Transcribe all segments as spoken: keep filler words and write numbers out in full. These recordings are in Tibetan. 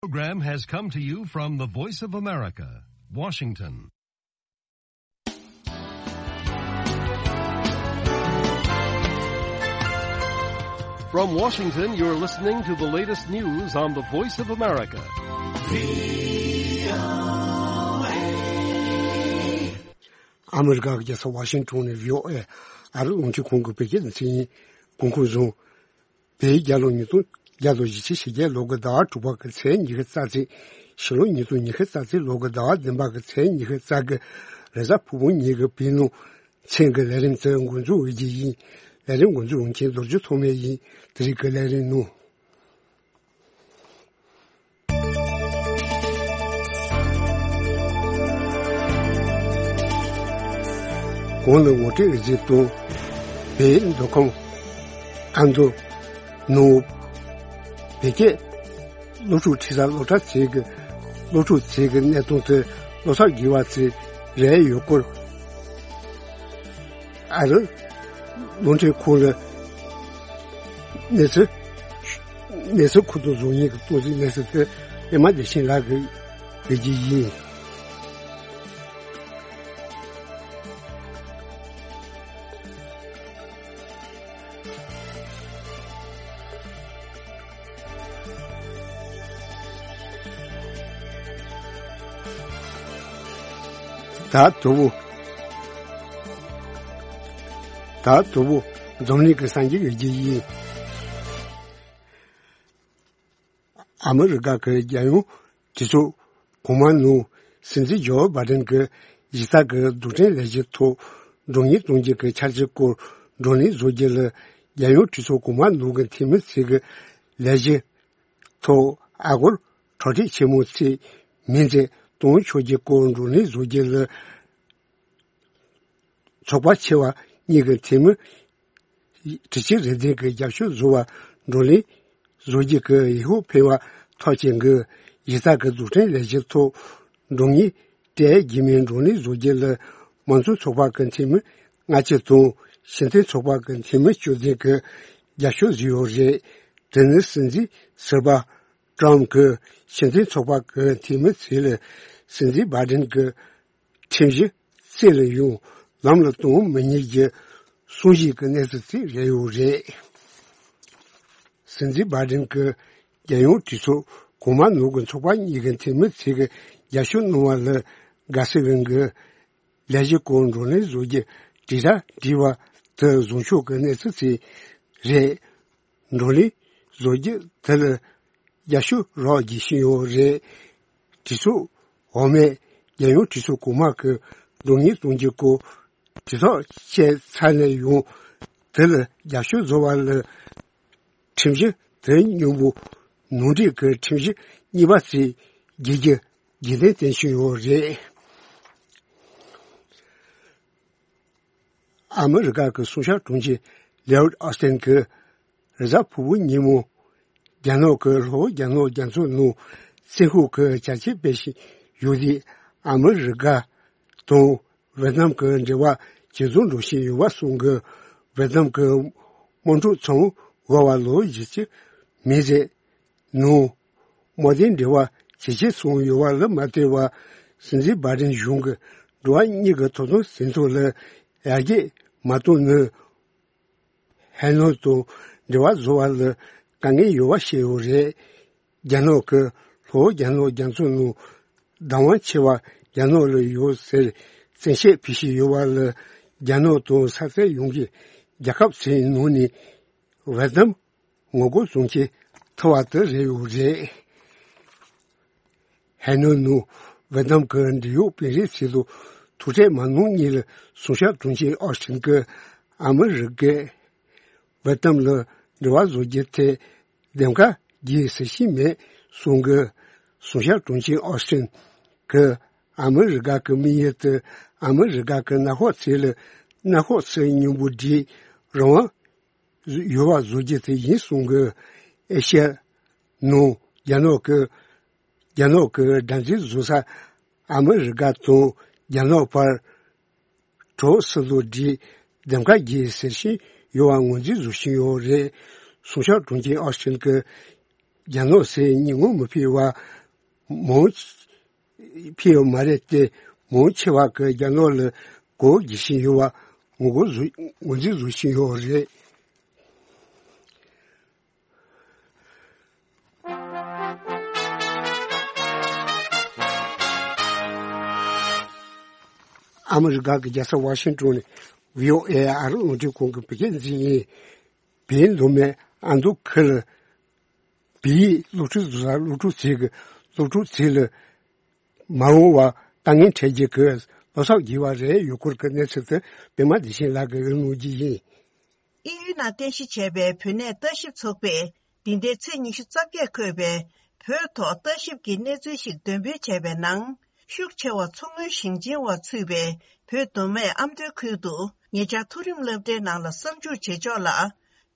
Program has come to you from the Voice of America, Washington. From Washington, you're listening to the latest news on the Voice of America. ཨ་མི་རི་ཀ་གི་རྒྱལ་ས་ཝ་ཤིང་ཊོན་ནས་བྷི་ཨོ་ཨེ་ཨ་རི་རླུང་འཕྲིན་ཁང་གི་བོད་སྐད་སྡེ་ཚན་ཡིན། གོང་འཁོད་བཟུང་། བོད་རྒྱལ་ལོ་ཉིས་སྟོང་བརྒྱ་དང་ཞེ་བརྒྱད་ལོ་གི་ཟླ་བ་དྲུག་པ་གི་ཚེས་ཉི་ཤུ་རྩ་ཚེས། ཕྱི་ལོ་ཉིས་སྟོང་ཉི་ཤུ་རྩ་ཚེས་ལོ་གི་ཟླ་བ་བདུན་པ་གི་ཚེས་ཉི་ཤུ་རྩ་གི་རེས་གཟའ་ཕུར་བུ་ཉིན་གྱི་བོད་ནང་ཚན་གྱི་ལས་རིམ་དེ་འགོ་འཛུགས་འོས་ཀྱི་ཡིན། ལས་རིམ་འགོ་འཛུགས་འོས་མཁན་རྡོ་རྗེ་ཐོགས་མེད་ཡིན། དེ་རིང་གི་ལས་རིམ་ནང་། གོང་ལ་ངོ་སྤྲོད་རེ་ཞིག་དང་། བོད་མདོ་ཁམས་ཨ་མདོ་ནང་བོད་སྐད་སློབ་ཕྲུག་ཁྲིད་ས་སློབ་གྲྭ་ཚིག་གི་སློབ་ཕྲུག་ཚིག་གི་གནས་སྟངས་དེ་བློ་འཚབ་དགོས་པ་ཚིག་རེད་ཡོད་སྐོར། ཨ་རི་རླུང་འཕྲིན་ཁང་ལ་གནས་ཚུལ་གནས་ཚུལ་ཁུ་ཐུག་བཟོ་མཁན་གྱི་གཏོང་ཟིན་གནས་ཚུལ་དེ་ཨེ་མ་བདེ་ཆེན་ལགས་ཀྱིས་ལས་ཀྱི་ཡིན། ད་དུ་བུ། ད་དུ་བུ་འཛམ་གླིང་གི་སངས་རྒྱས་ཀྱི་རྒྱུ་ཡིན། ཨ་མི་རི་ཀ་གི་རྒྱལ་ཡོངས་གྲོས་ཚོགས་གོང་མ་ནང་སྲིད་འཛིན་ཇོ་བྷ་དན་གྱི་གཞི་རྩ་གི་རྡུལ་ཕྲན་ལས་གཞི་ཐོག་བགྲོ་གླེང་གཏོང་རྒྱུ་གི་འཆར་གཞི་སྐོར་བགྲོ་གླེང་བཟོ་རྒྱུ་ལ་རྒྱལ་ཡོངས་གྲོས་ཚོགས་གོང་མ་ནང་གི་འཐུས་མི་ཚོས་ཀྱི་ལས་གཞི་ཐོག་ཨ་སྒོར་གྲ་སྒྲིག་ཆེན་མོ་ཚད་མིང་ཚད་གཏོང་ཆོག་རྒྱུ་སྐོར་བགྲོ་གླེང་བཟོ་རྒྱུ་ལ། ཚོགས་པ་ཆེ་བ་གཉིས་ཀྱི་འཐུས་མི་དྲུག་ཅུ་རེ་བདུན་གྱི་རྒྱབ་སྐྱོར་བཟོ་བར་བགྲོ་གླེང་བཟོ་རྒྱུ་གི་ཡིག་ཧོབ་ཕུལ་བ་ཐོག་ཅན་གྱི་གཞི་རྩ་གི་རྡུལ་ཕྲན་ལས་གཞི་ཐོག་འགྲོ་ངེས་སྤྲད་རྒྱུ་མིན་བགྲོ་གླེང་བཟོ་རྒྱུ་ལ་མང་གཙོ་ཚོགས་པ་གི་འཐུས་མི་ལྔ་བཅུ་དང་སྤྱི་མཐུན་ཚོགས་པ་གི་འཐུས་མི་བཅུ་བདུན་གྱི་རྒྱབ་སྐྱོར་བཟོས་ཡོད་རེད། དེ་ནི་སྲིད་འཛིན་ཟུར་པ་ཀྲམ་གྱིས་སྤྱི་མཐུན་ཚོགས་པ་གི་འཐུས་མི་ཚོས་ལ་སྲིད་འཛིན་བྷ་དན་གྱི་ཁྲིམས་གཞི་རྩིས་ལ་ཡོང་ལམ་ལ་གཏོང་མི་ཉན་གྱི་གསུང་བཤད་ཀྱི་གནས་ཚུལ་ཅིག་རེད་ཡོད་རེད། སྲིད་འཛིན་བྷ་དན་གྱི་རྒྱལ་ཡོངས་གྲོས་ཚོགས་གོང་མ་ནང་གི་ཚོགས་པ་གཉིས་ཀྱི་འཐུས་མི་ཚོས་ཀྱི་རྒྱབ་སྐྱོར་གནང་བ་ལ་དགའ་བསུ་ཡོང་གི་ལས་གཞི་སྐོར་བགྲོ་གླེང་བཟོ་རྒྱུ་དྲིལ་བསྒྲགས་བྲིས་པ་དེ་བཟོ་ཕྱོགས་ཀྱི་གནས་ཚུལ་ཅིག་རེད། བགྲོ་གླེང་བཟོ་རྒྱུ་དེ་ལ་རྒྱབ་སྐྱོར་རོགས་བྱེད་བཞིན་ཡོད་རེད། གྲོས་ཚོགས་འོག་མས་རྒྱལ་ཡོངས་གྲོས་ཚོགས་གོང་མ་གི་རྡུང་རྙེད་གཏོང་རྒྱུ་སྐོར་དྲིལ་བསྒྲགས་བྱས་ཚར་ནས་ཡང་དེ་ལ་རྒྱབ་སྐྱོར་བཟོ་བ་ལ་ཁྲིམས་གཞི་དེ་སྙོམས་པོ་ནང་འདྲེན་གྱི་ཁྲིམས་གཞི་གཉིས་པ་ཞིག་བརྒྱུད་རྒྱུ་རྒྱུན་ལྡན་བསྟན་བཞིན་ཡོད་རེད། ཨ་མི་རི་ཀ་གི་གསུང་བཤད་དྲུང་ཆེ་ལེའོ་ཨོ་སི་ཏན་གྱིས་རེས་གཟའ་ཕུར་བུ་ཉིན་མོ་རྒྱ་ནག་གི་ལྷོ་རྒྱ་ནག་རྒྱ་མཚོ་ནང་བཙན་ཤུགས་ཀྱི་བྱ་བྱེད་སྤེལ་བཞིན་ཡོད་དུས་ཨ་མི་རི་ཀ་དང་ཝེ་ཏི་ནམ་གྱི་འབྲེལ་བ་ཇེ་བཟང་འགྲོ་བཞིན་ཡོད་པ་གསུང་གི། ཝེ་ཏི་ནམ་གྱི་དམག་འཁྲུག་མཚམས་འཇོག་པར་ལོ་བཞི་བཅུ་མིན་ཟེར། ནང་དམག་དོན་འབྲེལ་བ་ཇེ་ཆེར་སོང་ཡོད་པ་ལ་མ་ལྟོས་པར་སྲིད་འཛིན་བྷ་དན་གཞུང་གིས་འགྲོ་བ་མིའི་ཐོབ་ཐང་ཟིན་ཐོ་ལ་ཡར་རྒྱས་མ་གཏོང་ནི་ཧའེ་ནན་དང་འབྲེལ་བ་བཟོ་བ་ལ་དཀའ་ངལ་ཡོད་པ་བཤད་ཡོད་རེད། རྒྱ་ནག་གིས་ལྷོ་རྒྱ་ནག་རྒྱ་མཚོ་ནང་བདག་དབང་ཆེ་བ་རྒྱ་ནག་ལ་ཡོད་ཟེར་བཙན་ཤེད་ཕུལ་བཞིན་ཡོད་པ་ལ་རྒྱ་ནག་དང་ས་མཚམས་ཡོངས་ཀྱི་རྒྱལ་ཁབ་ཚོའི་ནང་ནས་ཝེ་ཏི་ནམ་ངོ་རྒོལ་བྱུང་རྐྱེན་ཐུབ་པ་དེ་རེད་ཡོད་རེད། ཧའེ་ནན་ནང་ཝེ་ཏི་ནམ་གྱི་འབྲེལ་ཡོད་དཔོན་རིགས་ཚོ་དང་ཐུག་འཕྲད་མ་གནང་སྔོན་ལ་གསུང་བཤད་དྲུང་ཆེ་ཨོ་སི་ཏིན་གྱིས་ཨ་མི་རི་ཀས་ཝེ་ཏི་ནམ་ལ་འབྲེལ་བ་བཟོ་རྒྱུའི་ཐད་འདེམས་ཀ་རྒྱག་ཟེར་བཞིན་མེད་གསུང་གི། གསུང་བཤད་དྲུང་ཆེ་ཨོ་སི་ཏིན་གྱིས་ཨ་མི་རི་ཀ་གི་དམིགས་ཡུལ་དེ་ཨ་མི་རི་ཀ་གི་མནའ་ཤོག་ཚོ་ལ་མནའ་ཤོག་ཚོ་མཉམ་པོ་སྒྲིག་རང་དབང་ཡོད་པ་བཟོ་རྒྱུ་དེ་ཡིན་གསུང་གི། ཨེ་ཤ་ཡ་ནང་རྒྱ་ནག་གི་རྒྱ་ནག་གི་དགྲར་འཛིན་བཟོ་ས་ཨ་མི་རི་ཀ་དང་རྒྱ་ནག་བར་གྲོགས་སུ་ལོ་བསྒྲིགས་འདེམས་ཀ་རྒྱག་ཟེར་བཞིན་ཡོད་པ་ངོས་འཛིན་བཟོ་བཞིན་ཡོད་རེད། གསུང་བཤད་དྲུང་ཆེ་ཨོ་སི་ཏིན་གྱིས། རྒྱ་ནག་སྲིད་ཉིན་མོ་མི་ཕེབས་པ་མང་ཕེབས་ཡོད་མ་རེད་དེ། མང་ཆེ་བ་གི་རྒྱ་ནག་ལ་སྒོ་རྒྱག་བཞིན་ཡོད་པ་ངོ་རྒོལ་བཟོ་ངོས་འཛིན་བཟོ་བཞིན་ཡོད་རེད། ཨ་མི་རི་ཀ་གི་རྒྱལ་ས་ཝ་ཤིང་ཏོན་ནས་བྷི་ཨོ་ཨེ་ཨ་རི་རླུང་འཕྲིན་ཁང་གི་བོད་སྐད་སྡེ་ཚན་ཡིན། བོད་མདོ་སྨད་ཨ་མདོ་ཁུལ་ལ་བོད་ཡིག་སློབ་ཁྲིད་བཟོ་ས་སློབ་ཕྲུག་ཚོས་ཀྱི་སློབ་ཕྲུག་ཚོ་ལ་མ་འོངས་པར་དཀའ་ངལ་འཕྲད་རྒྱུ་གི་བློ་འཚབ་བགྱིས་པ་རེད། ཡུལ་སྐོར་གྱི་གནས་ཚུལ་དེ་པད་མ་བདེ་ཆེན་ལགས་ཀྱིས་གནང་རྒྱུ་ཡིན། དབྱིན་ཡུལ་ནང་རྟེན་གཞི་བྱས་པའི་བོད་གནས་ལྟ་ཞིབ་ཚོགས་པས་འདི་ཟླའི་ཚེས་ཉི་ཤུ་རྩ་བརྒྱད་འཁོད་པའི་བོད་ཐོག་ལྟ་ཞིབ་ཀྱི་གནས་ཚུལ་ཞིག་འདོན་སྤེལ་བྱས་པའི་ནང་། ཤུགས་ཆེ་བ་མཚོ་སྔོན་ཞིང་ཆེན་བ་ཚུད་པའི་བོད་མདོ་སྨད་ཨ་མདོའི་ཁུལ་དུ་ཉེ་ཆར་མཐོ་རིམ་སློབ་གྲྭའི་ནང་ལ་གསར་འཇུག་བྱེད་ཕྱོགས་ལ་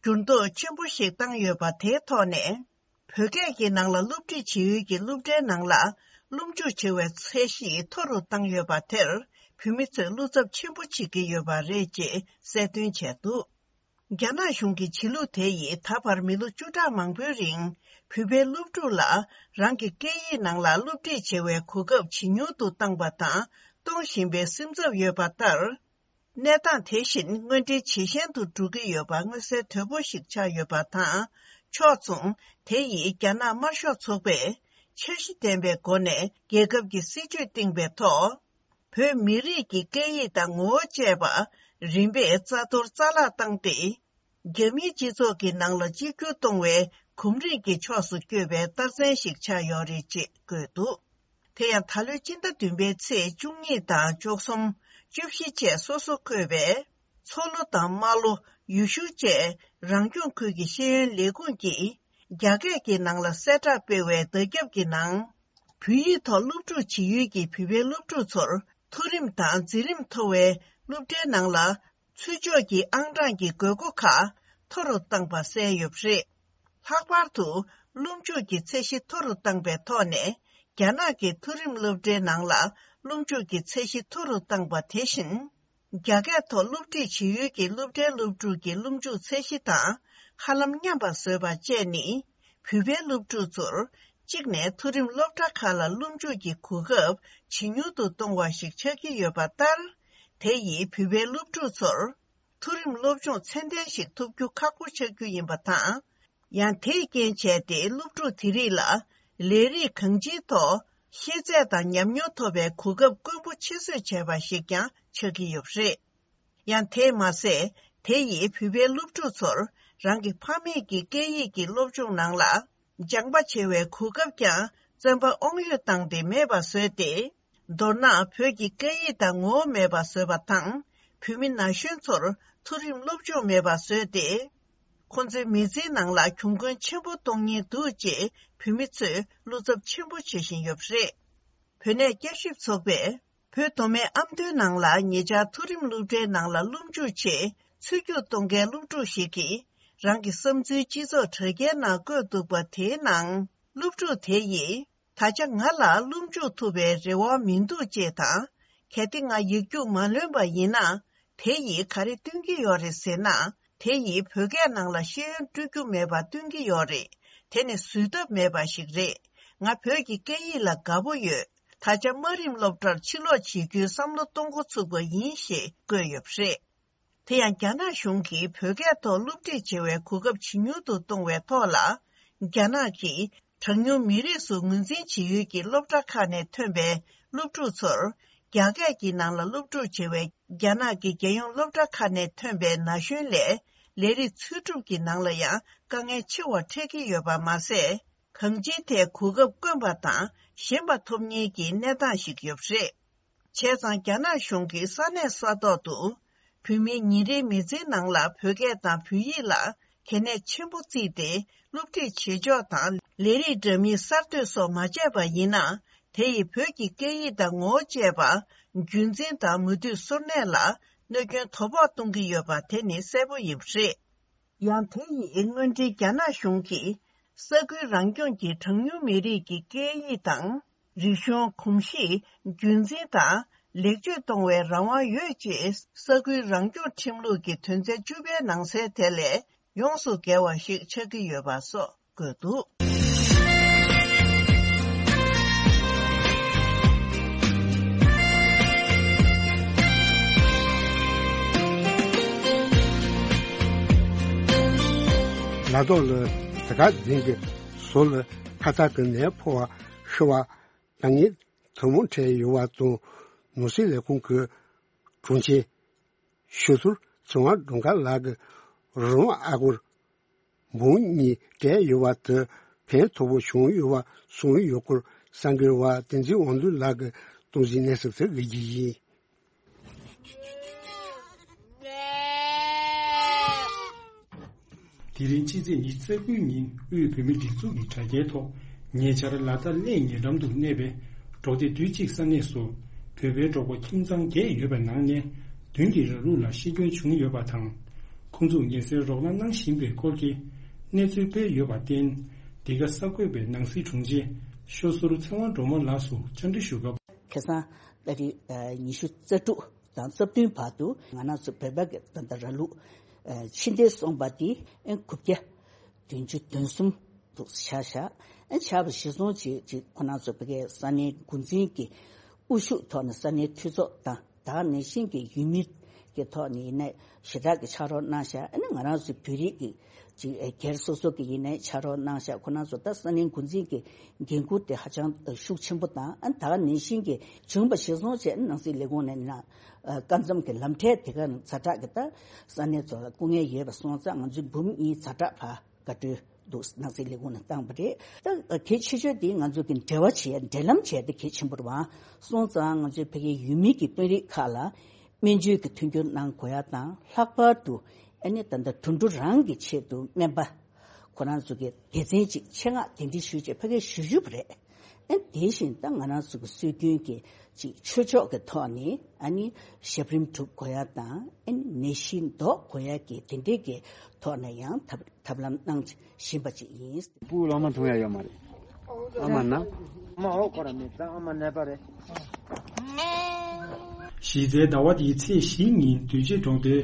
འགྱུར་ལྡོག་ཆེན་པོ་ཞིག་བཏང་ཡོད་པ་དེའི་ཐོག་ནས། བོད་སྐད་ཀྱི་ནང་ལ་སློབ་ཁྲིད་བྱེད་ཡུལ་གྱི་སློབ་གྲྭའི་ནང་ལ་སློབ་འཇུག་བྱེད་པའི་ཚད་གཞི་མཐོ་རུ་བཏང་ཡོད་པ་དེར་བོད་མི་ཚོས་བློ་འཚབ་ཆེན་པོ་བྱེད་ཀྱི་ཡོད་པ་རེད་ཅེས་གསལ་སྟོན་བྱས་འདུག་རྒྱ་ནག་གཞུང་གི་བྱེད་ལུགས་དེ་ཡིས་ད་བར་མི་ལོ་བཅུ་ཕྲག་མང་པོའི་རིང་བོད་པའི་སློབ་ཕྲུག་ལ་རང་གི་སྐད་ཡིག་ནང་ལ་སློབ་ཁྲིད་བྱེད་པའི་གོ་སྐབས་ཇེ་ཉུང་དུ་བཏང་པ་དང་གཏོང་བཞིན་པའི་སེམས་འཚབ་ཡོད་པ་ལྟར། གནས་སྟངས་དེ་བཞིན་དངོས་འབྲེལ་ཇེ་ཞན་དུ་འགྲོ་གི་ཡོད་པ་མངོན་གསལ་དོད་པོ་ཞིག་ཆགས་ཡོད་པ་དང་། ཕྱོགས་མཚུངས་དེ་ཡིས་རྒྱ་ནག་དམར་ཤོག་ཚོགས་པས་འཆར་གཞི་ལྡན་པའི་སྒོ་ནས་རྒྱལ་ཁབ་ཀྱི་སྲིད་ཇུས་བཏིང་པའི་ཐོག་བོད་མི་རིགས་ཀྱི་སྐད་ཡིག་དང་ངོ་བོ་བཅས་པ་རིམ་པས་རྩ་གཏོར་རྩ་བརླག་བཏང་སྟེ། རྒྱ་མིའི་སྤྱི་ཚོགས་ཀྱི་ནང་ལ་གཅིག་གྱུར་གཏོང་བའི་གོམས་རིམ་གྱི་ཕྱོགས་སུ་བསྐྱོད་པའི་རྟགས་མཚན་ཞིག་ཆགས་ཡོད་རེད་ཅེས་བཀོད་འདུག་དེ་ཡང་ད་ལོའི་སྤྱི་ཟླ་བདུན་པའི་ཚེས་བཅུ་གཉིས་དང་བཅུ་གསུམ། བཅུ་བཞི་བཅས་སོ་སོ་བཀོད་པའི་མཚོ་ལྷོ་དང་རྨ་ལྷོ། ཡུལ་ཤུལ་བཅས་རང་སྐྱོང་ཁུལ་གྱི་ཤེས་ཡོན་ལས་ཁུངས་ཀྱིས་རྒྱ་སྐད་ཀྱི་ནང་ལ་གསལ་བསྒྲགས་སྤེལ་བའི་བརྡ་ཁྱབ་ཀྱི་ནང་། བོད་ཡིག་ཐོག་སློབ་ཕྲུག་བྱེད་ཡུལ་གྱི་བོད་པའི་སློབ་ཕྲུག་ཚོར་མཐོ་རིམ་དང་འཛིན་རིམ་མཐོ་བའི་སློབ་གྲྭའི་ནང་ལ། ཚུར་ཕྱོགས་ཀྱི་ཨང་གྲངས་ཀྱི་དགོས་མཁོ་ཁག་མཐོ་རུ་བཏང་པ་གསལ་ཡོད་པ་རེད། ལྷག་པར་དུ་སློབ་འཇུག་གི་ཚད་གཞི་མཐོ་རུ་བཏང་པའི་ཐོག་ནས་རྒྱ་ནག་གི་མཐོ་རིམ་སློབ་གྲྭའི་ནང་ལ་སློབ་འཇུག་གི་ཚད་གཞི་མཐོ་རུ་བཏང་པ་དེ་བཞིན། རྒྱ་སྐད་ཐོག་སློབ་ཁྲིད་བྱེད་ཡུལ་གྱི་སློབ་གྲྭའི་སློབ་ཕྲུག་གི་སློབ་འཇུག་ཚད་གཞི་དང་ཧ་ལམ་མཉམ་པ་བཟོས་པ་བཅས་ནི། བོད་པའི་སློབ་ཕྲུག་ཚོར་གཅིག་ནས་མཐོ་རིམ་སློབ་གྲྭ་ཁག་ལ་སློབ་འཇུག་གི་གོ་སྐབས་ཇེ་ཉུང་དུ་གཏོང་བ་ཞིག་ཆགས་ཀྱི་ཡོད་པ་ལྟར། དེ་ཡིས་བོད་པའི་སློབ་ཕྲུག་ཚོར་མཐོ་རིམ་སློབ་སྦྱོང་ཚད་ལྡན་ཞིག་ཐོབ་རྒྱུ་ཁག་པོ་ཆགས་རྒྱུ་ཡིན་པ་དང་། ཡང་དེས་རྐྱེན་བྱས་ཏེ་སློབ་ཕྲུག་དེ་རིགས་ལ་ལས་རིགས་གང་ཅིའི་ཐོག་ཤེས་ཚད་དང་ཉམས་མྱོང་ཐོབ་པའི་གོ་སྐབས་དཀོན་པོ་ཆེ་བཟོས་བྱས་པ་ཞིག་ཀྱང་ཆགས་ཀྱི་ཡོད་པ་རེད། ཡང་དེས་མ་ཟད། དེ་ཡིས་བོད་པའི་སློབ་ཕྲུག་ཚོར་རང་གི་ཕ་མེས་ཀྱི་སྐད་ཡིག་གི་སློབ་སྦྱོང་ནང་ལ་སྦྱངས་པ་བྱེད་པའི་གོ་སྐབས་ཀྱང་བཙན་པ་དབང་ཡོད་བཏང་སྟེ་མེད་པ་བཟོས་ཏེ། མདོར་ན་བོད་ཀྱི་སྐད་ཡིག་དང་ངོ་བོ་མེད་པ་བཟོས་པ་དང་། བོད་མི་ན་གཞོན་ཚོར་མཐོ་རིམ་སློབ་སྦྱོང་མེད་པ་བཟོས་ཏེ། ཁོང་ཚོའི་མི་ཚེའི་ནང་ལ་གྱོང་གུན་ཆེན་པོ་གཏོང་ཉེན་འདུག་ཅེས་བོད་མི་ཚོས་བློ་འཚབ་ཆེན་པོ་བྱེད་བཞིན་ཡོད་པ་རེད། བོད་གནས་བསྐྱར་ཞིབ་ཚོགས་པས་བོད་མདོ་སྨད་ཨ་མདོའི་ནང་ལ་ཉེ་ཆར་མཐོ་རིམ་སློབ་གྲྭའི་ནང་ལ་སློབ་འཇུག་ཆེད་ཚུད་རྒྱུགས་གཏོང་མཁན་སློབ་ཕྲུག་ཞིག་གིས་རང་གི་བསམ་ཚུལ་སྤྱི་ཚོགས་དྲ་རྒྱའི་ནང་བཀོད་འདུག་པ་དེའི་ནང་། སློབ་ཕྲུག་དེ་ཡིས་ད་ཆ་ང་ལ་སློབ་འཇུག་ཐུབ་པའི་རེ་བ་མི་འདུག་ཅེས་དང་། གལ་ཏེ་ང་ཡིག་རྒྱུགས་མ་ལོན་པ་ཡིན་ན། དེ་ཡིས་ག་རེ་སྟོན་གྱི་ཡོད་རེད་ཟེར་ན། དེ་ཡིས་བོད་སྐད་ནང་ལ་ཤེས་ཡོན་སྤྲོད་རྒྱུ་མེད་པ་སྟོན་གྱི་ཡོད་རེད། དེ་ནི་བཟོད་ཐབས་མེད་པ་ཞིག་རེད། ང་བོད་ཀྱི་སྐད་ཡིག་ལ་དགའ་པོ་ཡོད། ད་ཆ་དམའ་རིམ་སློབ་གྲྭར་ཕྱིར་ལོག་བྱེད་རྒྱུའི་བསམ་བློ་གཏོང་འགོ་ཚུགས་པ་ཡིན་ཞེས་བཀོད་ཡོད་པ་རེད། དེ་ཡང་རྒྱ་ནག་གཞུང་གིས་བོད་སྐད་ཐོག་སློབ་ཁྲིད་བྱེད་པའི་གོ་སྐབས་ཇེ་ཉུང་དུ་གཏོང་བའི་ཐོག་ལ། རྒྱ་ནག་གིས་གྲངས་ཉུང་མི་རིགས་སུ་ངོས་འཛིན་བྱེད་ཡུལ་གྱི་སློབ་གྲྭ་ཁག་ནས་ཐོན་པའི་སློབ་ཕྲུག་ཚོར། རྒྱ་སྐད་ཀྱི་ནང་ལ་སློབ་ཕྲུག་བྱེད་པའི་རྒྱ་ནག་གི་རྒྱལ་ཡོངས་སློབ་གྲྭ་ཁག་ནས་ཐོན་པའི་ན་གཞོན་ལས་ལས་རིགས་འཚོལ་སྒྲུབ་ཀྱི་ནང་ལ་ཡང་དཀའ་ངལ་ཆེ་བ་འཕྲད་ཀྱི་ཡོད་པ་མ་ཟད། གང་ཅིའི་ཐད་གོ་སྐབས་དཀོན་པ་དང་ཞན་པ་ཐོབ་ཉེན་གྱི་གནས་སྟངས་ཤིག་ཡོད་པ་རེད། བྱས་ཙང་རྒྱ་ནག་གཞུང་གིས་ས་གནས་ས་ཐོག་ཏུ་བོད་མིའི་ཉིན་རེའི་མི་ཚེའི་ནང་ལ་བོད་སྐད་དང་བོད་ཡིག་ལ་གལ་གནད་ཆེན་པོ་བརྩིས་ཏེ་སློབ་ཁྲིད་བྱེད་ཕྱོགས་དང་ལས་རིགས་འདྲ་མིན་གསར་གཏོད་སོགས་མ་བྱས་པ་ཡིན་ན། དེ་ཡིས་བོད་ཀྱི་སྐད་ཡིག་དང་ངོ་བོ་བཅས་པ་རྒྱུན་འཛིན་དང་མུ་མཐུད་གསོ་གནས་ལ་གནོད་སྐྱོན་དོ་ཕོག་གཏོང་གི་ཡོད་པ་དེ་ནི་གསལ་པོ་ཡིན་པ་རེད། ཡང་དེ་ཡིས་སྔོན་འགྲོའི་རྒྱ་ནག་གཞུང་གིས་ས་ཁུལ་རང་སྐྱོང་གི་གྲངས་ཉུང་མི་རིགས་ཀྱི་སྐད་ཡིག་དང་། རིག་གཞུང་གོམས་གཤིས་རྒྱུན་འཛིན་དང་ལེགས་བཅོས་གཏོང་བའི་རང་དབང་ཡོད་ཅེས་ས་ཁུལ་རང་སྐྱོང་ཁྲིམས་ལུགས་ཀྱི་དོན་ཚན་བཅུ་པའི་ནང་གསལ་དེ་ལས་ཡོངས་སུ་འགལ་བ་ཞིག་ཆགས་ཀྱི་ཡོད་པ་སོགས་བཀོད་འདུག། ལ་དྭགས་ལ་དེ་ག་འཛིན་གྱི་བཟོ་ལ་ཁ་ཚ་གི་ནད་ཕོག་པ་ཤི་བ་དང་ངེས་ཐུན་མོང་འཕྲད་ཡོད་པ་དང་། ནོར་སྲིད་ལས་ཁུངས་ཀྱི་དྲུང་ཆེ་ཤོད་ཟུར་ཚེ་དབང་སྒྲོལ་དཀར་ལགས་ཀྱིས་རི་བོང་ཨ་སྒོར་འབུམ་གཉིས་སྤྲད་ཡོད་པ་དེ་ཕན་ཐོགས་པོ་བྱུང་ཡོད་པ་གསུངས་ཡོད་སྐོར་གསར་འགོད་པ་བསྟན་འཛིན་དབང་འདུས་ལགས་ཀྱིས་གཏོང་ཟིན་གནས་ཚུལ་དེ་དབུས་རྒྱུ་ཡིན། དེ་རིང་ཕྱི་ཚེས་ཉི་ཤུ་རྩ་དགུའི་ཉིན་དབུས་བོད་མིའི་སྒྲིག་འཛུགས་ཀྱི་དྲ་རྒྱའི་ཐོག་ཉེ་ཆར་ལ་དྭགས་གླེ་ཉེ་འགྲམ་དུ་གནས་པའི་འབྲོག་སྡེ་བདུན་གཅིག་ས་གནས་སུ་བོད་པའི་འབྲོག་པ་ཁྱིམ་ཚང་བརྒྱད་ཡོད་པའི་ནང་ནས་བདུན་གྱིས་ར་ལུག་ལ་ཤི་སྐྱོན་བྱུང་ཡོད་པ་དང་། ཁོང་ཚོས་ངལ་གསོའི་རོགས་རམ་གནང་བཞིན་པའི་སྐོར་གྱི་གནས་ཚུལ་སྤེལ་ཡོད་པར་བརྟེན། འདི་ག་གསར་འགོད་པས་ནང་སྲིད་དྲུང་ཆེ་ཤོད་ཟུར་ཚེ་དབང་སྒྲོལ་མ་ལགས་སུ་བཅར་འདྲི་ཞུ་སྐབས། ཁ་སང་ཏ་རིག་ཉི་ཤུ་རྩ་དྲུག་དང་རྩ་བདུན་བར་དུ་ང་རང་ཚོ་བོད་པ་གི་ད་ལྟ་ར་ལུག་ཕྱི་འདེད་སོང་པ་དེ་དགུ་བརྒྱ་བདུན་ཅུ་དོན་གསུམ་དུ་ཆགས་ཤག་ཆགས་པ་གཞིར་བཟུང་བྱས་ཅིག་ཁོ་རང་ཚོ་བོད་པའི་ས་གནས་འགོ་འཛིན་གྱི་དབུ་བཞུགས་ཐོག་ནས་ས་གནས་འཐུས་ཚོགས་དང་། ད་ག་ནང་བཞིན་གྱི་ཡུལ་མི་གི་ཐོག་ནས་ཡིན་ནའི་ཞེ་དྲག་གི་ཕྱག་རོགས་གནང་ཤག་ཨ་ནི་ང་རང་ཚོའི་བོད་རིགས་ཀྱི་ཅིག་སྒེར་སོ་སོ་གི་ཡིན་ནའི་ཕྱག་རོགས་གནང་ཤག་ཁོ་རང་ཚོ་ད་ས་གནས་འགོ་འཛིན་གྱི་འགན་ཁུར་དེ་ཧ་ཅང་ཤུགས་ཆེན་པོ་དང་། ཨ་ནི་ད་ག་ནང་བཞིན་གྱི་བྱུང་བ་གཞིར་བཟུང་བྱས་ནང་སྲིད་ལས་ཁུངས་ནས་ན་སྐབས་མཚམས་ཀྱི་ལམ་ཁྲལ་དེ་ག་ཛ་དྲག་གི་ད་ས་གནས་ཚོ་ལ་སྐུ་ངལ་ཡོད་པ་སོང་ཙང་ང་ཚོའི་འབུམ་གཉིས་ཛ་དྲག་ཕར་བཀའ་འཁྲོལ་འདུག་ནང་སྲིད་ལས་ཁུངས་ནས་བཏང་བ་རེད། ད་གལ་ཆེ་ཤོས་དེ་ང་ཚོ་གི་འབྲེལ་བ་བྱེད་འབྲེལ་ལམ་བྱས་ཏེ་གལ་ཆེན་པོ་རེད་བ། སོང་ཙང་ང་ཚོའི་ཕ་གིའི་ཡུལ་མི་གི་དཔོན་རིགས་ཁག་ལ་སྨན་བཅོས་ཀྱི་མཐུན་འགྱུར་གནང་དགོས་ཡ་དང་། ལྷག་པར་དུ་ཨ་ནི་ད་ལྟ་དུད་འགྲོ་རང་གི་ཆེད་དུ་སྨན་པ་ཁོ་རང་ཚོ་གི་སྡེ་ཚན་གཅིག་ཆེད་མངགས་གདན་འདྲེན་ཞུས་བྱས་ཕ་གིར་ཞུ་རྒྱུ་རེད། ཨ་དེ་བཞིན་ད་ང་རང་ཚོ་གི་སྲོལ་རྒྱུན་གྱི་ཅིག་ཆོས་ཕྱོགས་ཀྱི་ཐོག་ནས་ཨ་ནི་ཞབས་རིམ་སྒྲུབ་དགོས་ཡ་དང་། ཨ་ནི་ནད་གཞི་ཟློག་དགོས་ཡ་གི་དེ་འདྲའི་གི་ཐོག་ནས་ཡང་ཐབས་ཐབས་ལམ་གནང་བཞིན་པ་ཅིག་ཡིན། སྤུ་གུ་ལོ་མ་འཐུང་ཡ་ཡོད་མ་རེད། ཨ་མ་ན། ཨ་མ་འོ་ཁོ་ར་མེད་ཙང་ཨ་མ་ནད་པ་རེད། གཞི་རྩའི་ཟླ་བ་འདིའི་ཚེས་བཞིའི་ཉིན་དུས་ཆེན་གྲོང་སྡེའི་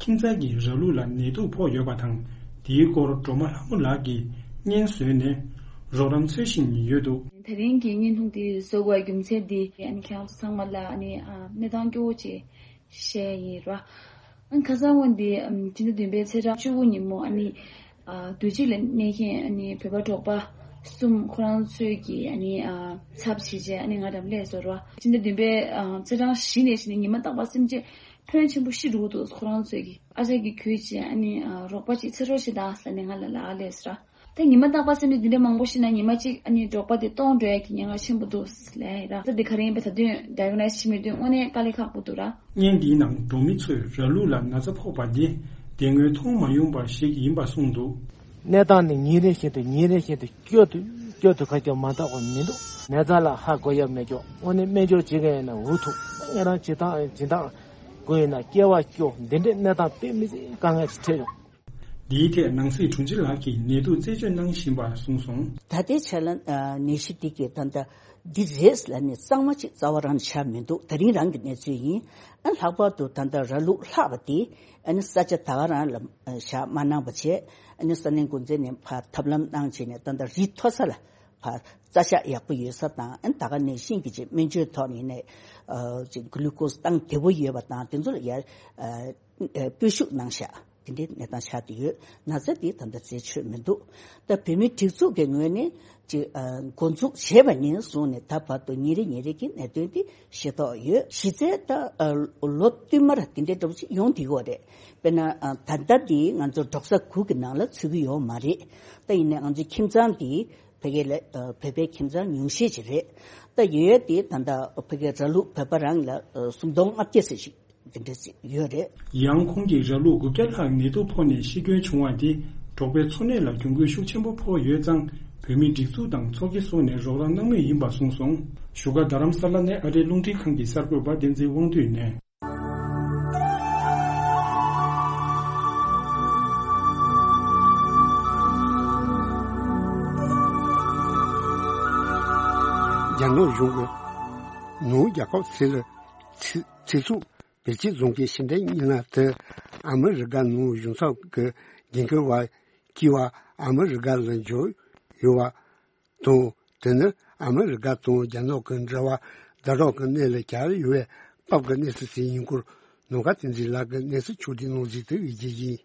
ཁྱིམ་ཚང་གི་ར་ལུག་ལ་ནད་དུག་ཕོག་ཡོད་པ་དང་། དེའི་སྐོར་སྒྲོལ་མ་ལྷ་མོ་ལགས་ཀྱིས་སྙན་བཟོས་ནས་རོགས་རམ་འཚོལ་བཞིན་ཡོད་འདུག་དེ་རིང་གི་བརྙན་ཐུང་འདི་བཟོ་དགོས་རྒྱུ་མཚན་འདི་ཨ་ནི་ཁྱེད་རང་ཚོ་ཚང་མ་ལ་ཨ་ནི་ཨ་གནས་སྟངས་སྐྱོ་བོ་ཅིག་བཤད་ཡིན་ར། ཨ་ནི་ཁ་སང་བ་འདི་ཨམ་སྤྱི་ཟླ་བདུན་པའི་ཚེས་གྲངས་བཅུ་དགུ་ཉིན་མོ་ཨ་ནི་ཨ་དུས་གཅིག་ལ་གནས་མཁན་ཨ་ནི་བོད་པ་འབྲོག་པ་གསུམ་ཁོ་རང་ཚོས་ཀྱི་ཨ་ནི་ཨ་ཚབ་བྱས་རྗེས་ཨ་ནི་ང་འགྲམ་སླེབས་སོང་ར། སྤྱི་ཟླ་བདུན་པའི་ཨ་ཚེས་གྲངས་བཞི་ནས་བཞི་ནས་ཉི་མ་རྟག་པར་སེམས་ཅན་ཕོན་ཆེན་པོ་ཤི་འགྲོ་གི་འདུག་ཁོ་རང་ཚོས་ཀྱི་ཨ་ཅག་གིས་གྱོད་བྱས་ཨ་ནི་ཨ་རོགས་པ་ཅིག་འཚོལ་རོགས་བྱེད་དང་ཟེར་ནས་ང་ལ་ལབ་སླེབས་སོང་ར། ད་ཉི་མ་རྟག་པར་སེམས་ཅན་འདི་འདྲ་མང་པོ་ཤི་ན་ཉི་མ་གཅིག་ཨ་ནི་འབྲོག་པ་དེ་སྟོངས་འགྲོ་ཡ་གི་ཉེན་ཁ་ཆེན་པོ་འདུག་ལབ་ཡ་ར། ད་འདི་ག་རེ་ཡིན་པ་ད་དུང་ཌའི་གོ་ནོ་སིས་བྱེད་མི་ཐུབ། དངོས་གནས་དཀའ་ལས་ཁག་པོ་འདུག་ར། བརྙན་འདིའི་ནང་འབྲོག་མི་ཚོས་ར་ལུག་ལ་ན་ཚ་ཕོག་པ་འདི་དེ་སྔོན་མཐོང་མ་མྱོང་པ་ཞིག་ཡིན་པ་གསུངས་འདུག་གནས་སྟངས་ནི་ཉིན་རེ་བཞིན་དུ་ཉིན་རེ་བཞིན་དུ་སྐྱོ་དུ་སྐྱོ་དུ་ཁ་སྐྱོ་མ་འདྲ་བ་མི་འདུག་ནད་རྩ་ལ་ཧ་གོ་ཡ་མེད་ཀྱོག་དངོས་གནས་སྨན་སྦྱོར་བྱེད་མཁན་ཡིན་ན་འུ་ཐུག་ངེད་རང་བྱེད་སྟངས་སྦྱིན་སྟངས་དགོས་ཡིན་ན་སྐྱེ་བ་སྐྱོ། འདི་འདྲའི་གནས་སྟངས་དཔེ་མི་སྲིད་དཀའ་ངལ་ཞིག་འཕྲད་ཡོང་། འདིའི་ཐད་ནང་སྲིད་དྲུང་ཆེ་ལགས་ཀྱིས་ནད་དུག་རྩད་གཅོད་གནང་བཞིན་པ་གསུངས་སོང་། ད་ལྟའི་ཆ་ལ་ཨ་ནད་གཞི་འདི་གི་ད་ལྟ་འདི་རེད་ལབ་ནས་གཙང་མ་གཅིག་རྩ་བ་རང་ནས་ཆགས་མི་འདུག་ད་རིང་རང་གི་གནས་ཚུལ་ཡིན། ཨ་ལྷག་པར་དུ་ད་ལྟ་ར་ལུག་ལྷག་པ་དེ་ཨ་ནི་ས་ཆ་ད་ག་རང་ལ་ཨ་བཞག་མ་གནང་བ་བྱས། ཨ་ནི་ས་གནས་འགོ་འཛིན་ནས་ཕར་ཐབས་ལམ་གནང་བྱས་ནས་ད་ལྟ་རི་མཐོ་ས་ལ་ཕར་རྩྭ་ཤག་ཡག་པོ་ཡོད་ས་དང་། ཨ་ནི་ད་ག་ནང་བཞིན་གྱི་ཅིག་སྨན་བཅོས་ཐོག་ནས་ནས་ཨ་ཅིག་གུ་ལུ་ཀོ་སི་བཏང་བདེ་པོ་ཡོད་པ་དང་། དེ་ཚོ་ལ་ཡར་ཨ་སྤོས་ཤུགས་གནང་ཤག་དེ་འདྲའི་གནས་སྟངས་ཆགས་བསྡད་ཡོད། ན་ཚ་དེ་ད་ལྟ་རྩད་ཆོད་མི་འདུག་ད་བོད་མིའི་སྒྲིག་འཛུགས་ཀྱི་ངོས་ནས་ཅིག་ཨ་འགོ་འཛུགས་བྱས་པ་ནས་བཟུང་ནས་ད་བར་དུ་ཉིན་རེ་ཉིན་རེ་གི་གནད་དོན་དེ་ཤེས་རྟོགས་ཡོད། གཞི་རྩའི་ད་ཨ་ལོ་བསྟུད་མར་དེ་འདྲའི་འདྲ་པོ་ཅིག་ཡོང་བསྡད་ཡོད་རེད། དཔེར་ན་ཨ་ད་ལྟ་འདི་ང་ཚོ་འབྲོག་ས་དགུ་གི་ནང་ལ་ཚུད་ཀྱི་ཡོད་མ་རེད། ད་ཡིན་ནའི་ང་ཚོའི་ཁྱིམ་ཚང་འདི་ཕ་གི་ལ་ཨ་བོད་པའི་ཁྱིམ་ཚང་ཉུང་ཤས་ཅིག་རེད། ད་ཡོད་དེ་ད་ལྟ་ཕ་གི་ར་ལུག་བོད་པ་རང་ལ་ཨ་སུམ་སྟོང་ལྔ་བརྒྱ་ཙམ་ཞིག་དེ་འདྲ་ཞིག་ཡོད་རེད། ཡང་ཁོང་གིས་ར་ལུག་དགུ་བརྒྱ་ལྷག་ནད་དུག་ཕོག་ནས་ཤི་སྐྱོན་བྱུང་བ་དེ་འབྲོག་པའི་འཚོ་གནས་ལ་གྱོང་གུན་ཤུགས་ཆེན་པོ་ཕོག་ཡོད་ཙང་། བོད་མིའི་སྒྲིག་འཛུགས་དང་ཚོགས་སྐྱིད་སོགས་ནས་རོགས་རམ་གནང་མུས་ཡིན་པ་གསུངས་སོང་། བཞུགས་སྒར་རྡ་རམ་ས་ལ་ནས་ཨ་རིའི་རླུང་འཕྲིན་ཁང་གི་གསར་འགོད་པ་བསྟན་འཛིན་དབང་འདུས་ནས། རྒྱ་ནག་གཞུང་གིས་ནུབ་རྒྱལ་ཁབ་སི་རི་ཚེ་ཚེ་སྲོག་བེད་སྤྱོད་བཟུང་མཁན་ཕྱི་འབྲེལ་མི་སྣ་དེ་ཨ་མི་རི་ཀ་ནང་གཞུང་ཚབ་ཀྱི་འགན་འཁུར་བ་སྐྱེས་པ་ཨ་མི་རི་ཀ་ལ་འབྱོར་ཡོད་པ་དང་། དེ་ནི་ཨ་མི་རི་ཀ་དང་རྒྱ་ནག་གི་འབྲེལ་བ་ཛ་དྲག་གི་གནས་ལ་གྱར་ཡོད་པའི་སྐབས་ཀྱི་གནས་ཚུལ་ཞིག་ཡིན་སྐོར་ནམ་མཁའ་བསྟན་འཛིན་ལགས་ཀྱིས་གནས་ཚུལ་ཕྱོགས་བསྒྲིགས་གནང་ཟིན་དེ་དབུས་རྒྱུ་ཡིན།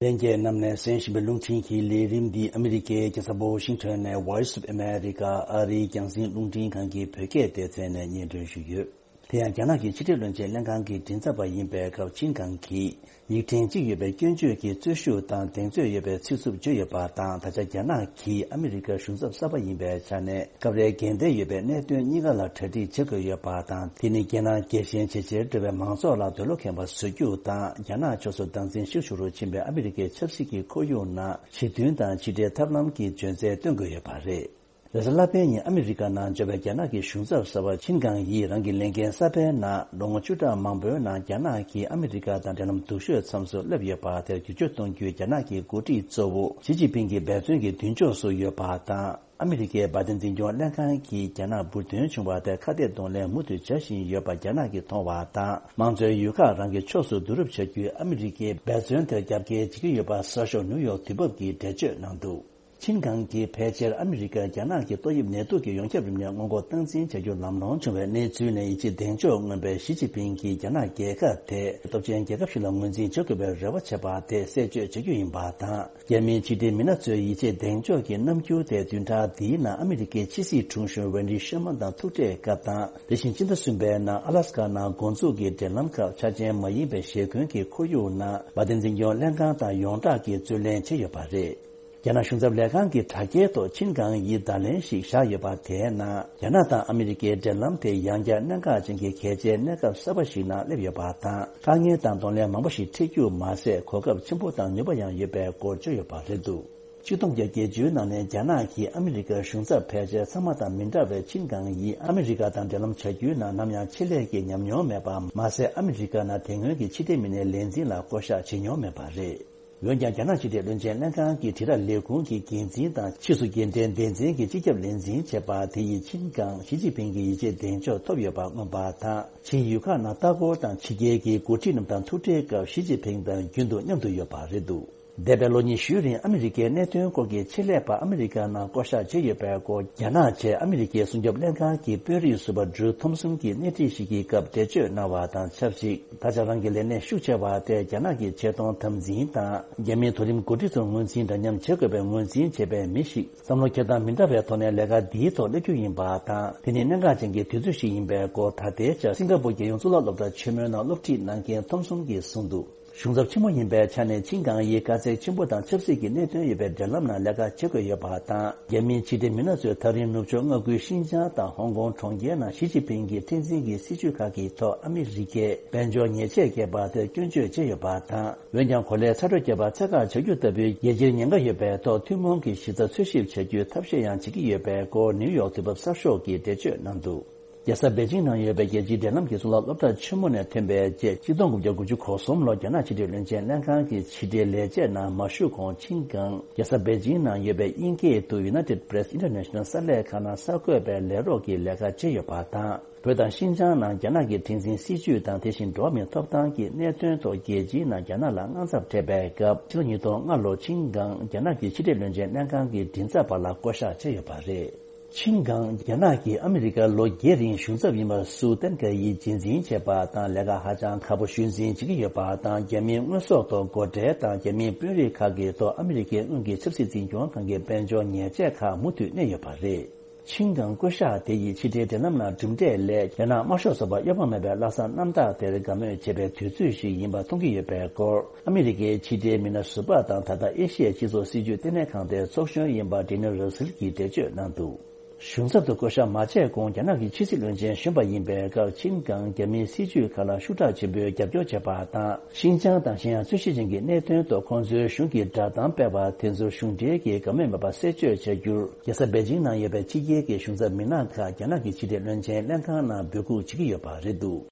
ལྷན་རྒྱས་རྣམས་ནས་གསན་བཞིན་པའི་རླུང་འཕྲིན་གྱི་ལས་རིམ་འདི་ཨ་མི་རི་ཀའི་རྒྱལ་ས་ཝོ་ཤིང་ཊོན་ནས་Voice of America ཨ་རིའི་རྒྱང་སྲིང་རླུང་འཕྲིན་ཁང་གི་བོད་སྐད་སྡེ་ཚན་ནས་སྙན་སྒྲོན་ཞུས་ཡོད། དེ་ཡང་རྒྱ་ནག་གི་ཕྱི་འབྲེལ་བློན་ཆེན་ལྷན་ཁང་གི་མགྲིན་ཚབ་པ་ཡིན་པའི་སྐབས་ཆིན་ཀང་གིས། ཡིག་ཕྲེང་གཅིག་ཡོད་པའི་སྐྱོན་བརྗོད་ཀྱི་རྩོད་ཤུགས་དང་གདེང་ཚོད་ཡོད་པའི་ཚིག་རྩུབ་བརྗོད་ཡོད་པ་དང་། ད་ཆ་རྒྱ་ནག་གིས་ཨ་མི་རི་ཀའི་གཞུང་ཚབ་གསར་པ་ཡིན་པའི་ཆ་ནས་སྐབས་རེ་འགལ་ཟླ་ཡོད་པའི་གནད་དོན་གཉིས་ཀ་ལ་གྲ་སྒྲིག་བྱེད་དགོས་ཡོད་པ་དང་། དེ་ནི་རྒྱལ་ནང་རྒྱལ་ཞེན་ཇེ་ཆེར་འགྲོ་བའི་མང་ཚོགས་ལ་འདོད་བློ་ཁེངས་པ་བཟོ་རྒྱུ་དང་། རྒྱ་ནག་ཕྱོགས་སུ་སྡང་འཛིན་ཤུགས་ཆེ་རུ་ཕྱིན་པའི་ཨ་མི་རི་ཀའི་ཆབ་སྲིད་ཀྱི་ཁོར་ཡུག་ནང་ཞི་མཐུན་དང་ཕྱི་འབྲེལ་ཐབས་ལམ་གྱི་འཇོན་ཚད་སྟོན་དགོས་ཡོད་པ་རེད། རེས་གཟའ་ལྷག་པའི་ཉིན་ཨ་མི་རི་ཀ་ནང་འབྱོར་བའི་རྒྱ་ནག་གི་གཞུང་ཚབ་གསར་པ་ཆིན་ཀང་ཡིས་རང་གི་ལས་འགན་གསར་པའི་ནང་ལོ་ངོ་བཅུ་ཕྲག་མང་པོའི་ནང་རྒྱ་ནག་གིས་ཨ་མི་རི་ཀ་དང་འབྲེལ་ལམ་སྡུག་ཤོས་མཚམས་སུ་སླེབས་ཡོད་པ་དེར་བསྒྱུར་བཅོས་གཏོང་རྒྱུའི་རྒྱ་ནག་གི་འགོ་ཁྲིད་གཙོ་བོ་ཞི་ཅིན་ཕིང་གི་འབད་བརྩོན་གྱི་མདུན་ཕྱོགས་སུ་ཡོད་པ་དང་། ཨ་མི་རི་ཀའི་བའི་ཏན་འཛིན་སྐྱོང་ལྷན་ཁང་གིས་རྒྱ་ནག་འབུར་ཐོན་བྱུང་བ་དེར་ཁ་གཏད་གདོང་ལེན་མུ་མཐུད་བྱ་བཞིན་ཡོད་པ་རྒྱ་ནག་གིས་མཐོང་བ་དང་། དམངས་གཙོའི་ཡུལ་ཁག་རང་གི་ཕྱོགས་སུ་བསྡུ་རུབ་བྱ་རྒྱུའི་ཨ་མི་རི་ཀའི་འབད་བརྩོན་དེར་རྒྱབ་འགལ་བྱེད་ཀྱི་ཡོད་པ་གསར་ཤོག་ནིའུ་ཡོག་དུས་བབ་ཀྱིས་འགྲེལ་བརྗོད་གནང་འདུག་ཆིན་ཀང་གིས་ཕལ་ཆེར་ཨ་མི་རི་ཀར་རྒྱ་ནག་གི་ཏོག་དབྱིབས་ནད་དུག་གི་ཡོངས་ཁྱབ་རིམས་ནད་སྔོན་འགོག་སྟངས་འཛིན་བྱ་རྒྱུར་ལམ་ལྷོང་བྱུང་བའི་གནས་ཚུལ་ནས་ཡིད་ཆེས་གདེང་འཇོག་མངོན་པའི་ཞི་ཅིན་ཕིང་གིས་རྒྱ་ནག་རྒྱལ་ཁབ་དེ་སྟོབས་ཆེན་རྒྱལ་ཁབ་ཞིག་ལ་ངོས་འཛིན་བྱེད་དགོས་པའི་རེ་བ་བྱས་པ་དེ་གསལ་བརྗོད་བྱ་རྒྱུ་ཡིན་པ་དང་། རྒྱ་མིའི་ཕྱི་འབྲེལ་མི་སྣ་ཚོའི་ཡིད་ཆེས་གདེང་འཇོག་གི་རྣམ་འགྱུར་དེ་བདུན་ཕྲག་འདིའི་ནང་ཨ་མི་རི་ཀའི་ཕྱི་སྲིད་དྲུང་གཞོན་ཝེན་ཌི་ཤེར་མན་དང་ཐུག་འཕྲད་སྐབས་དང་། དེ་བཞིན་ཕྱི་ཟླ་གསུམ་པའི་ནང་ཨ་ལ་སི་ཀ་ནང་འགོ་འཛུགས་ཀྱི་འབྲེལ་ལམ་ཁག་འཆར་ཅན་མ་ཡིན་པའི་ཞེ་འཁོན་གྱི་ཁོར་ཡུག་ནང་བའི་ཏན་འཛིན་སྐྱོང་ལྷན་ཁང་དང་ཡོངས་བསྒྲགས་ཀྱིས་རྩོད་ལེན་བྱས་ཡོད་པ་རེད། རྒྱ་ནག་གཞུང་ཚབ་ལས་ཁང་གི་དྲ་རྒྱའི་ཐོག་ཆིན་ཀང་ཡིས་བརྡ་ལན་ཞིག་བཞག་ཡོད་པ་དེའི་ནང་། རྒྱ་ནག་དང་ཨ་མི་རི་ཀའི་འབྲེལ་ལམ་དེ་ཡང་བསྐྱར་གནད་འགག་ཅན་གྱི་གལ་ཆེའི་གནས་སྐབས་གསར་པ་ཞིག་ནང་སླེབས་ཡོད་པ་དང་། དཀའ་ངལ་དང་གདོང་ལེན་མང་པོ་ཞིག་འཕྲད་རྒྱུ་མ་ཟད། གོ་སྐབས་ཆེན་པོ་དང་ནུས་པ་ཡང་ཡོད་པའི་སྐོར་བརྗོད་ཡོད་པ་རེད་འདུག་ཆིག་སྟོང་བརྒྱད་བརྒྱད་ཅུ་ནང་ནས་རྒྱ་ནག་གིས་ཨ་མི་རི་ཀའི་གཞུང་ཚབ་ཕལ་ཆེར་ཚང་མ་དང་མི་འདྲ་བའི་ཆིན་ཀང་ཡིས་ཨ་མི་རི་ཀ་དང་འབྲེལ་ལམ་བྱ་རྒྱུའི་ནང་ནམ་ཡང་ཆེད་ལས་ཀྱི་ཉམས་མྱོང་མེད་པ་མ་ཟད། ཨ་མི་རི་ཀ་ནང་དེ་སྔོན་གྱི་ཕྱི་འབྲེལ་མི་སྣའི་ལས་འཛིན་ལ་བསྐོ་གཞག་བྱེད་མྱོང་མེད་པ་རེད། འོན་ཀྱང་། རྒྱ་ནག་ཕྱི་འབྲེལ་བློན་ཆེན་ལྷན་ཁང་གི་དྲིལ་བསྒྲགས་ལས་ཁུངས་ཀྱི་འགན་འཛིན་དང་ཕྱིས་སུ་རྒྱུན་ལྡན་སྡེ་ཚན་གྱི་སྤྱི་ཁྱབ་ལས་འཛིན་བྱས་པ་དེ་ཡིས་ཆིན་ཀང་ཞི་ཅིན་ཕིང་གི་ཡིད་ཆེས་གདེང་འཇོག་ཐོབ་ཡོད་པ་མངོན་པ་དང་། ཕྱིའི་ཡུལ་ཁག་ནང་ལྟ་སྐོར་དང་ཕྱི་རྒྱལ་གྱི་འགོ་ཁྲིད་རྣམས་དང་ཐུག་འཕྲད་སྐབས་ཞི་ཅིན་ཕིང་དང་རྒྱུན་དུ་མཉམ་དུ་ཡོད་པ་རེད་འདུག་འདས་པའི་ལོ་ཉི་ཤུའི་རིང་ཨ་མི་རི་ཀའི་གནད་དོན་སྐོར་གྱི་ཆེད་ལས་པ་ཨ་མི་རི་ཀ་ནང་བསྐོ་གཞག་བྱས་ཡོད་པའི་སྐོར། རྒྱ་ནག་བཅས་ཨ་མི་རི་ཀའི་སྲུང་སྐྱོབ་ལྷན་ཁང་གི་དཔོན་རིགས་ཟུར་པ་ཌྲུ་ཐོམ་སོན་གྱིས་སྣེ་ཁྲིད་ཞིག་གི་སྐབས་འགྲེལ་བརྗོད་གནང་བ་དང་ཆབས་ཅིག་ད་ཆ་རང་གི་ལས་གནས་ཤུགས་ཆེ་བ་དེ་རྒྱ་ནག་གི་ཆེ་མཐོང་དམ་འཛིན་དང་། རྒྱ་མིའི་མཐོ་རིམ་འགོ་ཁྲིད་ཚོར་ངོས་འཛིན་འདྲ་མཉམ་བྱེད་དགོས་པའི་ངོས་འཛིན་བྱེད་པའི་མི་ཞིག་བསམ་བློ་འཁྱེར་སྟངས་མི་འདྲ་བའི་ཐོག་ནས་ལས་ཀ་འདིའི་ཐོག་སླེབས་རྒྱུ་ཡིན་པ་དང་། དེ་ནི་གནད་འགག་ཅན་གྱི་དུས་ཚོད་ཞིག་ཡིན་པའི་སྐོར། ད་ལྟའི་ཆར་སིང་ག་པུར་རྒྱལ་ཡོངས་གཙུག་ལག་སློབ་གྲྭ་ཆེན་མོའི་ནང་སློབ་ཁྲིད་གནང་མཁན་ཐོམ་སོན་གྱིས་གསུངས་འདུག་གཞུང་ཚབ་ཆེན་མོ་ཡིན་པའི་ཆ་ནས་ཆིན་ཀང་ཡིས་དཀའ་ཚེགས་ཆེན་པོ་དང་ཆབ་སྲིད་ཀྱི་གནད་དོན་ཡོད་པའི་འབྲེལ་ལམ་ནང་ལས་ཀ་བྱེད་དགོས་ཡོད་པ་དང་། རྒྱ་མིའི་ཕྱི་འབྲེལ་མི་སྣ་ཚོས་ཐག་རིང་ནུབ་ཕྱོགས་མངའ་ཁུལ་ཤིན་ཅང་དང་ཧོང་ཀོང་གྲོང་ཁྱེར་ནང་ཞི་ཅིན་ཕིང་གིས་ཁྲིམས་འཛིན་གྱི་སྲིད་བྱུས་ཁག་གི་ཐོག་ཨ་མི་རི་ཀས་དཔལ་འབྱོར་ཉེས་ཆད་བཀལ་བ་དེར་སྐྱོན་བརྗོད་བྱས་ཡོད་པ་དང་། འོན་ཀྱང་། གོ་ལའི་ཚ་དྲོད་རྒྱས་པ་ཚད་བཀག་བྱ་རྒྱུ་ལྟ་བུའི་རྒྱལ་སྤྱིར་ཉེན་ཁ་ཡོད་པའི་ཐོག་ཐུན་མོང་གི་གཞི་རྩ་འཚོལ་ཞིབ་བྱ་རྒྱུའི་ཐབས་ཤེས་ཡང་བྱེད་ཀྱི་ཡོད་པའི་སྐོར་ནིའུ་ཡོག་དུས་བབ་གསར་ཤོག་གིས་འགྲེལ་བརྗོད་གནང་འདུག་རྒྱལ་ས་པེ་ཅིང་ནང་ཡོད་པའི་རྒྱལ་སྤྱིའི་འབྲེལ་ལམ་གྱི་གཙུག་ལག་སློབ་གྲྭ་ཆེན་མོ་ནས་ཐོན་པའི་རྗེས། ཆིག་སྟོང་དགུ་བརྒྱ་དགུ་བཅུ་གོ་གསུམ་ལོར་རྒྱ་ནག་ཕྱི་འབྲེལ་བློན་ཆེན་ལྷན་ཁང་གི་ཕྱི་འབྲེལ་ལས་བྱེད་ནང་མ་ཞུགས་གོང་། ཆིན་ཀང་རྒྱལ་ས་པེ་ཅིང་ནང་ཡོད་པའི་དབྱིན་སྐད་དུ་United Press International གསར་ལས་ཁང་ནང་གསར་འགོད་པའི་ལས་རོགས་ཀྱི་ལས་ཀ་བྱས་ཡོད་པ་དང་། བོད་དང་ཤིན་ཅང་ནང་རྒྱ་ནག་གི་ཁྲིམས་འཛིན་སྲིད་བྱུས་དང་། དེ་བཞིན་འགྲོ་བ་མིའི་ཐོབ་ཐང་གི་གནད་དོན་ཐོག་རྒྱལ་སྤྱིའི་ནང་རྒྱ་ནག་ལ་དངངས་འཚབ་འཕྲད་པའི་སྐབས། ཕྱི་ལོ་ཉིས་སྟོང་ལྔ་ལོར་ཆིན་ཀང་རྒྱ་ནག་གི་ཕྱི་འབྲེལ་བློན་ཆེན་ལྷན་ཁང་གི་མགྲིན་ཚབ་པ་ལ་བསྐོ་གཞག་བྱས་ཡོད་པ་རེད། ཆིན་ཀང་རྒྱ་ནག་གིས་ཨ་མི་རི་ཀར་ལོ་བརྒྱད་རིང་གཞུང་ཚབ་ཡིན་པར་སུའུ་ཏན་ཀ་ཡིས་རྗེས་འཛིན་བྱས་པ་དང་། ལས་ཀ་ཧ་ཅང་ཁག་པོ་ཞུས་འཛིན་བྱེད་ཀྱི་ཡོད་པ་དང་། རྒྱ་མིའི་དངོས་ཟོག་ཐོག་སྒོ་ཁྲལ་དང་། རྒྱ་མིའི་དཔོན་རིགས་ཁག་གི་ཐོག་ཨ་མི་རི་ཀའི་དངུལ་གྱི་ཆབ་སྲིད་འཛིན་སྐྱོང་ཁང་གི་དཔལ་འབྱོར་ཉེས་ཆད་ཁག་མུ་མཐུད་གནས་ཡོད་པ་རེད། ཆིན་ཀང་བསྐོ་གཞག་དེ་ཡིས་ཕྱི་འབྲེལ་འབྲེལ་ལམ་ནང་གྲུབ་འབྲས་སླད་རྒྱ་ནག་དམར་ཤོག་ཚོགས་པ་གཡོ་བ་མེད་པའི་བློ་བཟང་རྣམ་དག་དེར་དགའ་མོས་བྱེད་པའི་དུས་ཚོད་ཞིག་ཡིན་པ་མཐོང་གི་ཡོད་པའི་སྐོར། ཨ་མི་རི་ཀའི་ཕྱི་འབྲེལ་མི་སྣ་ཟུར་པ་དང་། ད་ལྟ་ཨེ་ཤི་ཡའི་སྤྱི་ཚོགས་སྲིད་བྱུས་ལྟེ་གནས་ཁང་དེའི་ཚོགས་གཞོན་ཡིན་པ་ཌེ་ནི་ར་སིལ་གྱིས་འགྲེལ་བརྗོད་གནང་འདུག་གཞུང་ཚབ་ཏུ་བསྐོ་གཞག་མ་བྱས་གོང་རྒྱ་ནག་གི་ཕྱི་སྲིད་བློན་ཆེན་གཞོན་པ་ཡིན་པའི་སྐབས། ཆིན་ཀང་རྒྱ་མིའི་སྲིད་བྱུས་ཁག་ལ་ཤུགས་དྲག་ཆེན་པོས་རྒྱབ་སྐྱོར་བྱས་པ་དང་། ཤིན་ཅང་དང་གཞན་ཡང་རྩོད་གཞི་ཅན་གྱི་གནད་དོན་ཐོག་ཁོང་ཚོའི་གཞུང་གི་བསྒྲགས་གཏམ་སྤེལ་བ་དེ་ཚོར་གཞུང་འབྲེལ་གྱི་དགའ་མོས་མེད་པ་གསལ་བརྗོད་བྱ་རྒྱུར། རྒྱལ་ས་པེ་ཅིང་ནང་ཡོད་པའི་ཕྱི་རྒྱལ་གྱི་གཞུང་ཚབ་མི་སྣ་ཁག་རྒྱ་ནག་གི་ཕྱི་འབྲེལ་བློན་ཆེན་ལྷན་ཁང་ནང་འབོད་འགུག་བྱེད་ཀྱི་ཡོད་པ་རེད་འདུག་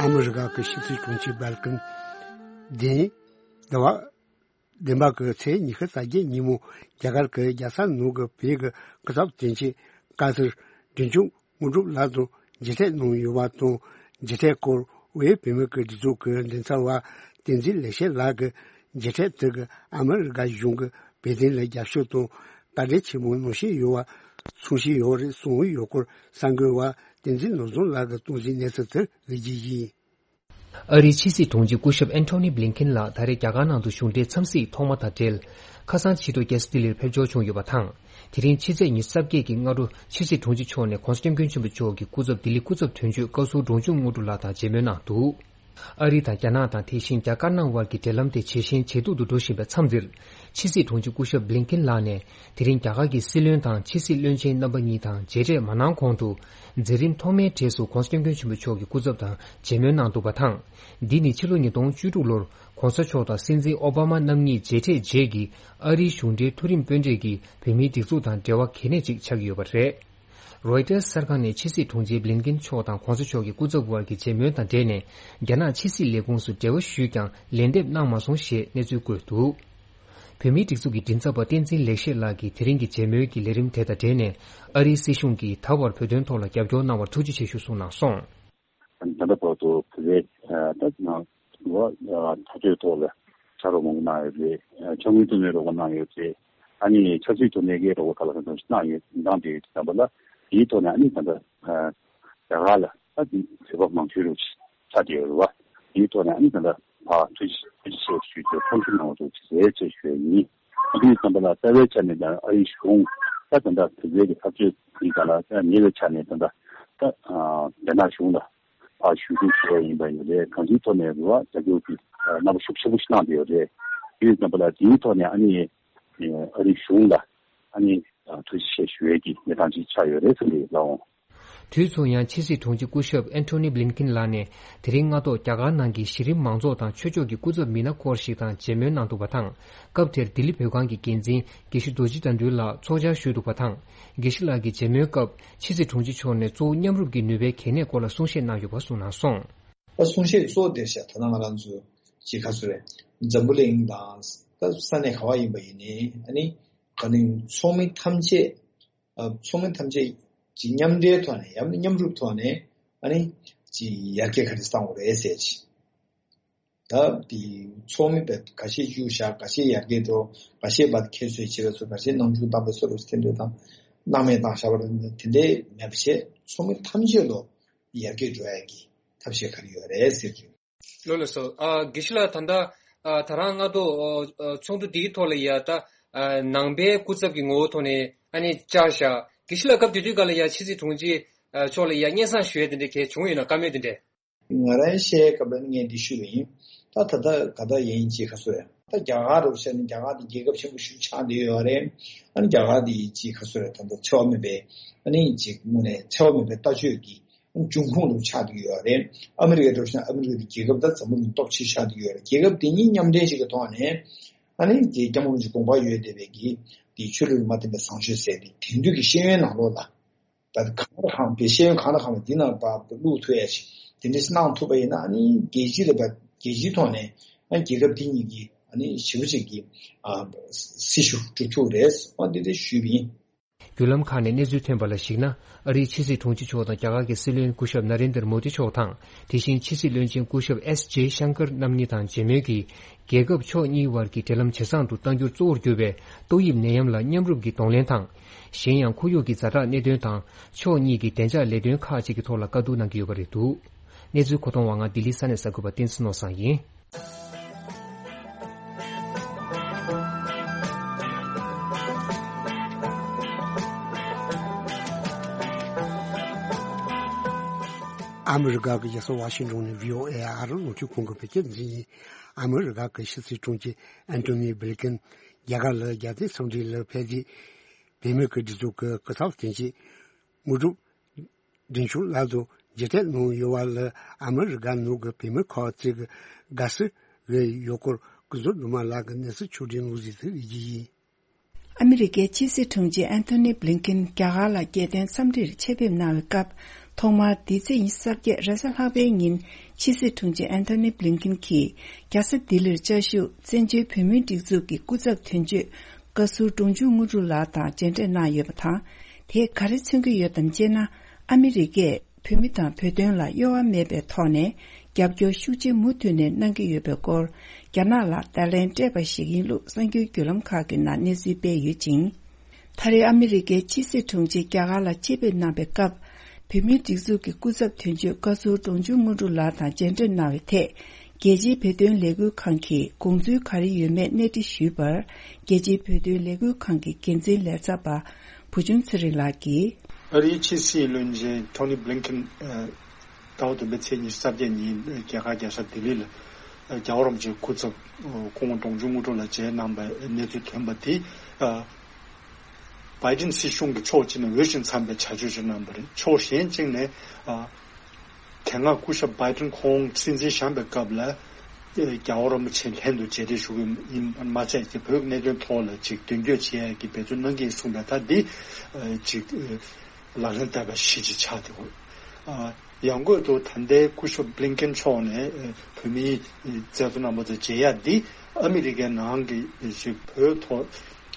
ཨ་མི་རི་ཀ་གི་ཕྱི་སྲིད་དྲུང་ཆེ་སྦལ་ཀིན་བདེན། ཟླ་བ། བདུན་པ་གི་ཚེས་ཉི་ཤུ་རྩ་བརྒྱད་ཉིན་མོ་རྒྱ་གར་གྱི་རྒྱལ་ས་ནང་གི་བོད་ཀྱི་སྐུ་ཚབ་དོན་གཅོད་བཀའ་ཟུར་འབྲིང་ཆུང་དངོས་གྲུབ་ལགས་དང་མཇལ་འཕྲད་གནང་ཡོད་པ་དང་། མཇལ་འཕྲད་སྐོར་དབུས་བོད་མི་གི་སྒྲིག་འཛུགས་ཀྱི་མགྲིན་ཚབ་པ་བསྟན་འཛིན་ལེགས་བཤད་ལགས་ཀྱིས། མཇལ་འཕྲད་དེ་གིས་ཨ་མི་རི་ཀ་གཞུང་གིས་བོད་དོན་ལ་རྒྱབ་སྐྱོར་དང་ ལྟ་གྲས་ཆེན་མོ་ནང་བཞིན་ཡོད་པ་མཚོན་བཞིན་ཡོད་རེད་གསུངས་ཡོད་སྐོར་གསར་འགོད་པ་བསྟན་འཛིན་ནོར་བཟང་ལགས་ཀྱིས་གཏོང་གཟིགས་གནས་ཚུལ་དེར་གཟིགས་རྒྱུ་ཡིན། ཨ་རིའི་ཕྱི་སྲིད་དྲུང་ཆེ་སྐུ་ཞབས་ཨན་ཐོ་ནི་བྷི་ལིན་ཀིན་ལགས་ད་རེས་རྒྱ་གར་ནང་དུ་གཞུང་འབྲེལ་འཚམས་གཟིགས་ཐོག་མ་དང་འབྲེལ། ཁ་སང་ཕྱི་དྲོ་རྒྱལ་ས་ལྡི་ལིར་ཕེབས་འབྱོར་བྱུང་ཡོད་པ་དང་། དེ་རིང་ཕྱི་ཚེས་ཉི་ཤུ་རྩ་བརྒྱད་ཀྱི་སྔ་དྲོ་ཕྱི་སྲིད་དྲུང་ཆེ་མཆོག་ནས་༸གོང་ས་༸སྐྱབས་མགོན་ཆེན་པོ་མཆོག་གི་སྐུ་ཚབ་ལྡི་ལི་སྐུ་ཚབ་དོན་གཅོད་བཀའ་ཟུར་འབྲོང་ཆུང་དངོས་གྲུབ་ལགས་དང་མཇལ་མོལ་གནང་འདུག་ཨ་རི་དང་རྒྱ་ནག་དང་དེ་བཞིན་རྒྱ་དཀར་ནག་དབར་གྱི་འབྲེལ་ལམ་དེ་ཇེ་ཞན་ཇེ་སྡུག་ཏུ་འགྲོ་བཞིན་པའི་མཚམས་འདིར། ཕྱི་སྲིད་དྲུང་ཆེ་སྐུ་ཞབས་བྷི་ལིན་ཀིན་ལགས་ནས་དེ་རིང་རྒྱ་གར་གྱི་སྲིད་བློན་དང་ཕྱི་སྲིད་བློན་ཆེན་རྣམ་པ་གཉིས་དང་མཇལ་འཕྲད་མ་གནང་གོང་དུ། མཛད་རིམ་ཐོག་མའི་གྲས་སུ་༸གོང་ས་༸སྐྱབས་མགོན་ཆེན་པོ་མཆོག་གི་སྐུ་ཚབ་དང་མཇལ་མོལ་གནང་འདུག་པ་དང་། འདི་ནི་ཕྱི་ལོ་ཉིས་སྟོང་བཅུ་དྲུག་ལོར་༸གོང་ས་མཆོག་དང་སྲིད་འཛིན་ཨོ་བྷ་མ་རྣམ་གཉིས་མཇལ་འཕྲད་རྗེས་ཀྱི་ཨ་རིའི་གཞུང་འབྲེལ་མཐོ་རིམ་དཔོན་གྲས་ཀྱི་བོད་མིའི་སྒྲིག་འཛུགས་དང་འབྲེལ་བ་གལ་གནད་ཅིག་ཆགས་ཀྱི་ཡོད་པ་རེད། རོའི་ཊར་གསར་ཁང་ནས་ཕྱི་སྲིད་དྲུང་ཆེ་བྷི་ལིན་ཀིན་མཆོག་དང་༸གོང་ས་མཆོག་གི་སྐུ་ཚབ་དབར་གྱི་མཇལ་མོལ་དང་འབྲེལ་ནས། རྒྱ་ནག་ཕྱི་སྲིད་ལས་ཁུངས་སུ་འབྲེལ་བ་ཞུས་ཀྱང་ལན་འདེབས་གནང་མ་སོང་ཞེས་གནས་ཚུལ་བཀོད་འདུག་བོད་མིའི་སྒྲིག་འཛུགས་ཀྱི་མགྲིན་ཚབ་པ་བསྟན་འཛིན་ལེགས་བཤད་ལགས་ཀྱིས་དེ་རིང་གི་མཇལ་མོལ་གྱི་ལས་རིམ་དེ་དང་འབྲེལ་ནས། ཨ་རིའི་སྲིད་གཞུང་གིས་ད་བར་བོད་དོན་ཐོག་ལ་རྒྱབ་སྐྱོར་གནང་བར་ཐུགས་རྗེ་ཆེ་ཞུ་གསུངས་གནང་སོང་། ད་ལྟ་བར་དུ་བོད་པའི་ད་ནང་ལོ་འཐབ་རྩོད་ཐོག་ལ་ཕྱག་རོགས་མང་པོ་གནང་ཡོད་རེད། ཕྱག་དངུལ་བཏོན་ནས་རོགས་པ་གནང་ཡོད་རེད། ཨ་ནི་ཆབ་སྲིད་ཐོག་ནས་ཀྱི་རོགས་པ་ག་ལ་གང་འཚམ་ཞིག་གནང་ཡོད་གནང་བསྡད་ཡོད་དུས་ཙམ་པ་ལ། དེའི་ཐོག་ནས་ཨ་ནི་ད་ལྟ་རྒྱ་གར་ལ་ད་དེ་བོད་པ་མང་ཤོས་རུ་ཆགས་བསྡད་ཡོད་རེད་བ། དེའི་ཐོག་ནས་ཨ་ནི་ད་ལྟ་ཕར་ཐུགས་རྗེ་ཆེ་ཞུ་རྒྱུ་ཐུགས་རྗེ་གནང་བ་འདུག་ཅེས་ཞུ་ཡ་ཡིན། དེ་ཙམ་པ་ལ་རྩ་བའི་ཆ་ནས་ད་ཨ་རིའི་གཞུང་ད་ད་ལྟ་དེ་འབྲེལ་གྱི་འཐབ་རྩོད་ཀྱི་སྒང་ལ་ཉེ་བའི་ཆ་ནས་ད་ལྟ་ད་རྒྱ་ནག་གཞུང་ལ་ཕར་ཞུ་གཏུག་ཞུ་བ་ཡིན་པ་ཡིན་རེད། གང་ཅིའི་ཐོག་ནས་རེད་བ། རྒྱབ་སྐྱོར་གྱི་རྣམ་པ་ཤུགས་ཆེན་པོ་ཞིག་གནང་བསྡད་ཡོད་རེད། དེ་ཙམ་པ་ལ་དེའི་ཐོག་ནས་ཨ་ནི་ཨ་རིའི་གཞུང་ལ་ཨ་ནི་ཐུགས་རྗེ་ཆེ་ཞུ་ཡས་ཀྱི་གནས་སྟངས་ཅིག་ཆགས་ཡོད་རེད་ཟེར་གྱི་ལབ་འོང་། དུས་མཚུངས་ཡང་ཕྱི་སྲིད་དྲུང་ཆེ་སྐུ་ཞབས་ཨན་ཐོ་ནི་བྷི་ལིན་ཀིན་ལགས་ནས་དེ་རིང་སྔ་ཐོག་རྒྱ་གར་ནང་གི་གཞི་རིམ་མང་ཚོགས་དང་ཆོས་ཕྱོགས་ཀྱི་སྐུ་ཚབ་མི་སྣ་སྐོར་ཞིག་དང་མཇལ་མོལ་གནང་འདུག་པ་དང་། སྐབས་དེར་ལྡི་ལི་བོད་ཁང་གི་འགན་འཛིན་དགེ་བཤེས་རྡོ་རྗེ་དགྲ་འདུལ་ལགས་ཚོགས་བཅར་ཞུས་འདུག་པ་དང་། དགེ་བཤེས་ལགས་ཀྱི་མཇལ་མོལ་སྐབས་ཕྱི་སྲིད་དྲུང་ཆེ་མཆོག་ནས་གཙོ་བོ་མཉམ་རུབ་ཀྱི་ནུས་པའི་གལ་གནད་སྐོར་ལ་གསུང་བཤད་གནང་ཡོད་པ་གསུངས་གནང་སོང་། ད་གསུང་བཤད་གཙོ་བོ་དེ་བཤད་ད་ལྟ་ང་རང་ཚོ་ཅིག་ག་ཚོད་རེད། འཛམ་བུ་གླིང་དང་ད་ས་གནས་ག་བ་ཡིན་པ་ཡིན་ནའི་ཨ་ནི་ག་ནི་ཚོགས་མི་ཐམས་ཅད། ཨ། ཚོགས་མི་ཐམས་ཅད་ཀྱི་མཉམ་འབྲེལ་ཐོག་ནས་ཡང་ན་མཉམ་རུབ་ཐོག་ནས་ཨ་ནི་ཅིག་ཡར་རྒྱས་ག་རེ་བཏང་དགོས་རེད་ཟེར་ཅིག་ད་དེ་ཚོགས་མི་བས་ཁ་ཤས་བཅུག་བཞག་ཁ་ཤས་ཡར་རྒྱས་འགྲོ། ཁ་ཤས་བར་ཁྱད་གསོད་བྱེད་པ་ཚོ་ཁ་ཤས་སྣང་ཆུང་བཏང་པ་ཚོ་རུ་དེ་འདྲ་དང་སྣང་མེད་བཏང་བཞག་པ་རེད། དེ་འདྲའི་མེད་པ་བྱས་ཚོགས་མི་ཐམས་ཅད་ལོ་ཡར་རྒྱས་འགྲོ་ཡ་གི་ཐབས་ཤེས་ག་རེ་ཡོད་རེད་ཟེར་གྱི། ལགས་སོ། ཨ། དགེ་བཤེས་ལགས་ད་ལྟ་ཨ། ད་རང་སྔ་དྲོ་ཨ། ཚོགས་འདུ་འདིའི་ཐོག་ལ་ཡ་ད་ཨ། ནང་པའི་སྐུ་ཚབ་ཀྱི་ངོ་བོ་ཐོག་ནས་ཨ་ནི་བཅར་བཞག་དགེ་བཤེས་ལགས་སྐབས་དེ་དུས་སྒང་ལ་ཡ་ཕྱི་སྲིད་དྲུང་ཆེ་ཨ། མཆོག་ལ་ཡ་སྙན་སེང་ཞུ་ཡས་དེ་འདྲ་གལ་བྱུང་ཡོད་ན། བཀའ་མོལ་དེ་འདྲ། ང་རང་བཤད་སྐབས་ལ་ངས་འདི་ཞུས་པ་ཡིན། ད་ད་ལྟ་ག་ད་ཡིན་ཅེས་ག་ཚོད་རེད། ད་རྒྱ་གར་རུ་བཤད་ན་རྒྱ་གར་དེ་རྒྱལ་ཁབ་ཆེན་པོ་ཞིག་ཆགས་བསྡད་ཡོད་རེད། ཨ་ནི་རྒྱ་གར་དེ་ཅིག་ག་ཚོད་རེད། ད་ལྟ་འཚེ་བ་མེད་པའི་ཨ་ནི་ཅིག་དངོས་གནས་འཚེ་བ་མེད་པའི་ལྟ་སྤྱོད་ཀྱི་འབྱུང་ཁུངས་རུ་ཆགས་བསྡད་ཡོད་རེད། ཨ་མི་རི་ཀའི་འགྲོ་ཞིང་ཨ་མི་རི་ཀ་དེ་རྒྱལ་ཁབ་ད་འཛམ་བུ་གླིང་སྟོབས་ཆེ་ཆགས་བསྡད་ཡོད་རེད། རྒྱལ་ཁབ་དེ་གཉིས་མཉམ་འབྲེལ་ཞིག་གི་ཐོག་ནས་ཨ་ནི་དེ་སྐྱབས་མགོན་གྱི་དགོངས་པ་ཡོད་བསྡད་པའི་གི་དེ་ཆོས་ལུགས་མ་མཐུན་པའི་བཟང་སྤྱོད་ཟེར་དེ་དེང་དུས་ཀྱི་ཤེས་ཡོན་ནང་ལོགས་ལ། ད་གང་ལ་གང་བའི་ཤེས་ཡོན་གང་ལ་གང་བའི་འདི་ནང་པ་བླུག་ཐུབ་ཡ་ཞིག་དེ་འདྲ་ཞིག་གནང་ཐུབ་པ་ཡིན་ན་ཨ་ནི་རྒྱལ་སྤྱི་ལ་བ་རྒྱལ་སྤྱིའི་ཐོག་ནས་ཨ་རྒྱལ་ཁབ་དེ་གཉིས་ཀྱི་ཨ་ནི་ཞེ་པོ་ཅིག་གི་ཨ་སྲི་ཞུ་སྒྲུབ་ཐུབ་རེད། ཨ་འདི་འདྲ་ཞུས་པ་ཡིན། བརྒྱུད་ལམ་ཁག་ནས་གནས་ཚུལ་ཐོན་པ་ལ་གཞིགས་ན། ཨ་རིའི་ཕྱི་སྲིད་དྲུང་ཆེ་མཆོག་དང་རྒྱ་གར་གྱི་སྲིད་བློན་སྐུ་ཞབས་ན་རེན་དར་མོ་དི་མཆོག་དང་། དེ་བཞིན་ཕྱི་སྲིད་བློན་ཆེན་སྐུ་ཞབས་ཨེས་ཇེ་ཤང་ཀར་རྣམ་གཉིས་དང་མཇལ་མོལ་གྱིས། རྒྱལ་ཁབ་ཕྱོགས་གཉིས་དབར་གྱི་འབྲེལ་ལམ་ཇེ་བཟང་དུ་གཏང་རྒྱུར་གཙོ་བོར་གྱུར་པའི་ཏོག་དབྱིབས་ནད་ཡམས་ལ་མཉམ་རུབ་ཀྱིས་གདོང་ལེན་དང་། གཞན་ཡང་ཁོར་ཡུག་གི་ཛ་དྲག་གནད་དོན་དང་། ཕྱོགས་གཉིས་ཀྱི་བདེ་འཇགས་ལས་དོན་ཁག་ཅིག་གི་ཐོག་ལ་བཀའ་བསྡུར་གནང་གི་ཡོད་པ་རེད་འདུག་གནས་ཚུལ་མཁོ་གཏོང་བ་ང་ལྡི་ལི་ས་གནས་གསར་འགོད་པ་བསྟན་འཛིན་ནོར་བཟང་ཡིན། ཨ་མི་རི་ཀ་གི་རྒྱལ་ས་ཝ་ཤིང་ཏོན་ནས་བྷི་ཨོ་ཨེ་ཨ་རི་རླུང་འཕྲིན་ཁང་གི་བོད་སྐད་སྡེ་ཚན་ཡིན། ཨ་མི་རི་ཀ་གི་ཕྱི་སྲིད་དྲུང་ཆེ་ཨན་ཐོ་ནི་བྷི་ལིན་ཀིན་རྒྱ་གར་ལ་རྒྱལ་བསྟན་འཚམས་འདྲི་ལ་ཕེབས་ཏེ། བོད་མི་གི་སྒྲིག་འཛུགས་ཀྱི་སྐུ་ཚབ་དོན་གཅོད་དངོས་གྲུབ་སྒྲོན་ཆུང་ལགས་དང་མཇལ་འཕྲད་གནང་ཡོད་པ་ལ་ཨ་མི་རི་ཀ་ནང་གི་བོད་མི་ཁག་ཅིག་གིས་དགའ་བསུ་ཡོད་སྐོར་སྐུ་ཟུར་ནུ་མ་ལགས་ཀྱིས་གནས་ཚུལ་ཕྱོགས་སྒྲིག་གནང་གཟིགས་ཏེ་ཡིན། ཨ་མི་རི་ཀའི་ཕྱི་སྲིད་དྲུང་ཆེ་ཨན་ཐོ་ནི་བྷི་ལིན་ཀིན་རྒྱ་གར་ལ་རྒྱལ་བསྟན་འཚམས་འདྲིར་ཆེད་ཕེབས་གནང་བའི་སྐབས། ཐོག་མར་འདི་ཚེས་ཉི་ཤུ་རྩ་བརྒྱད་རེས་གཟའ་ལྷག་པའི་ཉིན་ཕྱི་སྲིད་དྲུང་ཆེ་ཨན་ཐོ་ནི་བྷི་ལིན་ཀིན་གྱིས་རྒྱལ་ས་ལྡི་ལིར་བཅའ་བཞུགས་བཙན་བྱོལ་བོད་མིའི་སྒྲིག་འཛུགས་ཀྱི་སྐུ་ཚབ་དོན་གཅོད་བཀའ་ཟུར་འབྲོང་ཆུང་དངོས་གྲུབ་ལགས་དང་མཇལ་འཕྲད་གནང་ཡོད་པ་དང་། དེས་ག་རེ་མཚོན་གྱི་ཡོད་དམ་ཅེ་ན། ཨ་མི་རི་ཀས་བོད་མི་དང་བོད་དོན་ལ་གཡོ་བ་མེད་པའི་ཐོག་ནས་རྒྱབ་སྐྱོར་ཤུགས་ཆེ་མུ་མཐུད་ནས་གནང་གི་ཡོད་པའི་སྐོར། རྒྱ་ནག་ལ་བརྡ་ལན་སྤྲད་པ་ཞིག་ཡིན་ལུགས་གསར་འགྱུར་བརྒྱུད་ལམ་ཁག་གི་ནང་གནས་ཚུལ་སྤེལ་ཡོད་ཅིང་། ད་རེས་ཨ་མི་རི་ཀའི་ཕྱི་སྲིད་དྲུང་ཆེ་རྒྱ་གར་ལ་ཆེད་ཕེབས་གནང་བའི་སྐབས། བོད་མིའི་སྒྲིག་འཛུགས་ཀྱི་སྐུ་ཚབ་དོན་གཅོད་བཀའ་ཟུར་འབྲོང་ཆུང་དངོས་གྲུབ་ལགས་དང་མཇལ་འཕྲད་གནང་བའི་ཐད། རྒྱལ་སྤྱིའི་བོད་དོན་ལས་འགུལ་ཁང་གིས་དགོངས་ཚུལ་ག་རེ་ཡོད་མེད་གནས་འདྲི་ཞུས་པར། རྒྱལ་སྤྱིའི་བོད་དོན་ལས་འགུལ་ཁང་གི་འགན་འཛིན་ལས་ཚབ་པ་བུ་ཆུང་ཚེ་རིང་ལགས་ཀྱིས། ཨ་རིའི་ཕྱི་སྲིད་བློན་ཆེན་ཐོ་ནི་བྷི་ལིན་ཀེན། ཟླ་བ་བདུན་པའི་ཚེས་ཉི་ཤུ་རྩ་བརྒྱད་ཉིན་རྒྱ་གར་རྒྱལ་ས་ལྡི་ལི་ལ་རྒྱལ་བ་རིན་པོ་ཆེའི་སྐུ་ཚབ་སྐུ་ངོ་འབྲོང་ཆུང་དངོས་གྲུབ་ལགས་མཇལ་གནང་བའི་གནས་ཚུལ་ཐོན་པ་དེ། བྷའི་ཌེན་སྲིད་གཞུང་གི་ཕྱོགས་གཅིག་ནས་འོས་ཤིང་འཚམས་པའི་བྱ་སྤྱོད་ཅིག་གནང་བ་རེད། ཕྱོགས་གཞན་གཅིག་ནས་དེ་སྔ་སྐུ་ཞབས་བྷའི་ཌེན་ཁོང་སྲིད་འཛིན་བཞེངས་པའི་སྐབས་ལ། རྒྱལ་བ་རིན་པོ་ཆེ་ལྷན་དུ་མཇལ་འཕྲད་ཞུ་གི་ཡིན་མ་ཚད་ཀྱི་བོད་ཀྱི་གནད་དོན་ཐོག་ལ་ཅིག་མདུན་སྐྱོད་བྱེད་ཡག་གི་འབད་བརྩོན་གནང་གི་ཡིན་གསུངས་པ་ད་འདི་ཅིག་ལག་ལེན་བསྟར་བ་ཞིག་ཅིག་ཆགས་བསྡད་ཡོད། ཡང་སྒོས་དུ་ད་ལྟའི་སྐུ་ཞབས་བྷི་ལིན་ཀེན་མཆོག་ནས་བོད་མིའི་བཙན་བྱོལ་ནང་མ་ཚོ་མཇལ་ཡག་འདི་ཨ་མི་རི་ཀའི་ནང་གི་ཅིག་བོད་ཐོག་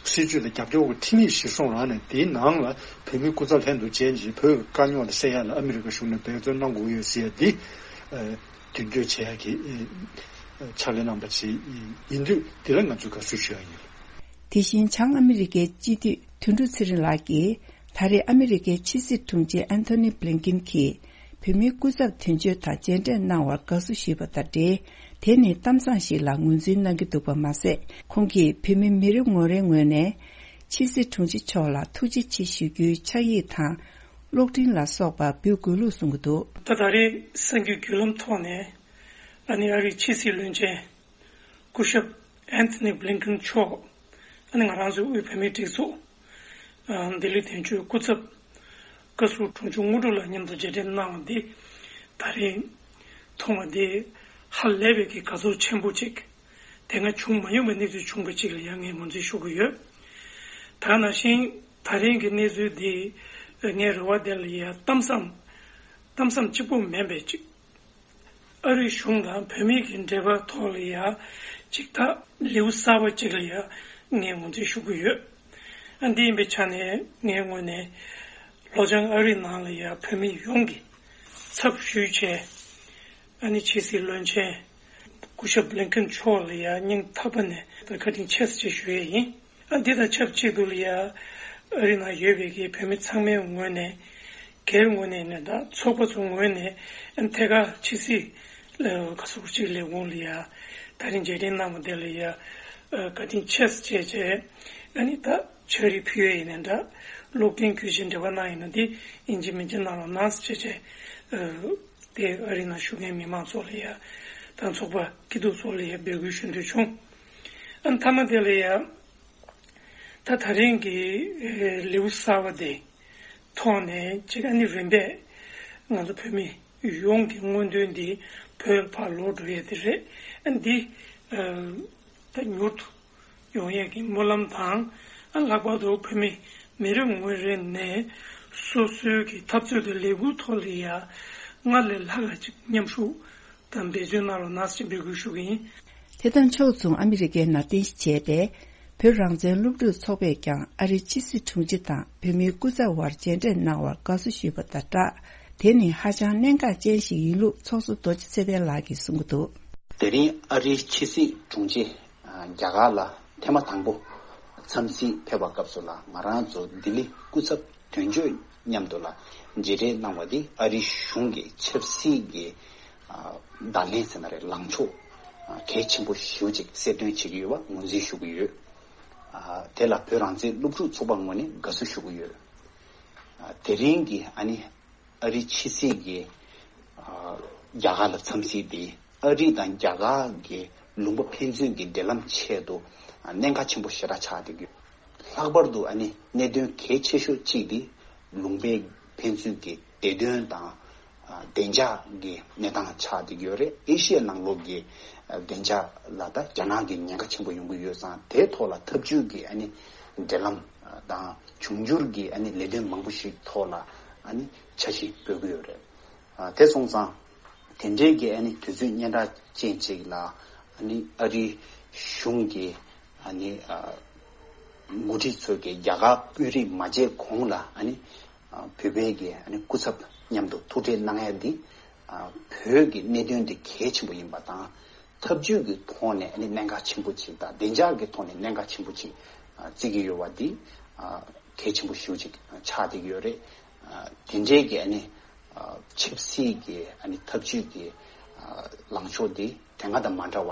སྲིད་བྱུས་ལ་རྒྱབ་སྐྱོར་གྱི་ཁྲིམས་ཡིག་གཞིར་བཟུང་རང་ནས་དེའི་ནང་ལ་བོད་མིའི་སྐུ་ཚབ་ལྷན་དུ་མཇལ་རྗེས་བོད་ཀྱི་དཀའ་རྙོག་དེ་སེལ་ཡག་ལ་ཨ་མི་རི་ཀ་གཞུང་ནས་འབད་བརྩོན་གནང་དགོས་ཡོད་ཟེར་ཡག་འདི། མདུན་སྐྱོད་བྱེད་ཡག་གི་ཕྱག་ལས་གནང་བ་ཞིག་ཡིན་དུས་འདི་ལ་ང་ཚོས་དགའ་བསུ་ཞུ་ཡག་ཡིན། དེ་བཞིན་བྱང་ཨ་མི་རི་ཀའི་སྤྱི་འཐུས་དོན་གྲུབ་ཚེ་རིང་ལགས་ཀྱིས། ད་རེས་ཨ་མི་རི་ཀའི་ཕྱི་སྲིད་དྲུང་ཆེ་ཨན་ཐོ་ནི་བྷི་ལིན་ཀིན་གྱིས་བོད་མིའི་སྐུ་ཚབ་དོན་གཅོད་དང་མཇལ་འཕྲད་གནང་བར་དགའ་བསུ་ཞུས་པ་དང་འབྲེལ། དེ་ནི་གཏམ་བཟང་ཞིག་ལ་ངོས་འཛིན་གནང་གི་འདུག་པ་མ་ཟད། ཁོང་གིས་བོད་མི་མི་རེ་ངོ་རེའི་ངོས་ནས་ཕྱི་སྲིད་དྲུང་ཆེ་མཆོག་ལ་ཐུགས་རྗེ་ཆེ་ཞུ་རྒྱུའི་ཕྱག་ཡིག་དང་། གློག་འཕྲིན་ལ་སོགས་པ་འབུལ་དགོས་ལུགས་གསུང་གི་འདུག་ད་ད་རེས་གསར་འགྱུར་བརྒྱུད་ལམ་ཐོག་ནས་ཨ་ནི་ཨ་རིའི་ཕྱི་སྲིད་བློན་ཆེན་སྐུ་ཞབས་ཨན་ཐོ་ནི་བྷི་ལིན་ཀིན་མཆོག་ཨ་ནི་ང་རང་ཚོའི་དབུས་བོད་མིའི་སྒྲིག་འཛུགས་ཨ་ལྡི་ལི་དོན་གཅོད་སྐུ་ཚབ་བཀའ་ཟུར་དྲུང་ཆེ་དངོས་གྲུབ་ལགས་མཉམ་དུ་མཇལ་འཕྲད་གནང་བ་འདི་ད་རེས་མཐོང་བ་འདི་ཧ་ལས་པའི་གི་དགའ་ཚོར་ཆེན་པོ་ཅིག་དེ་སྔ་བྱུང་མ་མྱོང་བའི་གནས་ཚུལ་བྱུང་བ་ཅིག་ལ་ཡང་ངས་ངོས་འཛིན་ཞུ་གི་ཡོད། ད་ནང་བཞིན་ད་རིང་གི་གནས་ཚུལ་འདི་ངའི་རེ་བ་དེ་ལ་ཡང་གཏམ་བཟང་གཏམ་བཟང་གཅིག་པོ་མིན་པའི་ཅིག་ཨ་རིའི་གཞུང་དང་བོད་མི་གི་འབྲེལ་བ་ཐོག་ལ་ཡང་ཅིག་ད་ལེའུ་གསར་པ་ཅིག་ལ་ཡང་ངས་ངོས་འཛིན་ཞུ་གི་ཡོད། ཨ་འདི་ཡིན་པའི་ཆ་ནས་ངའི་ངོས་ནས་ལྷོ་བྱང་ཨ་རིའི་ནང་ལ་ཡང་བོད་མི་ཡོངས་ཀྱི་ཚབ་ཞུས་བྱས། ཨ་ནི་ཕྱི་སྲིད་བློན་ཆེན་སྐུ་ཞབས་བྷི་ལིན་ཀིན་མཆོག་ལ་ཡང་སྙིང་ཐག་པ་ནས་བཀའ་དྲིན་ཆེ་ཟེར་ཞུ་ཡས་ཡིན། ཨ་འདི་དང་ཆབས་ཅིག་ཏུ་ལ་ཡང་ཨ་རི་ནང་ཡོད་པའི་གི་བོད་མི་ཚང་མའི་ངོས་ནས་སྒེར་ངོས་ནས་ནས་དང་ཚོགས་པ་ཚོ་ངོས་ནས་ཨ་ཐད་ཀར་ཕྱི་སྲིད་ལ་ག་ཚོད་ཅིག་ལས་ཁུངས་ལ་ཡང་ད་རིང་མཇལ་འཕྲད་གནང་བ་དེ་ལ་ཡང་བཀའ་དྲིན་ཆེ་ཟེར་བྱས་བྱས། ཨ་ནི་ད་ཕྱག་རིས་ཕུལ་ཡས་ཡིན་ནས་འདྲ། གློག་འཕྲིན་བརྒྱུད་བྱས་འབྲེལ་བ་གནང་ཡིན་ན་འདི་ཡིན་གཅིག་མིན་གཅིག་གནང་རོགས་གནང་ཟེར་བྱས་བྱས། དེ་ཨ་རི་ནང་བཞུགས་མཁན་མི་མང་ཚོ་ལ་ཡ་དང་ཚོགས་པ་སྐྱིད་སྡུག་ཚོ་ལ་ཡ་འབོད་སྐུལ་ཞུ་འདོད་བྱུང་། ཨ་མཐའ་མ་དེ་ལ་ཡ་ད་ད་རིང་གི་ལེའུ་གསར་བ་དེ་ཐོག་ནས་ཅིག་ཨ་ནི་རིམ་པས་ང་ཚོ་བོད་མི་ཡོངས་ཀྱི་མངོན་འདོད་འདི་བོད་ལ་ཕར་ལོག་འགྲོ་ཡས་དེ་རེད། ཨ་འདི་ད་མྱུར་དུ་ཡོང་ཡས་ཀྱི་སྨོན་ལམ་དང་། ཨ་ལྷག་པར་དུ་བོད་མི་མི་རེ་ངོ་རེ་ནས་སོ་སོའི་གི་འཐབ་རྩོད་དང་ལས་འགུལ་ཐོག་ལ་ཡ་སྔར་ལས་ལྷག་ག་ཅིག་མཉམ་ཞུགས་དང་འབད་བརྩོན་གནང་རོགས་གནང་ཞེས་འབོད་སྐུལ་ཞུ་གི་ཡིན། དེ་དང་ཕྱོགས་མཚུངས་ཨ་མི་རི་ཀའི་ནང་རྟེན་གཞི་བྱས་པའི་བོད་རང་བཙན་སློབ་ཕྲུག་ཚོགས་པས་ཀྱང་ཨ་རིའི་ཕྱི་སྲིད་དྲུང་ཆེ་དང་བོད་མིའི་སྐུ་ཚབ་དབར་མཇལ་འཕྲད་གནང་བར་དགའ་བསུ་ཞུས་པ་དང་སྦྲགས། དེ་ནི་ཧ་ཅང་གནད་འགག་ཅན་ཞིག་ཡིན་ལུགས་ཚོགས་གཙོ་རྡོ་རྗེ་ཚེ་བརྟན་ལགས་ཀྱིས་གསུང་གི་འདུག་དེ་རིང་ཨ་རིའི་ཕྱི་སྲིད་དྲུང་ཆེ་རྒྱ་གར་ལ་ཐེངས་མ་དང་པོ་འཚམས་གཟིགས་ཕེབས་པ་སྐབས་སུ་ལ་ང་རང་ཚོ་ལྡི་ལི་སྐུ་ཚབ་དོན་གཅོད་མཉམ་དུ་ལ་མཇལ་འཕྲད་གནང་བ་འདི་ཨ་རིའི་གཞུང་གི་ཆབ་སྲིད་ཀྱི་བརྡ་ལན་ཟེར་ན་རེད་ལངས་ཕྱོགས་གལ་ཆེན་པོ་ཞེ་པོ་ཅིག་གསལ་སྟོན་བྱེད་ཀྱི་ཡོད་པ་ངོས་འཛིན་ཞུ་གི་ཡོད། དེ་ལ་བོད་རང་བཙན་སློབ་ཕྲུག་ཚོགས་པ་ངོས་ནས་དགའ་བསུ་ཞུ་གི་ཡོད། དེ་རིང་གི་ཨ་ནི་ཨ་རིའི་ཕྱི་སྲིད་ཀྱི་རྒྱ་གར་ལ་འཚམས་གཟིགས་དེ་ཨ་རི་དང་རྒྱ་གར་གྱི་ལུང་པ་ཕན་ཚུན་གྱི་འབྲེལ་ལམ་ཆེད་དུ་གནད་འགག་ཆེན་པོ་ཞེ་དྲག་ཆགས་བསྡད་ཡོད། ལྷག་པར་དུ་ཨ་ནི་གནད་དོན་གལ་ཆེ་ཤོས་གཅིག་དེ་ལུང་པའི་ཕན་ཚུན་གྱི་བདེ་དོན་དང་བདེ་འཇགས་ཀྱི་གནས་སྟངས་ཆགས་བསྡད་ཡོད་རེད། ཨེ་ཤི་ཡའི་ནང་ལོགས་ཀྱི་བདེ་འཇགས་ལ་ད་རྒྱ་ནག་གི་ཉེན་ཁ་ཆེན་པོ་ཡོང་གི་ཡོད་ཙང་དེའི་ཐོག་ལ་འཐབ་ཇུས་ཀྱི་ཨ་ནི་འབྲེལ་ལམ་དང་འབྱུང་འགྱུར་གྱི་ཨ་ནི་ལས་དོན་མང་པོ་ཞིག་ཐོག་ལ་ཨ་ནི་འཆར་གཞི་འགོད་ཀྱི་ཡོད་རེད། དེ་སོང་ཙང་དེ་འབྲེལ་གྱི་ཨ་ནི་དུས་ཚོད་སྙན་གྲགས་ཅན་ཅིག་ལ་ཨ་ནི་ཨ་རིའི་གཞུང་གི་ཨ་ནི་འགོ་ཁྲིད་ཚོས་ཀྱི་རྒྱ་གར་དབུས་རིགས་མ་མཇལ་གོང་ལ་ཨ་ནི་བོད་པའི་གི་ཨ་ནི་སྐུ་ཚབ་མཉམ་དུ་ཐུག་འཕྲད་གནང་ཡ་འདི་བོད་ཀྱི་གནད་དོན་འདི་གལ་ཆེན་པོ་ཡིན་པ་དང་། འཐབ་ཇུས་ཀྱི་ཐོག་ནས་ཨ་ནི་གནད་འགག་ཆེན་པོ་ཅིག་དང་བདེ་འཇགས་ཀྱི་ཐོག་ནས་གནད་འགག་ཆེན་པོ་ཅིག་བརྩི་གི་ཡོད་པ་འདི་ གལ་ཆེན་པོ་ཞེ་པོ་ཅིག་ཆགས་བསྡད་ཀྱི་ཡོད་རེད། དེ་འདྲའི་གི་ཨ་ནི་ཆབ་སྲིད་ཀྱི་ཨ་ནི་འཐབ་ཇུས་ཀྱི་ལངས་ཕྱོགས་འདི་དེ་སྔ་དང་མ་འདྲ་བ་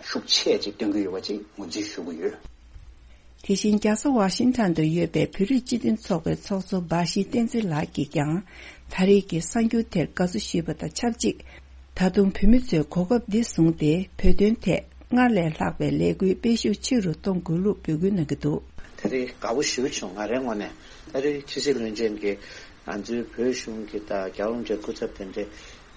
ཤུགས་ཆེ་ཅིག་སྟོན་གྱི་ཡོད་པ་ཅིག་ངོས་འཛིན་ཞུ་གི་ཡོད། དེ་བཞིན་རྒྱལ་ས་ཝ་ཤིང་ཊོན་དུ་ཡོད་པའི་བོད་རིགས་སྤྱི་མཐུན་ཚོགས་པའི་ཚོགས་གཙོ་འབའ་ཞིག་བསྟན་འཛིན་ལགས་ཀྱིས་ཀྱང་ད་རེས་ཀྱི་གསར་འགྱུར་དེར་དགའ་བསུ་ཞུས་པ་དང་ཆབས་ཅིག་ད་དུང་བོད་མི་ཚོས་གོ་སྐབས་འདི་བཟུང་སྟེ་བོད་དོན་ཐད་སྔར་ལས་ལྷག་པའི་ལས་འགུལ་སྤེལ་ཤུགས་ཆེ་རུ་གཏོང་དགོས་ལུགས་འབོད་སྐུལ་གནང་གི་འདུག་དེ་རིང་དགའ་པོ་ཞེ་པོ་བྱུང་། ང་རའི་ངོས་ནས་ད་རེས་ཕྱི་སྲིད་བློན་ཆེན་གྱིས་ང་ཚོའི་བོད་གཞུང་གི་དང་རྒྱལ་བ་རིན་པོ་ཆེའི་སྐུ་ཚབ་དེ་འདྲས་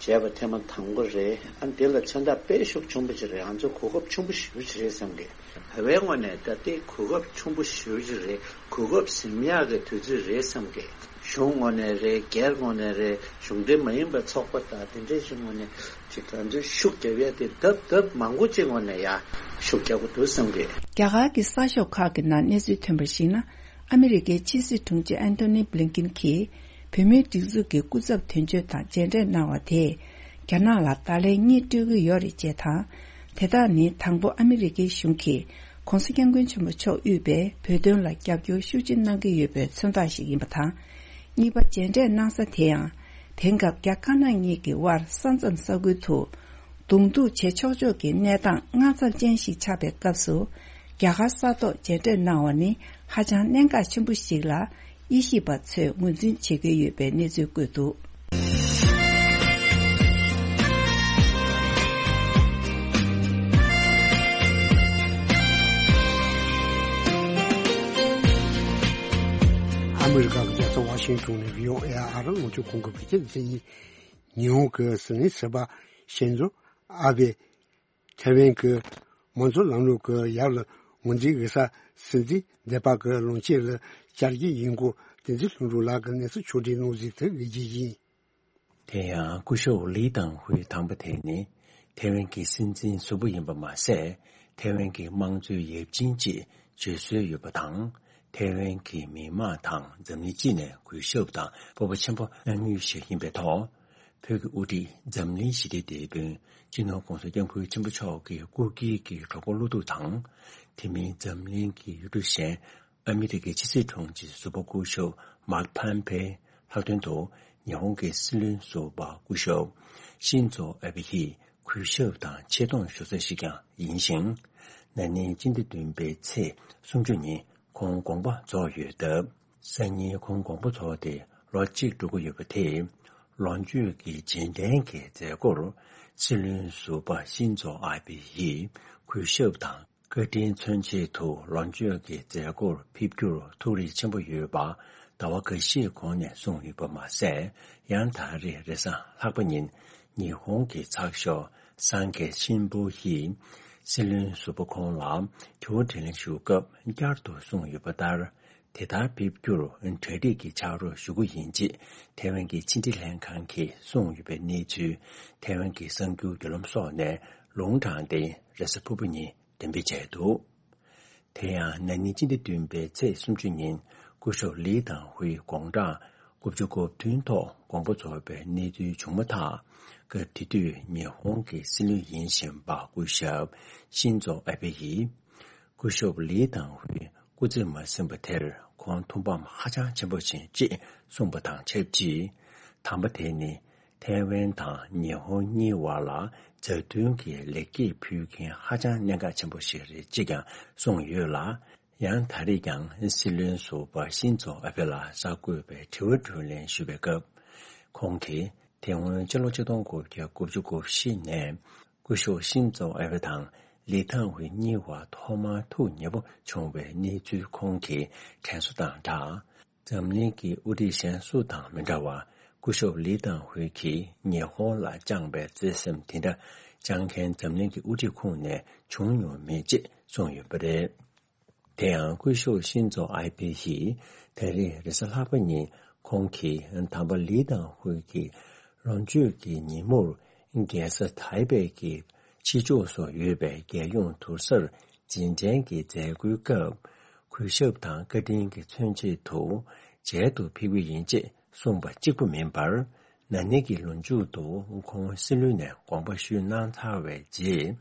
བྱས་པ་ཐེངས་མ་དང་པོ་རེད། ཨ་འདི་ལ་མཚོན་རྟགས་དཔེ་ཤུགས་ཆེན་པོ་ཅིག་རེད། ང་ཚོ་གོ་སྐབས་ཆེན་པོ་ཞེ་པོ་ཅིག་རེད་བསམ་གི། བོད་པའི་ངོས་ནས་ད་ལྟའི་གོ་སྐབས་ཆེན་པོ་ཞེ་པོ་ཅིག་རེད། གོ་སྐབས་ཟིན་ཡག་གི་དུས་ཚོད་རེད་བསམ་གི། གཞུང་ངོས་ནས་རེད། སྒེར་ངོས་ནས་རེད། གཞུང་འབྲེལ་མ་ཡིན་པའི་ཚོགས་པ་དང་དེ་འདྲའི་ཞིག་ངོས་ནས་ཅིག་ང་ཚོས་ཤུགས་རྒྱབ་ཡ་དེ་ལྡབ་ལྡབ་མང་པོ་ཅིག་ངོས་ནས་ཡ་ཤུགས་རྒྱག་དགོས་འདུག་བསམ་གི། རྒྱ་གར་གྱི་གསར་ཤོག་ཁག་གི་ནང་གནས་ཚུལ་ཐོན་པར་གཞིགས་ན། ཨ་མི་རི་ཀའི་ཕྱི་སྲིད་དྲུང་ཆེ་ཨན་ཐོ་ནི་བྷི་ལིན་ཀིན་གྱིས་བོད་མིའི་སྒྲིག་འཛུགས་ཀྱི་སྐུ་ཚབ་དོན་གཅོད་དང་མཇལ་འཕྲད་གནང་བ་དེས་རྒྱ་ནག་ལ་བརྡ་ལན་གཉིས་སྤྲོད་ཀྱི་ཡོད་རེད་ཅེས་དང་། དེ་དག་ནི་དང་པོ་ཨ་མི་རི་ཀའི་གཞུང་གིས་༧གོང་ས་༧སྐྱབས་མགོན་ཆེན་པོ་མཆོག་དབུས་པའི་བོད་དོན་ལ་རྒྱབ་སྐྱོར་ཤུགས་ཆེ་གནང་གི་ཡོད་པའི་མཚོན་རྟགས་ཤིག་ཡིན་པ་དང་། གཉིས་པ་མཇལ་འཕྲད་གནང་ས་དེ་ཡང་དེང་སྐབས་རྒྱ་དཀར་ནག་གཉིས་ཀྱི་དབར་ས་མཚམས་ས་ཁུལ་དུ་གདོང་ཐུག་བྱེད་ཆོག་ཆོག་གི་གནས་སྟངས་དངངས་འཚབ་ཅན་ཞིག་ཆགས་པའི་སྐབས་སུ། རྒྱ་གར་ས་ཐོག་མཇལ་འཕྲད་གནང་བ་ནི་ཧ་ཅང་གནད་འགག་ཆེན་པོ་ཞིག་ལ་དབྱེ་ཞིབ་པ་ཚོས་ངོས་འཛིན་བྱེད་ཀྱི་ཡོད་པའི་གནས་ཚུལ་བཀོད་འདུག་ཨ་མི་རི་ཀ་གི་རྒྱལ་ས་ཝ་ཤིང་ཊོན་ནས་བྷི་ཨོ་ཨེ་ཨ་རང་ལོངས་སྤྱོད་ཁོང་གི་བོད་སྐད་སྡེ་ཚན་ཡིན། ཉི་ཧོང་གི་སྲིད་བློན་ཟུར་པ་ཤིན་ཛོ་ཨ་བྷེ། ཐའེ་ཝན་གྱི་དམངས་གཙོ་ལམ་ལུགས་ཀྱི་ཡབ་ལ་ངོས་འཛིན་ཡོད་ས་སྲིད་འཛིན་སྡེ་པ་གི་ལོངས་སྤྱོད་ལ་བཅར་རྒྱུ་ཡིན་སྐོར་བསྟན་འཛིན་ལྷུན་གྲུབ་ལགས་ཀྱིས་གནས་ཚུལ་ཕྱོགས་སྒྲིག་གནང་ཟིན་དུ་ངེས་ཀྱི་ཡིན། དེ་ཡང་སྐུ་ཞབས་ལི་ཏང་ཧུའེ་དང་པོ་དེ་ནི་ཐའེ་ཝན་གྱི་སྲིད་འཛིན་ཟུར་པ་ཡིན་པ་མ་ཟད། ཐའེ་ཝན་གྱི་དམངས་གཙོའི་ཡབ་ཆེན་ཅེས་བརྗོད་སྲོལ་ཡོད་པ་དང་། ཐའེ་ཝན་གྱི་མི་དམངས་དང་འཛམ་གླིང་སྤྱི་ནས་གུས་ཞབས་དང་སྤོབས་པ་ཆེན་པོ་གནང་མུས་ཤིག་ཡིན་པའི་ཐོག་བོད་ཀྱི་དབུ་ཁྲིད་འཛམ་གླིང་ཞི་བདེའི་དེད་དཔོན་སྤྱི་ནོར་༧གོང་ས་༧སྐྱབས་མགོན་ཆེན་པོ་མཆོག་གི་སྐུ་སྒེར་གྱི་གྲོགས་པོ་བློ་ཐུག་དང་། དེ་མིན་འཛམ་གླིང་གི་ཡུལ་གྲུ་གཞན་ཨ་མི་རི་ཀའི་ཕྱི་སྲིད་དྲུང་ཆེ་ཟུར་པ་སྐུ་ཞབས་མཱིཀ་ཕམ་པེ་ལྷག་དོན་དུ་ཉི་ཧོང་གི་སྲིད་བློན་ཟུར་པ་སྐུ་ཞབས་ཤིན་ཛོ་ཨ་བྷེ་ཡིས་གུས་ཞབས་དང་ཆེ་མཐོང་ཞུ་ས་ཞིག་ཀྱང་ཡིན་ཞིང་། ན་ནིང་སྤྱི་ཟླ་བདུན་པའི་ཚེས་སུམ་ཅུ་ཉིན་ཁོང་དགོངས་པ་རྫོགས་ཡོད་སྟབས། སང་ཉིན་ཁོང་དགོངས་པ་རྫོགས་ཏེ་ལོ་གཅིག་འགྲོ་གི་ཡོད་པ་དེས། ལོ་མཆོད་ཀྱི་རྗེས་དྲན་གྱི་མཛད་སྒོར་སྲིད་བློན་ཟུར་པ་ཤིན་ཛོ་ཨ་བྷེ་ཡིས་གུས་ཞབས་དང་བཀའ་དྲིན་མཚོན་ཆེད་དུ་ལོ་མཆོད་ཀྱི་མཛད་སྒོར་ཕེབས་རྒྱུར་ཐུགས་རེ་ཆེན་པོ་ཡོད་པ་ཟླ་བ་འགའ་ཤས་གོང་ནས་གསུངས་ཡོད་པ་མ་ཟད། ཡང་ད་རེས་རེས་གཟའ་ལྷག་པ་ཉིན་ཉི་ཧོང་གི་ཚགས་ཤོག་སང་གྷེ་ཤིན་བུ་ཡིས་སྲིད་བློན་ཟུར་པ་ཁོང་ལ་དྲི་བ་དྲིས་ལན་ཞུ་སྐབས་བསྐྱར་དུ་གསུངས་ཡོད་པ་ལྟར། དེ་ལྟར་ཕེབས་རྒྱུར་གྲ་སྒྲིག་གི་ཕྱག་རོགས་ཞུ་རྒྱུ་ཡིན་ཅེས་ཐའེ་ཝན་གྱི་ཕྱི་འབྲེལ་ལྷན་ཁང་གིས་གསུངས་ཡོད་པའི་གནས་ཚུལ་ཐའེ་ཝན་གྱི་གསར་འགྱུར་བརྒྱུད་ལམ་སོགས་ནས་ལུང་དྲངས་ཏེ་རེས་གཟའ་ཕུར་བུ་ཉིན་འགྲེམས་སྤེལ་བྱས་འདུག་དེ་ཡང་ན་ནིང་སྤྱི་ཟླ་བདུན་པའི་ཚེས་སུམ་ཅུ་ཉིན་སྐུ་ཞབས་ལི་ཏང་ཧུའེ་དགུང་གྲངས་དགུ་བཅུ་གོ་བདུན་ཐོག་དགོངས་པ་རྫོགས་པའི་གནས་ཚུལ་བྱུང་མ་ཐག་སྐབས་དེ་དུས་ཉི་ཧོང་གི་སྲིད་བློན་ཡིན་བཞིན་པ་སྐུ་ཞབས་ཤིན་ཛོ་ཨ་བྷེ་ཡིས། སྐུ་ཞབས་ལི་ཏང་ཧུའེ་སྐུ་ཚེ་མ་ཟིན་པ་དེར་ཁོང་ཐུགས་ཕམ་ཧ་ཅང་ཆེན་པོ་ཕྱིན་ཅེས་གསུངས་པ་དང་ཆབས་ཅིག་དམ་པ་དེ་ནི་ཐའེ་ཝན་དང་ཉི་ཧོང་གཉིས་བར་ལ་མཛའ་མཐུན་གྱི་ལེགས་སྐྱེས་ཕུལ་མཁན་ཧ་ཅང་གནད་འགག་ཆེན་པོ་ཞིག་རེད་ཅེས་ཀྱང་གསུངས་ཡོད་ལ། ཡང་ད་རེས་ཀྱང་སྲིད་བློན་ཟུར་པ་ཤིན་ཛོ་ཨ་བྷེ་ལ་གསར་འགོད་པས་དྲི་བ་དྲིས་ལན་ཞུས་པའི་སྐབས། ཁོང་གིས་དེ་སྔོན་སྤྱི་ལོ་ཆིག་སྟོང་དགུ་བརྒྱ་དགུ་བཅུ་གོ་བཞི་ནས་སྐུ་ཞབས་ཤིན་ཛོ་ཨ་བྷེ་དང་ལི་ཐང་ཧུའེ་གཉིས་བར་ཐོག་མར་ཐུག་ཉེ་པོ་བྱུང་བའི་གནས་ཚུལ་ཁོང་གིས་དྲན་གསོ་དང་སྦྲགས། འཛམ་གླིང་གི་དབུ་ཁྲིད་གཞན་སུ་དང་མི་འདྲ་བར་སྐུ་ཞབས་ལི་ཏང་ཧུའེ་གིས་ཉི་ཧོང་ལ་བཅངས་པའི་བརྩེ་སེམས་དེ་འདྲ་བཅངས་མཁན་འཛམ་གླིང་གི་དབུ་ཁྲིད་ཁོངས་ནས་བྱུང་མྱོང་མེད་ཅེས་གསུངས་ཡོད་པ་རེད། དེ་ཡང་སྐུ་ཞབས་ཤིན་ཛོ་ཨ་བྷེ་ཡིས་ད་རེས་རེས་གཟའ་ལྷག་པ་ཉིན་ཁོང་གིས་དམ་པ་ལི་ཏང་ཧུའེ་གི་ལོ་མཆོད་ཀྱི་ཉིན་མོར་རྒྱལ་ས་ཐའེ་པེ་གི་ཕྱི་ཕྱོགས་སུ་ཡོད་པའི་རྒྱལ་ཡོངས་དུར་སར་རྗེས་དྲན་གྱི་མཛད་སྒོའི་སྐབས་གུས་ཞབས་དང་བཀའ་དྲིན་གྱི་མཚོན་ཆེད་དུ་མཇལ་དུ་ཕེབས་ཀྱི་ཡིན་ཅེས་གསུངས་པ་གཅིག་པུ་མིན་པར། ན་ནིང་གི་ལོ་མཇུག་ཏུ་ཁོང་སྲིད་བློན་ནས་དགོངས་པ་ཞུས་གནང་ཚར་བའི་རྗེས།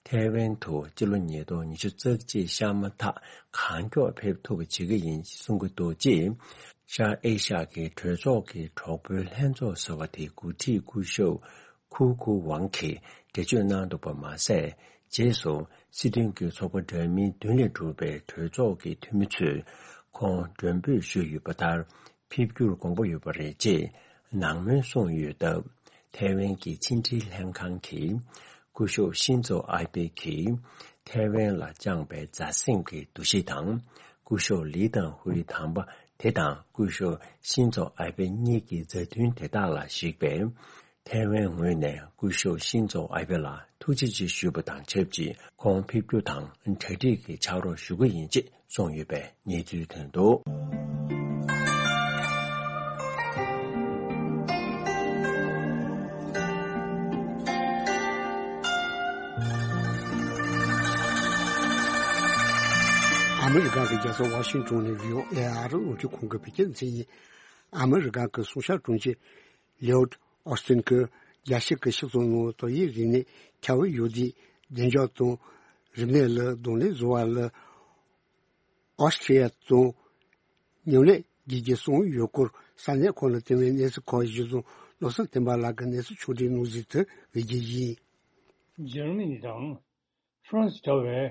ཐའེ་ཝན་དུ་སྤྱི་ལོ་ཉིས་སྟོང་ཉི་ཤུ་རྩ་གཅིག་ཤར་མ་ཐག་གང་མགྱོགས་ཕེབས་ཐུབ་པ་བྱེད་ཀྱི་ཡིན་གསུང་གི་འདུག་ཅེས། ཤར་ཨེ་ཤ་ཡའི་གྲོས་ཚོགས་ཀྱི་གྲོགས་པོའི་ལྷན་ཚོགས་ཟེར་བ་དེའི་འགོ་ཁྲིད་སྐུ་ཞབས་ཁུ་ཁུ་ཝང་གིས་འགྲེལ་བརྗོད་གནང་འདུག་པ་མ་ཟད། རྗེས་སུ་སྲིད་དོན་གྱི་ཚོགས་པ་འདྲ་མིན་བདུན་ལས་གྲུབ་པའི་གྲོས་ཚོགས་ཀྱི་འཐུས་མི་ཚོས་ཁོང་མགྲོན་འབོད་ཞུས་ཡོད་པ་ལྟར། ཕེབས་རྒྱུར་དགོངས་པ་ཡོད་པ་རེད་ཅེས་ནང་མོལ་གསུངས་ཡོད་སྟབས། ཐའེ་ཝན་གྱི་ཕྱི་འབྲེལ་ལྷན་ཁང་གིས་སྐུ་ཞབས་ཤིན་ཛོ་ཨའེ་བྷེ་གིས་ཐའེ་ཝན་ལ་བཅངས་པའི་མཛའ་སེམས་ཀྱི་འདུ་ཤེས་དང་། སྐུ་ཞབས་ལི་ཏང་ཧུའེ་དམ་པ་དེ་དང་སྐུ་ཞབས་ཤིན་ཛོ་ཨའེ་བྷེ་གཉིས་ཀྱི་མཛའ་མཐུན་དེ་དག་ལ་གཞིགས་པས། ཐའེ་ཝན་ངོས་ནས་སྐུ་ཞབས་ཤིན་ཛོ་ཨའེ་བྷེ་ལ་ཐུགས་རྗེ་ཆེ་ཞུས་པ་དང་ཆབས་ཅིག་ཁོང་ཕེབས་རྒྱུ་དང་གྲ་སྒྲིག་གི་ཕྱག་རོགས་ཞུ་གི་ཡིན་ཅེས་གསུངས་ཡོད་པའི་གནས་ཚུལ་ཐོན་འདུག། ཨ་མི་རི་ཀ་གི་རྒྱལ་ས་ཝ་ཤིང་ཏོན་ནས་བྷི་ཨོ་ཨེ་ཨ་རི་རླུང་འཕྲིན་ཁང་གི་བོད་སྐད་སྡེ་ཚན་ཡིན། ཨ་མི་རི་ཀ་གི་སྲུང་སྐྱོབ་དྲུང་ཆེ་ལིའོ་ཨོ་སི་ཏིན་གྱིས་རྒྱལ་སྤྱི་གི་སྤྱི་ཚོགས་ནང་ཏོག་དབྱིབས་རིམས་ནད་ཁྱབ་ཡོད་དུས་བདེ་འཇགས་དང་རིམས་ནད་ལ་གདོང་ལེན་བཟོ་བ་ལ་ཨོ་སི་ཀྲི་ཡ་དང་མཉམ་ལས་བྱེད་ཀྱི་གསུངས་ཡོད་སྐོར་ས་གནས་ཁོ་ནར་བརྟེན་པའི་གནས་ཚུལ་ཁག་གཞིར་བཟུང་བློ་བཟང་བསྟན་པ་ལགས་ཀྱིས་གནས་ཚུལ་ཕྱོགས་སྒྲིག་གནང་གཟིགས་དེ་བོད་སྐད་ཡིན། འཇར་མ་ནི་དང་། ཧྥ་རན་སི་འདྲ་བའི་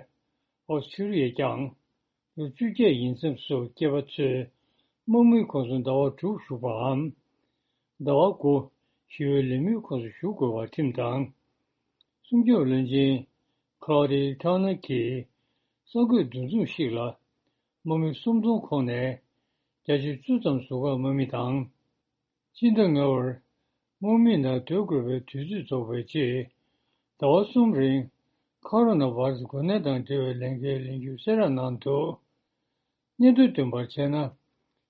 ཨོ་སི་ཀྲི་ཡས་ཀྱང་ལོ་བཅོ་བརྒྱད་ཡིན་མཚམས་སུ་སྐྱེས་པ་ཚོས་དམག་མིའི་ཁོངས་སུ་ཟླ་བ་དྲུག་བཞུགས་པའམ། ཟླ་བ་དགུ་ཞི་བའི་ལས་མིའི་ཁོངས་སུ་ཞུགས་དགོས་པར་ཁྲིམས་དང་། སྲུང་སྐྱོབ་བློན་ཆེན་ཁ་ལོ་ཌི་ཁྲང་ནར་གྱིས་གསར་འགོད་འདུ་འཛོམས་ཤིག་ལ་དམག་མི་སུམ་སྟོང་ཁོངས་ནས་བརྒྱ་ཆ་བཅུ་ཙམ་ཟུར་བཀག་དམག་མི་དང་། སྤྱི་ཟླ་ལྔ་པར་དམག་མི་ནང་སྡོད་དགོས་པའི་དུས་ཚོད་རྫོགས་པའི་རྗེས་ཟླ་བ་གསུམ་རིང་ཁོ་རོ་ན་བྷ་ར་སི་འགོས་ནད་དང་འབྲེལ་བའི་ལས་འགན་ལེན་རྒྱུ་གསལ་བསྒྲགས་གནང་འདུག། སྙན་ཐོ་བཏོན་པར་བྱས་ན།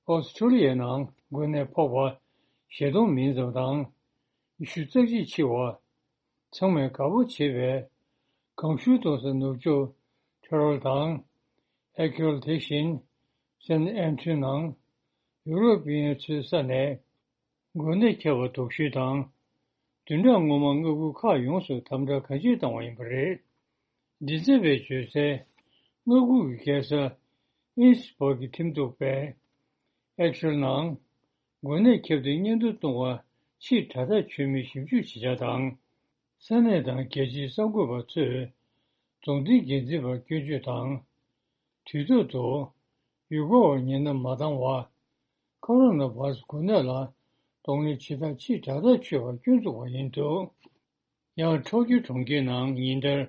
ཨོ་སི་ཁྲུ་ལི་ཡའི་ནང་འགོས་ནད་ཕོག་པ་བཞི་སྟོང་མིན་ཙམ་དང་། ཉི་ཤུ་རྩ་གཅིག་འཆི་བ། ཚང་མས་དགའ་པོ་བྱེད་པའི་གངས་ཤུར་གཏོང་ས་ནུབ་ཕྱོགས་ཁེ་རོལ་དང་། ཨེ་ཁེལ་དེ་བཞིན་སན་ཨན་ཐོན་ནང་ཡུ་རོབ་པའི་ཚོའི་ས་ནས་འགོས་ནད་ཁྱབ་པ་དོགས་ཞུ་དང་། བདུན་ཕྲག་སྔོན་མ་མངའ་ཁུལ་ཁག་ཡོངས་སུ་དམ་དྲག་གང་ཅི་བཏང་བ་ཡིན་པ་རེད། མགྲིན་ཚབ་པས་བརྗོད་གསལ། མངའ་ཁུལ་གྱི་རྒྱལ་ས་ཨིན་སི་སྦག་གི་ཁྲིམས་གཏུག་པས་ཨེ་ཁེལ་ནང་འགོས་ནད་ཁྱབ་དུས་སྙན་ཐོ་གཏོང་བ་ཕྱིར་དྲ་ཐག་ཆོད་མིན་ཞིབ་འཇུག་བྱེད་འཆར་དང་། ས་གནས་དང་རྒྱལ་སྤྱིའི་གསར་འགོད་པ་ཚོས་རྫོང་སྡེའི་འགན་འཛིན་པར་སྐྱོན་བརྗོད་དང་། དུས་ཐོག་ཏུ་ཡུལ་སྐོར་བ་ཉེན་བརྡ་མ་བཏང་བར་ཁོ་རོ་ན་བྷ་ར་སི་འགོས་ནད་ལ་གདོང་ལེན་བྱེད་སྟངས་ཕྱིར་དྲ་ཐག་ཆོད་པར་སྐྱོན་བཙུགས་པ་ཡིན་འདུག། ཡང་ཊོ་ཀྱོ་གྲོང་ཁྱེར་ནང་ཉིན་ལྟར་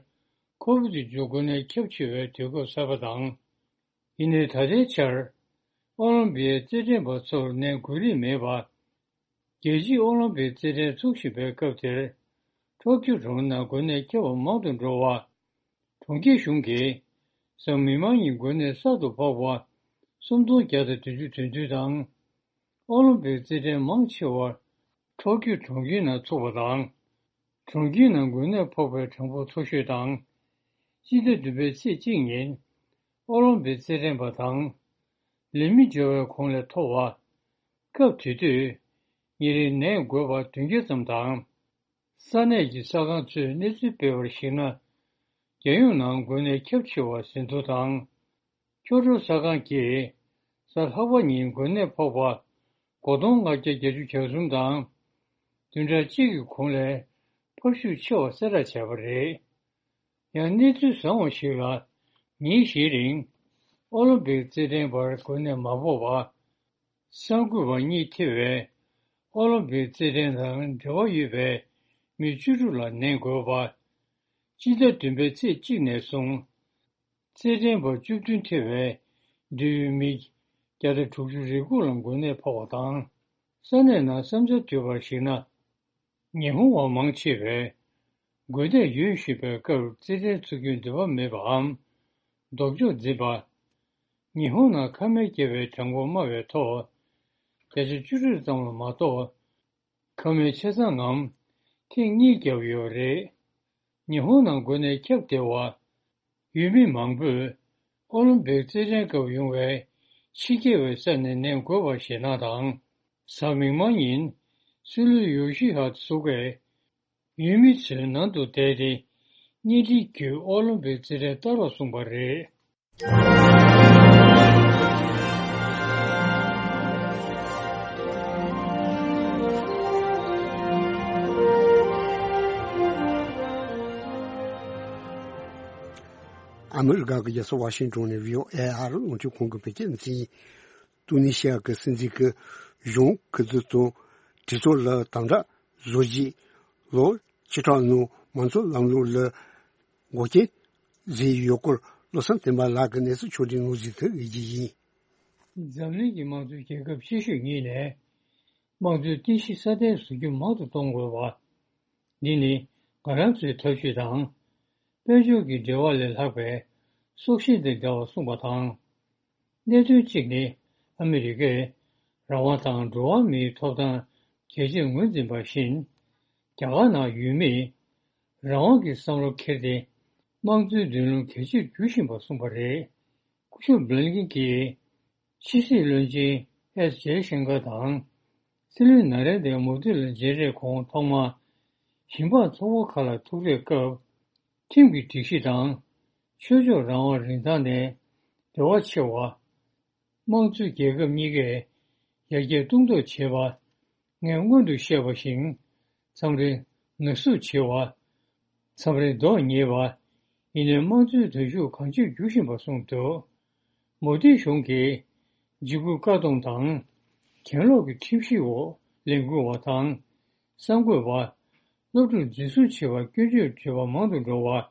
ཁོ་བིད་བཅུ་དགུ་འགོས་ནད་ཁྱབ་ཆེ་བའི་དུས་སྐབས་གསར་པ་དང་། ཡིན་ནའི་ད་ལྟའི་ཆར་ཨོ་ལིམ་པིག་རྩེད་འགྲན་པ་ཚོར་ནད་འགོས་རིགས་མེད་པ། རྒྱལ་སྤྱིའི་ཨོ་ལིམ་པིག་རྩེད་འགྲན་ཚུགས་བཞིན་པའི་སྐབས་དེར། ཊོ་ཀྱོ་གྲོང་ནང་འགོས་ནད་ཁྱབ་པ་མང་དུ་འགྲོ་བ། གྲོང་ཁྱེར་གཞུང་གིས་གཟའ་མིག་དམར་ཉིན་འགོས་ནད་གསར་དུ་ཕོག་པ་སུམ་སྟོང་བརྒྱ་དང་བདུན་ཅུ་དོན་བདུན་དང་། ཨོ་ལིམ་པིག་རྩེད་འགྲན་མང་ཆེ་བ་ཊོ་ཀྱོ་གྲོང་ཁྱེར་ནང་ཚུགས་པ་དང་། གྲོང་ཁྱེར་ནང་འགོས་ནད་ཕོག་པའི་གྲངས་འབོར་མཐོ་ཤོས་དང་། སྤྱི་ཟླ་བདུན་པའི་ཚེས་གཅིག་ཉིན་ཨོ་ལིམ་པིག་རྩེད་འགྲན་པ་དང་། ལས་མི་འབྱོར་བའི་གོང་ལས་མཐོ་བ། སྐབས་དེ་དུས་ཉིན་རེའི་ནད་འགོས་པ་བདུན་བརྒྱ་ཙམ་དང་། ས་གནས་ཀྱི་གསར་ཁང་ཚོས་གནས་ཚུལ་སྤེལ་བར་གཞིགས་ན། རྒྱལ་ཡོངས་ནང་འགོས་ནད་ཁྱབ་ཆེ་བ་ཟིན་ཐོ་དང་། ཁྱོ་ཁྲོ་གསར་ཁང་གིས་གཟའ་ལྷག་པ་ཉིན་འགོས་ནད་ཕོག་པ་སྒོར་སྟོང་ལྔ་བརྒྱ་བརྒྱད་ཅུ་གྱ་གསུམ་དང་། བདུན་ཕྲག་གཅིག་གི་གོང་ལས་འཕར་ཤུགས་ཆེ་བ་གསལ་བསྒྲགས་བྱས་པ་རེད། ཡང་གནས་ཚུལ་བཟང་བ་ཞིག་ལ། ཉིན་བཞིའི་རིང་ཨོ་ལིམ་པིག་རྩེད་འགྲན་པར་འགོས་ནད་མ་ཕོག་པ། གསར་འགོད་པ་གཉིས་ཐེ་བའི་ཨོ་ལིམ་པིག་རྩེད་འགྲན་དང་འབྲེལ་བ་ཡོད་པའི་མི་བཅུ་དྲུག་ལ་ནད་འགོས་པ། སྤྱི་ཟླ་བདུན་པའི་ཚེས་གཅིག་ནས་བཟུང་། རྩེད་འགྲན་པ་བཅུ་བདུན་ཐེ་བའི་འབྲེལ་ཡོད་མི་བརྒྱ་དང་དྲུག་ཅུ་རེ་དགུ་ལ་འགོས་ནད་ཕོག་པ་དང་། ས་གནས་ནང་བསམ་འཆར་བསྡུས་པར་གཞིགས་ན། ཉི་ཧོང་བ་མང་ཆེ་བས་འགོས་ནད་ཡོད་བཞིན་པའི་སྐབས་རྩེད་འགྲན་ཚུགས་རྒྱུའི་འདོད་པ་མེད་པའམ། ལྡོག་ཕྱོགས་འཛིན་པ། ཉི་ཧོང་ནང་ཁ་མལ་བརྒྱབ་པའི་གྲངས་འབོར་དམའ་བའི་ཐོག་བརྒྱ་ཆ་བཅུ་དྲུག་ཙམ་ལ་མ་གཏོགས། ཁ་མལ་ཆ་ཚང་ངམ་ཐེངས་གཉིས་བརྒྱབ་ཡོད་པ་རེད། ཉི་ཧོང་ནང་འགོས་ནད་ཁྱབ་བསྡད་པ། ཡུལ་མི་མང་པོས་ཨོ་ལིམ་པིག་རྩེད་འགྲན་སྐབས་ཡོང་བའི་ཕྱི་རྒྱལ་བའི་ས་ནས་ནད་འགོས་པར་ཞེད་སྣང་དང་། གཟའ་མིག་དམར་ཉིན་སྲིད་བློན་ཡོ་ཤི་ཧ་སུ་གས་ཡུལ་མི་ཚོའི་ནང་དུ་བསྡད་དེ། གཉེན་སྒྲིག་བརྒྱུད་ཨོ་ལིམ་པིག་རྩེད་འགྲན་ལྟ་རོགས་གསུངས་པ་རེད། ཨ་མི་རི་ཀ་གི་རྒྱལ་ས་ཝ་ཤིང་ཏོན་ནས་བྷི་ཨོ་ཨེ་ཨར་རླུང་འཕྲིན་ཁང་གི་བོད་སྐད་སྡེ་ཚན་ཡིན། ཏུའུ་ནི་ཤི་ཡ་གི་སྲིད་འཛིན་གྱི་གཞུང་སྐུ་ཚབ་དང་གྲོས་ཚོགས་ལ་དམ་དྲག་བཟོ་རྒྱུའི་ལོ་བཅུ་ཕྲག་ནང་མང་གཙོ་ལམ་ལུགས་ལ་འགོག་རྐྱེན་བཟོས་ཡོད་སྐོར་བློ་བཟང་བསྟན་པ་ལགས་ཀྱིས་གནས་ཚུལ་ཕྱོགས་སྒྲིག་ནང་གཟིགས་ཐུབ་ཡོད་ཀྱི་ཡིན། འཛམ་གླིང་གི་དམངས་གཙོའི་རྒྱལ་ཁབ་ཆེ་ཤོས་གཉིས་ནས་དམངས་གཙོའི་རྟེན་གཞི་སྲ་བརྟན་བཟོ་རྒྱུ་མང་དུ་གཏོང་དགོས་པ། འདི་ནི་ང་རང་ཚོའི་ཐབས་ཇུས་དང་། དཔལ་འབྱོར་གྱི་འབྲེལ་བ་ལས་ལྷག་པའི་སྲོག་ཤིང་དང་འདྲ་བར་གསུངས་པ་དང་། གནད་དོན་གཅིག་ནི་ཨ་མི་རི་ཀས་རང་དབང་དང་འགྲོ་བ་མིའི་ཐོབ་ཐང་གལ་ཆེར་ངོས་འཛིན་པ་བཞིན། རྒྱ་གར་ནང་ཡུལ་མིས་རང་དབང་གི་བསམ་བློ་འཁྱེར་ཏེ་དམངས་གཙོའི་མདུན་ལམ་གལ་ཆེར་འགྱུར་བཞིན་པ་གསུངས་པ་རེད། སྐུ་ཞབས་བྷི་ལིན་ཀིན་གྱིས་ཕྱི་སྲིད་བློན་ཆེན་ཨེས་ཇེ་ཤན་ཀར་དང་། སྲིད་བློན་ན་རེན་དྲ་མོ་དི་ལ་མཇལ་འཕྲད་གོང་ཐོག་མར་ཞིང་འབངས་ཚོགས་པ་ཁག་ལ་ཐུག་འཕྲད་སྐབས། ཁྲིམས་ཀྱི་སྒྲིག་གཞི་དང་། ཆོས་ཕྱོགས་རང་དབང་རིན་ཐང་ནས་འབྲེལ་བ་ཆེ་བ། དམངས་གཙོའི་རྒྱལ་ཁབ་གཉིས་ཀས་ཡར་རྒྱས་གཏོང་ཐབས་བྱེད་པ། ངས་སྔོན་དུ་བཤད་པ་བཞིན་མཚམས་རེ་ནག་བསུབ་བྱེད་པ། མཚམས་རེ་རྡོག་རྙེད་པ། ཡིན་ནའི་དམངས་གཙོའི་དོན་ཤུགས་གང་ཆེར་འགྱུར་བཞིན་པ་གསུངས་འདུག་མོ་དིའི་གཞུང་གིས་འཇིགས་སྐུལ་བཀག་སྡོམ་དང་གྱེན་ལོག་གི་ཁྲིམས་གཞིའི་འོག་ལས་འགུལ་བ་དང་། གསར་འགོད་པ། སློབ་ཕྲུག་འཛིན་བཟུང་བྱེད་པར་སྐྱོན་བརྗོད་བརྗོད་པ་མང་དུ་འགྲོ་བ།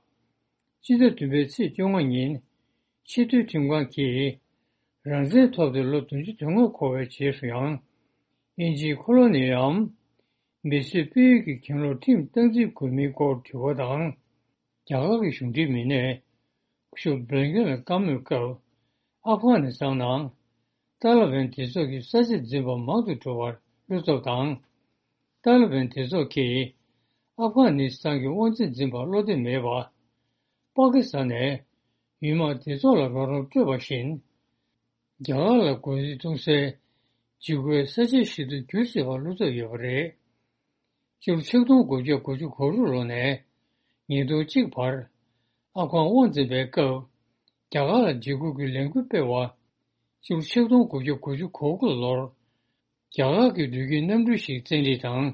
སྤྱི་ཟླ་བདུན་པའི་ཚེས་བཅོ་ལྔ་ཉིན། ཆེས་མཐོའི་ཁྲིམས་ཁང་གིས་རང་བཙན་ཐོབ་སྟེ་ལོ་བདུན་ཅུ་དོན་ལྔ་འཁོར་བའི་རྗེས་སུ་ཡང་། དབྱིན་ཇིའི་ཁོ་ལོ་ནིའམ་མི་གསོད་སྤེལ་ཡུལ་གྱི་གྱེན་ལོག་ཁྲིམས་སྟངས་འཛིན་དགོས་མིན་སྐོར་དྲི་བ་དང་། རྒྱ་གར་གྱི་གཞུང་འབྲེལ་མི་སྣས་སྐུ་ཞབས་བྷི་ལིན་ཀིན་ལ་བཀའ་མོལ་སྐབས། ཨབ་གྷ་ནི་སི་ཐན་ནང་ཏཱ་ལི་བན་སྡེ་ཚོགས་ཀྱི་ས་ཆ་འཛིན་པ་མང་དུ་འགྲོ་བར་བློ་འཚབ་དང་། ཏཱ་ལི་བན་སྡེ་ཚོགས་ཀྱིས་ཨབ་གྷ་ནི་སི་ཐན་གྱི་དབང་ཆ་འཛིན་པར་བློ་བདེ་མེད་པ། པ་ཀི་སི་ཐན་ནས་ཡུལ་དམག་སྡེ་ཚོགས་ལ་རོགས་རམ་སྤྲོད་པ་བཞིན། རྒྱ་གར་ལ་རྒོལ་རྩིས་གཏོང་སའི་འཇིགས་སྐུལ་ས་ཆའི་ཞིག་ཏུ་འགྱུར་སྲིད་པར་བློ་འཚབ་ཡོད་པ་རེད། སྤྱི་ལོ་ཆིག་སྟོང་དགུ་བརྒྱ་དགུ་བཅུ་གོ་དྲུག་ལོ་ནས་ཉིས་སྟོང་གཅིག་བར་ཨབ་གྷན་དབང་འཛིན་པའི་སྐབས། རྒྱ་གར་ལ་འཇིགས་སྐུལ་གྱི་ལས་འགུལ་སྤེལ་བ། སྤྱི་ལོ་ཆིག་སྟོང་དགུ་བརྒྱ་དགུ་བཅུ་གོ་དགུ་ལོར། རྒྱ་གར་གྱི་འགྲུལ་སྐྱེལ་གནམ་གྲུ་ཞིག་བཙན་ཁྲིད་དང་།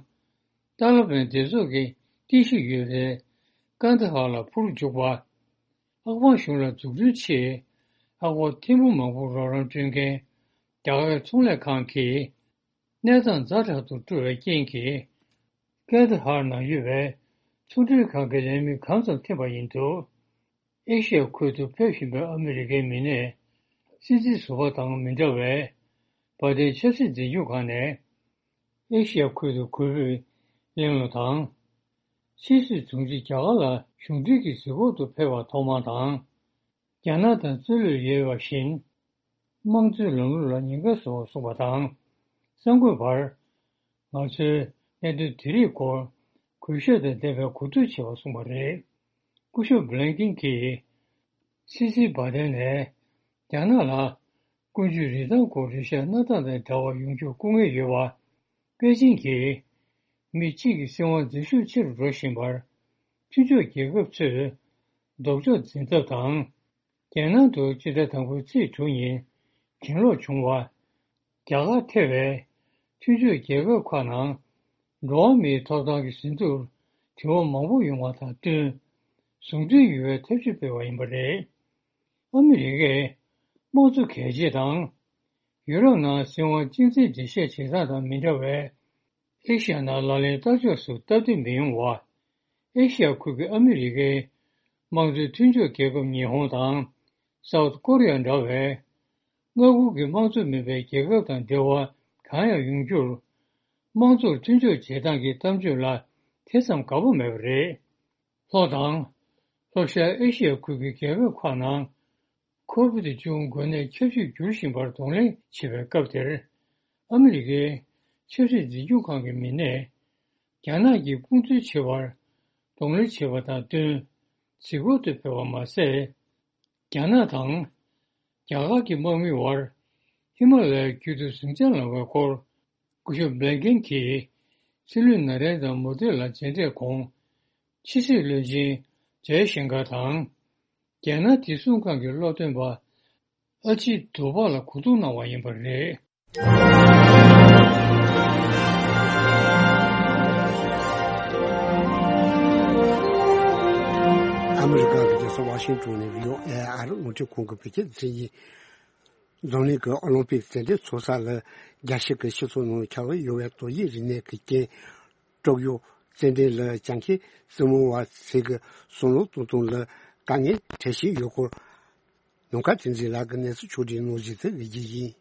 ཏཱ་ལི་བན་སྡེ་ཚོགས་ཀྱི་རྟེན་གཞི་ཡོད་པའི་ཀན་ད་ཧར་ལ་འཕུར་འཇུག་པ། ཨབ་གྷན་གཞུང་ལ་འཛུགས་སྐྲུན་ཆེད་ཨབ་གྷན་ཐེར་འབུམ་མང་པོར་རོགས་རམ་སྤྲོད་མཁན་རྒྱ་གར་གྱི་ཚོང་ལས་ཁང་གིས་གནས་སྟངས་ཛ་དྲག་ཏུ་འགྲོ་བའི་རྐྱེན་གྱིས། ཀན་ད་ཧར་ནང་ཡོད་པའི་ཚོང་འབྲེལ་ཁང་གི་ལས་མི་གང་ཙམ་འཐེན་པ་ཡིན་འདུག་ཨེ་ཤི་ཡ་ཁུལ་དུ་ཕེབས་བཞིན་པའི་ཨ་མི་རི་ཀའི་མི་སྣས་སྲིད་འཛིན་ཟུར་པ་དང་མི་འདྲ་བའི་བ་དན་ཆབ་སྲིད་འཛིན་སྐྱོང་ཁང་ནས་ཨེ་ཤི་ཡ་ཁུལ་དུ་རྒོལ་པོས་གླེང་སློང་དང་། ཕྱིས་སུ་དྲུང་ཆེ་རྒྱ་གར་ལ་གཞུང་འབྲེལ་གྱི་གཟིགས་སྐོར་དུ་ཕེབས་པ་ཐོག་མ་དང་། རྒྱ་ནག་དང་རྩོད་རློས་ཡོད་པ་བཞིན། དམངས་གཙོའི་ལམ་ལུགས་ལ་ཉེན་ཁ་བཟོ་བར་གསུངས་པ་དང་། གསར་འགོད་པར། ང་ཚོས་གནད་དོན་དེ་རིགས་སྐོར་གུས་ཞབས་དང་ལྡན་པའི་གོ་བསྡུར་བྱས་པར་གསུངས་པ་རེད། སྐུ་ཞབས་བྷི་ལན་ཀིན་གྱིས། སྲིད་འཛིན་བྷ་དན་ནས། རྒྱ་ནག་ལ་ཀུན་སྤྱོད་རིན་ཐང་སྐོར་རེ་ཞིག་གནས་སྟངས་དང་འདྲ་བ་ཡོང་རྒྱུར་སྐུ་ངལ་ཡོད་པ། པེ་ཅིང་གིས། མི་གཅིག་གི་སྲིད་དབང་འཛིན་ཤུགས་ཆེ་རུ་འགྲོ་བཞིན་པར། མཐུན་ཕྱོགས་རྒྱལ་ཁབ་ཚོས། ལྡོག་ཕྱོགས་འཛིན་ཐབས་དང་། རྒྱལ་ནང་དུ་སྤྱི་ཟླ་དང་པོའི་ཚེས་དྲུག་ཉིན་གྱེན་ལོག་བྱུང་བ། རྒྱ་གར་ཐེ་བའི་མཐུན་ཕྱོགས་རྒྱལ་ཁབ་ཁག་ནང་འགྲོ་བ་མིའི་ཐོབ་ཐང་གི་ཟིན་ཐོར་དྲི་བ་མང་པོ་ཡོང་བ་དང་བསྟུན། ཟུང་འབྲེལ་ཡོང་བའི་ཐབས་ཇུས་སྤེལ་བ་ཡིན་པ་རེད། ཨ་མི་རི་ཀས་དམངས་གཙོ་གལ་ཆེ་དང་། ཡུ་རོབ་ནང་སྲིད་དབང་གཅིག་མཚན་འགྲེལ་བཤད་བྱེད་སྟངས་དང་མི་འདྲ་བའི། ཨེ་ཤི་ཡ་ནང་ལག་ལེན་བསྟར་ཕྱོགས་སུ་སྟབས་བདེ་མི་ཡོང་བ། ཨེ་ཤི་ཡ་ཁུལ་གྱི་ཨ་མི་རི་ཀའི་དམངས་གཙོའི་མཐུན་ཕྱོགས་རྒྱལ་ཁབ་ཉི་ཧོང་དང་སའུ་ཐི་ཀོ་རི་ཡ་འདྲ་བའི་མངའ་ཁུལ་གྱི་དམངས་གཙོ་མིན་པའི་རྒྱལ་ཁབ་དང་འབྲེལ་བ་གང་ཡང་ཡོང་རྒྱུར། དམངས་གཙོར་མཐུན་ཕྱོགས་བྱེད་སྟངས་ཀྱི་གཏམ་བརྗོད་ལ་དེ་ཙམ་དགའ་པོ་མེད་པ་རེད། ལྷོ་དང་། ལྷོ་ཤར་ཨེ་ཤི་ཡ་ཁུལ་གྱི་རྒྱལ་ཁབ་ཁག་ནང་ཁོ་བིད་བཅུ་དགུ་འགོས་ནད་ཁྱབ་ཤུགས་འགྱུར་བཞིན་པར་གདོང་ལེན་བྱེད་པའི་སྐབས་དེར། ཨ་མི་རི་ཀའི་ཆབ་སྲིད་འཛིན་སྐྱོང་ཁང་གི་མི་སྣས། རྒྱ་ནག་གིས་དཔུང་འཛུལ་བྱེད་པར་གདོང་ལེན་བྱེད་པ་དང་བསྟུན། གཟིགས་སྐོར་དུ་ཕེབས་པ་མ་ཟད། རྒྱ་ནག་དང་། རྒྱ་གར་གྱི་དམག་མིའི་བར། ཧི་མ་ལ་ཡའི་རྒྱུད་དུ་ཟིང་ཆ་ལངས་པའི་སྐོར། སྐུ་ཞབས་བྷི་ལན་ཀིན་གྱིས། སྲིད་བློན་ན་རེན་དྲ་མོ་དི་ལ་མཇལ་འཕྲད་གོང་། ཕྱི་སྲིད་བློན་ཆེན་ ཇའི་ཤིང་ཀར་དང་། རྒྱལ་ནང་བདེ་སྲུང་ཁང་གི་སློབ་སྟོན་པ་ཨ་ཅི་དུ་པ་ལ་གོ་བསྡུར་གནང་བ་ཡིན་པ་རེད། ཨ་མི་རི་ཀ་གི་རྒྱལ་ས་ཝ་ཤིང་ཏོན་ནས་བྷི་ཨོ་ཨེ་ཨ་རི་རླུང་འཕྲིན་ཁང་གི་བོད་སྐད་སྡེ་ཚན་ཡིན། འཛམ་གླིང་གི་ཨོ་ལིམ་པིག་རྩེད་འགྲན་ཚོགས་ས་ལ་རྒྱལ་སྤྱི་གི་སྤྱི་ཚོགས་ནང་ཁྱབ་ཡོད་པའི་ཏོག་དབྱིབས་རིམས་ནད་ཀྱི་རྐྱེན། ཀྲོ་ཀིའོ་རྩེད་འགྲན་ལ་བཅའ་མཁན་རྩེད་མོ་བ་ཚོས་ཀྱི་བསམ་བློ་གཏོང་སྟངས་ལ་དཀའ་ངལ་འཕྲད་བཞིན་ཡོད་སྐོར། ནམ་མཁའ་བསྟན་འཛིན་ལགས་ཀྱིས་གནས་ཚུལ་ཕྱོགས་བསྒྲིགས་གནང་བཞིན་གཟིགས་རྒྱུ་ཡིན།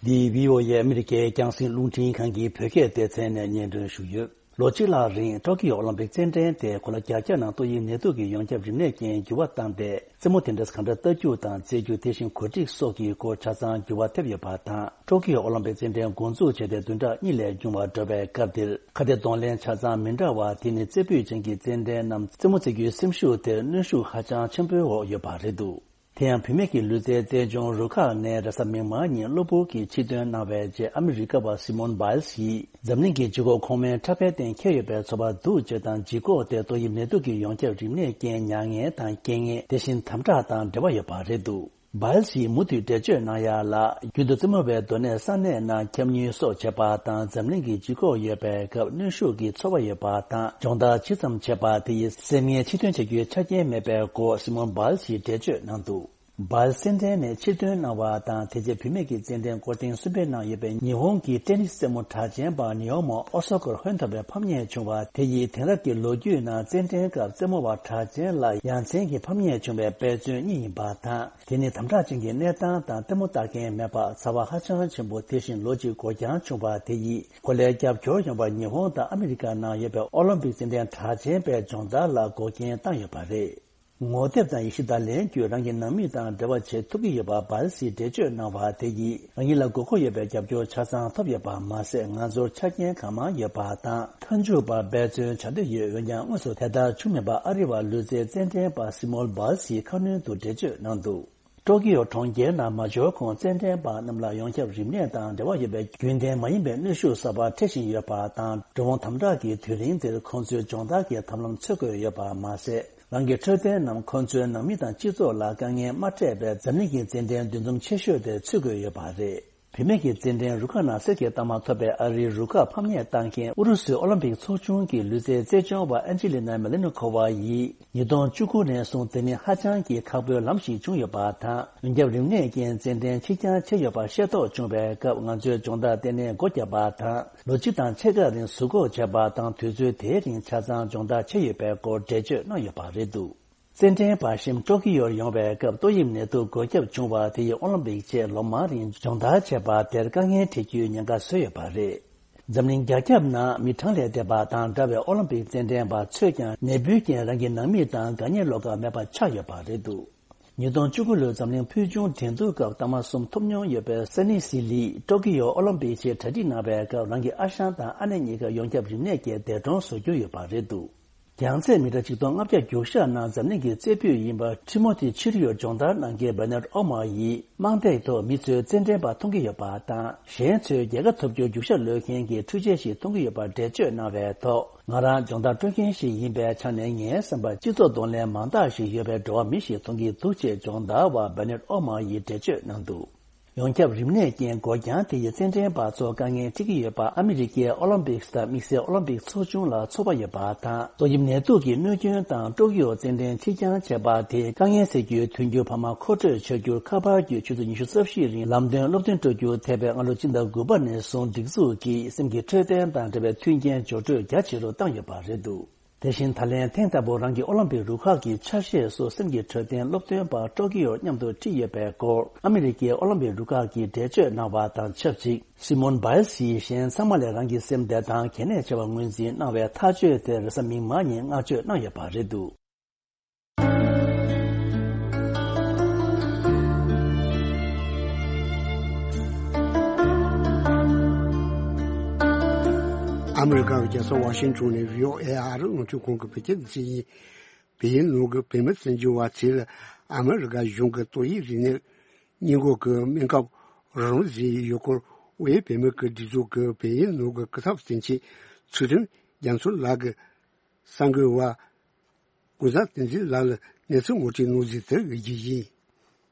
འདི་བྷི་ཨོ་ཨེ་ཨ་མི་རི་ཀའི་རྒྱང་སྲིང་རླུང་འཕྲིན་ཁང་གི་བོད་སྐད་སྡེ་ཚན་ནས་སྙན་སྒྲོན་ཞུས་ཡོད། ལོ་གཅིག་ལྷག་རིང་ཀྲོ་ཀིའོ་ཨོ་ལིམ་པིག་རྩེད་འགྲན་དེ་གོ་ལ་བརྒྱད་ནང་ཏོག་དབྱིབས་ནད་དུག་གི་ཡོངས་ཁྱབ་རིམས་ནད་རྐྱེན་འགྱུར་བ་བཏང་སྟེ། རྩེད་མོ་དེ་འདྲ་གང་འདྲ་ལྟ་རྒྱུ་དང་རྩེད་རྒྱུ། དེ་བཞིན་གོ་སྒྲིག་སོགས་ཀྱི་སྐོར་ཆ་ཚང་འགྱུར་བ་ཐེབས་ཡོད་པ་དང་། ཀྲོ་ཀིའོ་ཨོ་ལིམ་པིག་རྩེད་འགྲན་འགོ་འཛུགས་བྱས་ཏེ་བདུན་ཕྲག་གཉིས་ལས་ཉུང་བ་འགྲོ་བའི་སྐབས་འདིར། ཁ་གཏད་གདོང་ལེན་ཆ་ཚང་མི་འདྲ་བ། དེ་ནི་རྩེ་ཕུད་ཅན་གྱི་རྩེད་འགྲན་ནམ་རྩེད་མོ་རྩེ་རྒྱུའི་སེམས་ཤུགས་དེར་གནོན་ཤུགས་ཧ་ཅང་ཆེན་པོའི་འོག་ཡོད་པ་རེད་འདུག་དེ་ཡང་བུད་མེད་ཀྱི་ལུས་རྩལ་རྩལ་སྦྱོང་རུ་ཁག་ནས་རེས་གཟའ་མིག་དམར་ཉིན་གློ་བུར་གྱིས་ཕྱིར་ཐོན་གནང་བའི་རྗེས། ཨ་མི་རི་ཀ་བ་སི་མོན་བྷའི་ལི་སི་ཡིས་འཛམ་གླིང་གི་ལྗིད་ཁོག་གོང་མའི་འཁྲབ་ཁའི་སྟེང་འཁེལ་ཡོད་པའི་ཚོར་བ་འདུག་ཅེས་དང་། ལྗིད་ཁོག་དེ་ཏོག་དབྱིབས་ནད་དུག་གི་ཡོངས་ཁྱབ་རིམས་ནད་རྐྱེན་མྱ་ངན་དང་རྐྱེན་ངན། དེ་བཞིན་དམ་དྲག་དང་འབྲེལ་བ་ཡོད་པ་རེད་འདུག་བྷའི་ལི་སི་ཡིས་མུ་མཐུད་འགྲེལ་བརྗོད་གནང་ཡག་ལ། རྒྱུན་དུ་རྩེད་མོ་བའི་སྡོད་གནས་ས་གནས་ནང་འཁྱམ་ཉུལ་སོགས་བྱེད་པ་དང་། འཛམ་གླིང་གི་ལྗིད་ཁོག་ཡོད་པའི་སྐབས་གནོན་ཤུགས་ཀྱི་ཚོར་བ་ཡོད་པ་དང་། སྦྱོང་བརྡར་ཇི་ཙམ་བྱེད་པ་དེ་ཡིས་སེམས་ངལ་ཕྱིར་ཐོན་བྱ་རྒྱུའི་ཆ་རྐྱེན་མེད་པའི་སྐོར་སི་མོན་བྷའི་ལི་སི་ཡིས་འགྲེལ་བརྗོད་གནང་འདུག་བྷའི་ལི་སི་རྩེད་འགྲན་ནས་ཕྱིར་ཐོན་གནང་བ་དང་། དེ་རྗེས་བུད་མེད་ཀྱི་རྩེད་འགྲན་སྐོར་ཐེངས་གསུམ་པའི་ནང་ཡོད་པའི་ཉི་ཧོང་གི་ཏེ་ནིས་རྩེད་མོ་གྲགས་ཅན་པ་ནི་ཡོ་མོ་ཨོ་སོ་ཀར་ཧོན་ཐོར་བའི་ཕམ་ཉེས་བྱུང་བ་དེ་ཡིས་དེང་རབས་ཀྱི་ལོ་རྒྱུས་ནང་རྩེད་འགྲན་སྐབས་རྩེད་མོ་བ་གྲགས་ཅན་ལ་ཡ་མཚན་གྱི་ཕམ་ཉེས་བྱུང་བའི་དཔེ་མཚོན་གཉིས་ཡིན་པ་དང་། དེ་ནི་དམ་དྲག་ཅན་གྱི་གནས་སྟངས་དང་ལྟད་མོ་ལྟ་མཁན་མེད་པ། ཚ་བ་ཧ་ཅང་ཆེན་པོ། དེ་བཞིན་ལོ་གཅིག་འགོར་འགྱངས་བྱུང་བ་དེ་ཡིས་གོ་ལའི་རྒྱབ་སྐྱོར་ཡོང་བར་ཉི་ཧོང་དང་ཨ་མི་རི་ཀ་ནང་ཡོད་པའི་ཨོ་ལིམ་པིག་རྩེད་འགྲན་གྲགས་ཅན་པའི་སྦྱོང་བརྡར་ལ་འགོག་རྐྱེན་བཏང་ཡོད་པ་རེད། ངོ་དེབ་དང་ཡེ་ཤུ་བརྡ་ལན་བརྒྱུད་རང་གི་ནང་མི་དང་འབྲེལ་བ་བྱེད་ཐུབ་ཀྱི་ཡོད་པ་བྷའི་ལི་སིས་འགྲེལ་བརྗོད་གནང་བ་དེ་ཡིས། རང་ཉིད་ལ་དགོས་མཁོ་ཡོད་པའི་རྒྱབ་སྐྱོར་ཆ་ཚང་ཐོབ་ཡོད་པ་མ་ཟད། ང་ཚོར་ཆ་རྐྱེན་གང་མང་ཡོད་པ་དང་། མཐའ་མཇུག་པར་འབད་བརྩོན་བྱ་འདོད་ཡོད། འོན་ཀྱང་དངོས་སུ་དེ་ལྟར་བྱུང་མེད་པ་ཨ་རི་བ་ལུས་རྩལ་རྩེད་འགྲན་པ་སི་མོན་བྷའི་ལི་སིས་ཁ་སྣོན་དུ་འགྲེལ་བརྗོད་གནང་འདུག་ཀྲོ་ཀིའོ་གྲོང་ཁྱེར་ནང་མ་འབྱོར་གོང་རྩེད་འགྲན་པ་རྣམས་ལ་ཡོངས་ཁྱབ་རིམས་ནད་དང་འབྲེལ་བ་ཡོད་པའི་རྒྱུན་ལྡན་མ་ཡིན་པའི་གནོན་ཤུགས་གསར་པ་འཕྲད་བཞིན་ཡོད་པ་དང་། འགྲོ་འོང་དམ་དྲག་གི་དུས་རིང་འདིར་ཁོང་ཚོས་སྦྱོང་བརྡར་གྱི་ཐབས་ལམ་འཚོལ་དགོས་ཡོད་པ་མ་ཟད། རང་གི་འཕྲོད་བསྟེན་ནམ་ཁོང་ཚོའི་ནང་མི་དང་སྤྱི་ཚོགས་ལ་དཀའ་ངལ་མ་འཕྲད་པའི་འཛམ་གླིང་གི་རྩེད་འགྲན་འདུ་འཛོམས་ཆེ་ཤོས་དེར་ཚུད་དགོས་ཡོད་པ་རེད། བུད་མེད་ཀྱི་རྩེད་འགྲན་རུ་ཁག་ནང་གསེར་གྱི་རྟགས་མ་ཐོབ་པའི་ཨ་རིའི་རུ་ཁག་ཕམ་ཉེས་བཏང་མཁན་ཨུ་རུ་སུའི་ཨོ་ལིམ་པིག་ཚོགས་ཆུང་གི་ལུས་རྩལ་རྩལ་སྦྱོང་བ་ཨན་ཇི་ལི་ན་མེ་ལེ་ནི་ཁོ་ཝ་ཡིས། ཉིས་སྟོང་བཅུ་དགུ་ནས་བཟུང་དེ་ནི་ཧ་ཅང་གི་ཁག་པོའི་ལམ་ཞིག་བྱུང་ཡོད་པ་དང་། ཡོངས་ཁྱབ་རིམས་ནད་རྐྱེན་རྩེད་འགྲན་ཕྱིར་འགྱངས་བྱས་ཡོད་པ་ཤེས་རྟོགས་བྱུང་བའི་སྐབས། ང་ཚོས་སྦྱོང་བརྡར་ལྟེ་གནས་སྒོ་བརྒྱབ་པ་དང་། ལོ་གཅིག་དང་ཕྱེད་ཀ་རིང་ཟུར་འགོག་བྱས་པ་དང་། དུས་ཚོད་དེའི་རིང་ཆ་ཚང་སྦྱོང་བརྡར་བྱས་ཡོད་པའི་སྐོར་འགྲེལ་བརྗོད་གནང་ཡོད་པ་རེད་འདུག་རྩེད་འགྲན་པ་གཞན་ཀྲོ་ཀི་ཡོར་ཡོང་བའི་སྐབས་ཏོག་དབྱིབས་ནད་དུག་འགོས་ཁྱབ་བྱུང་བ་དེ་ཡིས་ཨོ་ལིམ་པིག་ཆེད་ལོ་མང་རིང་སྦྱོང་བརྡར་བྱས་པ་དེར་དཀའ་ངལ་འཕྲད་རྒྱུའི་ཉེན་ཁ་བཟོས་ཡོད་པ་རེད། འཛམ་གླིང་རྒྱ་ཁྱབ་ནང་མི་གྲངས་ལས་འདས་པ་དང་འདྲ་བའི་ཨོ་ལིམ་པིག་རྩེད་འགྲན་པ་ཚོས་ཀྱང་ནད་འབུའི་རྐྱེན་རང་གི་ནང་མི་དང་དགའ་ཉེ་བློ་དཀར་མེད་པ་ཆགས་ཡོད་པ་རེད་འདུག་ཉིས་སྟོང་བཅུ་དགུ་ལོའི་འཛམ་གླིང་ཕུལ་བྱུང་འགྲན་བསྡུར་སྐབས་རྟགས་མ་གསུམ་ཐོབ་མྱོང་ཡོད་པའི་སན་ནི་སི་ལིས་ཀྲོ་ཀི་ཡོ་ཨོ་ལིམ་པིག་ཆེད་གྲ་སྒྲིག་གནང་བའི་སྐབས། རང་གི་ཨ་ཞང་དང་ཨ་ནེ་གཉིས་ཀ་ཡོངས་ཁྱབ་རིམས་ནད་ཀྱིས་འདས་གྲོངས་སུ་གྱུར་ཡོད་པ་རེད་འདུག་རྒྱང་ཚད་མི་ཊར་ཆིག་སྟོང་ལྔ་བརྒྱ་རྒྱུག་ཤར་ནང་འཛམ་གླིང་གི་རྩེ་ཕུད་ཡིན་པ་ཁྲི་མོ་ཐི་ཕྱིར་གཡུག་སྦྱོང་བརྡར་གནང་མཁན་བེ་ནེད་ཨོ་མ་ཡིས། རྨང་འདེགས་ཐོག་མི་ཚོས་རྩེད་འགྲན་པ་མཐོང་གི་ཡོད་པ་དང་། གཞན་ཚོས་རྒྱལ་ཁ་ཐོབ་རྒྱུར་རྒྱུག་ཤར་གློད་མཁན་གྱི་འཕྲུལ་ཆས་ཤིག་མཐོང་གི་ཡོད་པར་འགྲེལ་བརྗོད་གནང་བའི་ཐོག་ང་རང་སྦྱོང་བརྡར་སྤྲོད་མཁན་ཞིག་ཡིན་པའི་ཆ་ནས། ངའི་བསམ་པར་སྤྱི་ཚོགས་གདོང་ལེན་མང་དག་ཞིག་ཡོད་པའི་འགྲོ་བ་མི་ཞིག་མཐོང་གི་འདུག་ཅེས་སྦྱོང་བརྡར་བ་བེ་ནེད་ཨོ་མ་ཡིས་འགྲེལ་བརྗོད་གནང་འདུག་ཡོངས་ཁྱབ་རིམས་ནད་རྐྱེན་འགོས་རྐྱང་དེ་ཡིས་རྩེད་འགྲན་པ་ཚོར་དཀའ་ངལ་འཕྲད་ཀྱི་ཡོད་པ། ཨ་མི་རི་ཀའི་ཨོ་ལིམ་པིག་དང་དམིགས་བསལ་ཨོ་ལིམ་པིག་ཚོགས་ཆུང་ལ་ཚོར་བ་ཡོད་པ་དང་། ཏོག་དབྱིབས་ནད་དུག་གི་གནོད་སྐྱོན་དང་ཀྲོ་ཀི་ཡོ་རྩེད་འགྲན་ཕྱིར་འགྱངས་བྱས་པ་དེས། དཀའ་ངལ་སེལ་རྒྱུའི་མཐུན་འགྱུར་འཕར་མ་མཁོ་སྤྲོད་བྱ་རྒྱུར་ཁ་པར་བརྒྱུད་ཆུ་ཚོད་ཉི་ཤུ་རྩ་བཞིའི་རིང་ལམ་སྟོན་སློབ་སྟོན་སྤྲོད་རྒྱུར་ཐད་པའི་སྔ་ལོ་སྤྱི་ཟླ་དགུ་པ་ནས་བཟུང་སྒྲིག་འཛུགས་ཀྱིས་སེམས་ཀྱི་འཕྲོད་བསྟེན་དང་འབྲེལ་བའི་མཐུན་རྐྱེན་སྦྱོར་སྤྲོད་རྒྱ་ཆེ་རུ་བཏང་ཡོད་པ་རེད་འདུག་དེ་བཞིན་ད་ལན་ཐེངས་ལྟ་བུ་རང་གི་ཨོ་ལིམ་པིག་རུ་ཁག་གི་ཆ་ཤས་སུ་སེམས་ཀྱི་འཕྲོད་བསྟེན་སློབ་སྟོན་པ་ཀྲོ་ཀི་ཡོར་མཉམ་དུ་ཁྲིད་ཡོད་པའི་སྐོར། ཨ་མི་རི་ཀའི་ཨོ་ལིམ་པིག་རུ་ཁག་གིས་འགྲེལ་བརྗོད་གནང་བ་དང་ཆབས་ཅིག་སི་མོན་བྷའི་ལི་སིས་གཞན་ཚང་མ་ལས་རང་གི་སེམས་བདེ་ཐང་གལ་གནད་ཆེ་བ་ངོས་འཛིན་གནང་བའི་ཐག་གཅོད་དེར་རེས་གཟའ་མིག་དམར་ཉིན་བསྔགས་བརྗོད་གནང་ཡོད་པ་རེད་འདུག་ཨ་མི་རི་ཀ་གི་རྒྱལ་ས་ཝ་ཤིང་ཊོན་ནས་བྷི་ཨོ་ཨེ་ཨ་རི་རླུང་འཕྲིན་ཁང་གི་བོད་སྐད་སྡེ་ཚན་ཡིན། བལ་ཡུལ་ནང་གི་བོད་མི་བཙན་བྱོལ་བ་ཚོས་ཨ་མི་རི་ཀ་གཞུང་གི་ཏོག་དབྱིབས་རིམས་ནད་སྔོན་འགོག་གི་སྨན་ཁབ་རོགས་རམ་བཟོས་ཡོད་སྐོར། དབུས་བོད་མི་གི་སྒྲིག་འཛུགས་ཀྱི་བལ་ཡུལ་ནང་གི་སྐུ་ཚབ་དོན་གཅོད་ཚུལ་ཁྲིམས་རྒྱ་མཚོ་ལགས་ཀྱིས་གསར་འགོད་པ་ ཀུན་བཟང་བསྟན་འཛིན་ལགས་ལ་གནས་ཚུལ་ངོ་སྤྲོད་གནང་གཟིགས་དེ་འོས་རྒྱུ་ཡིན།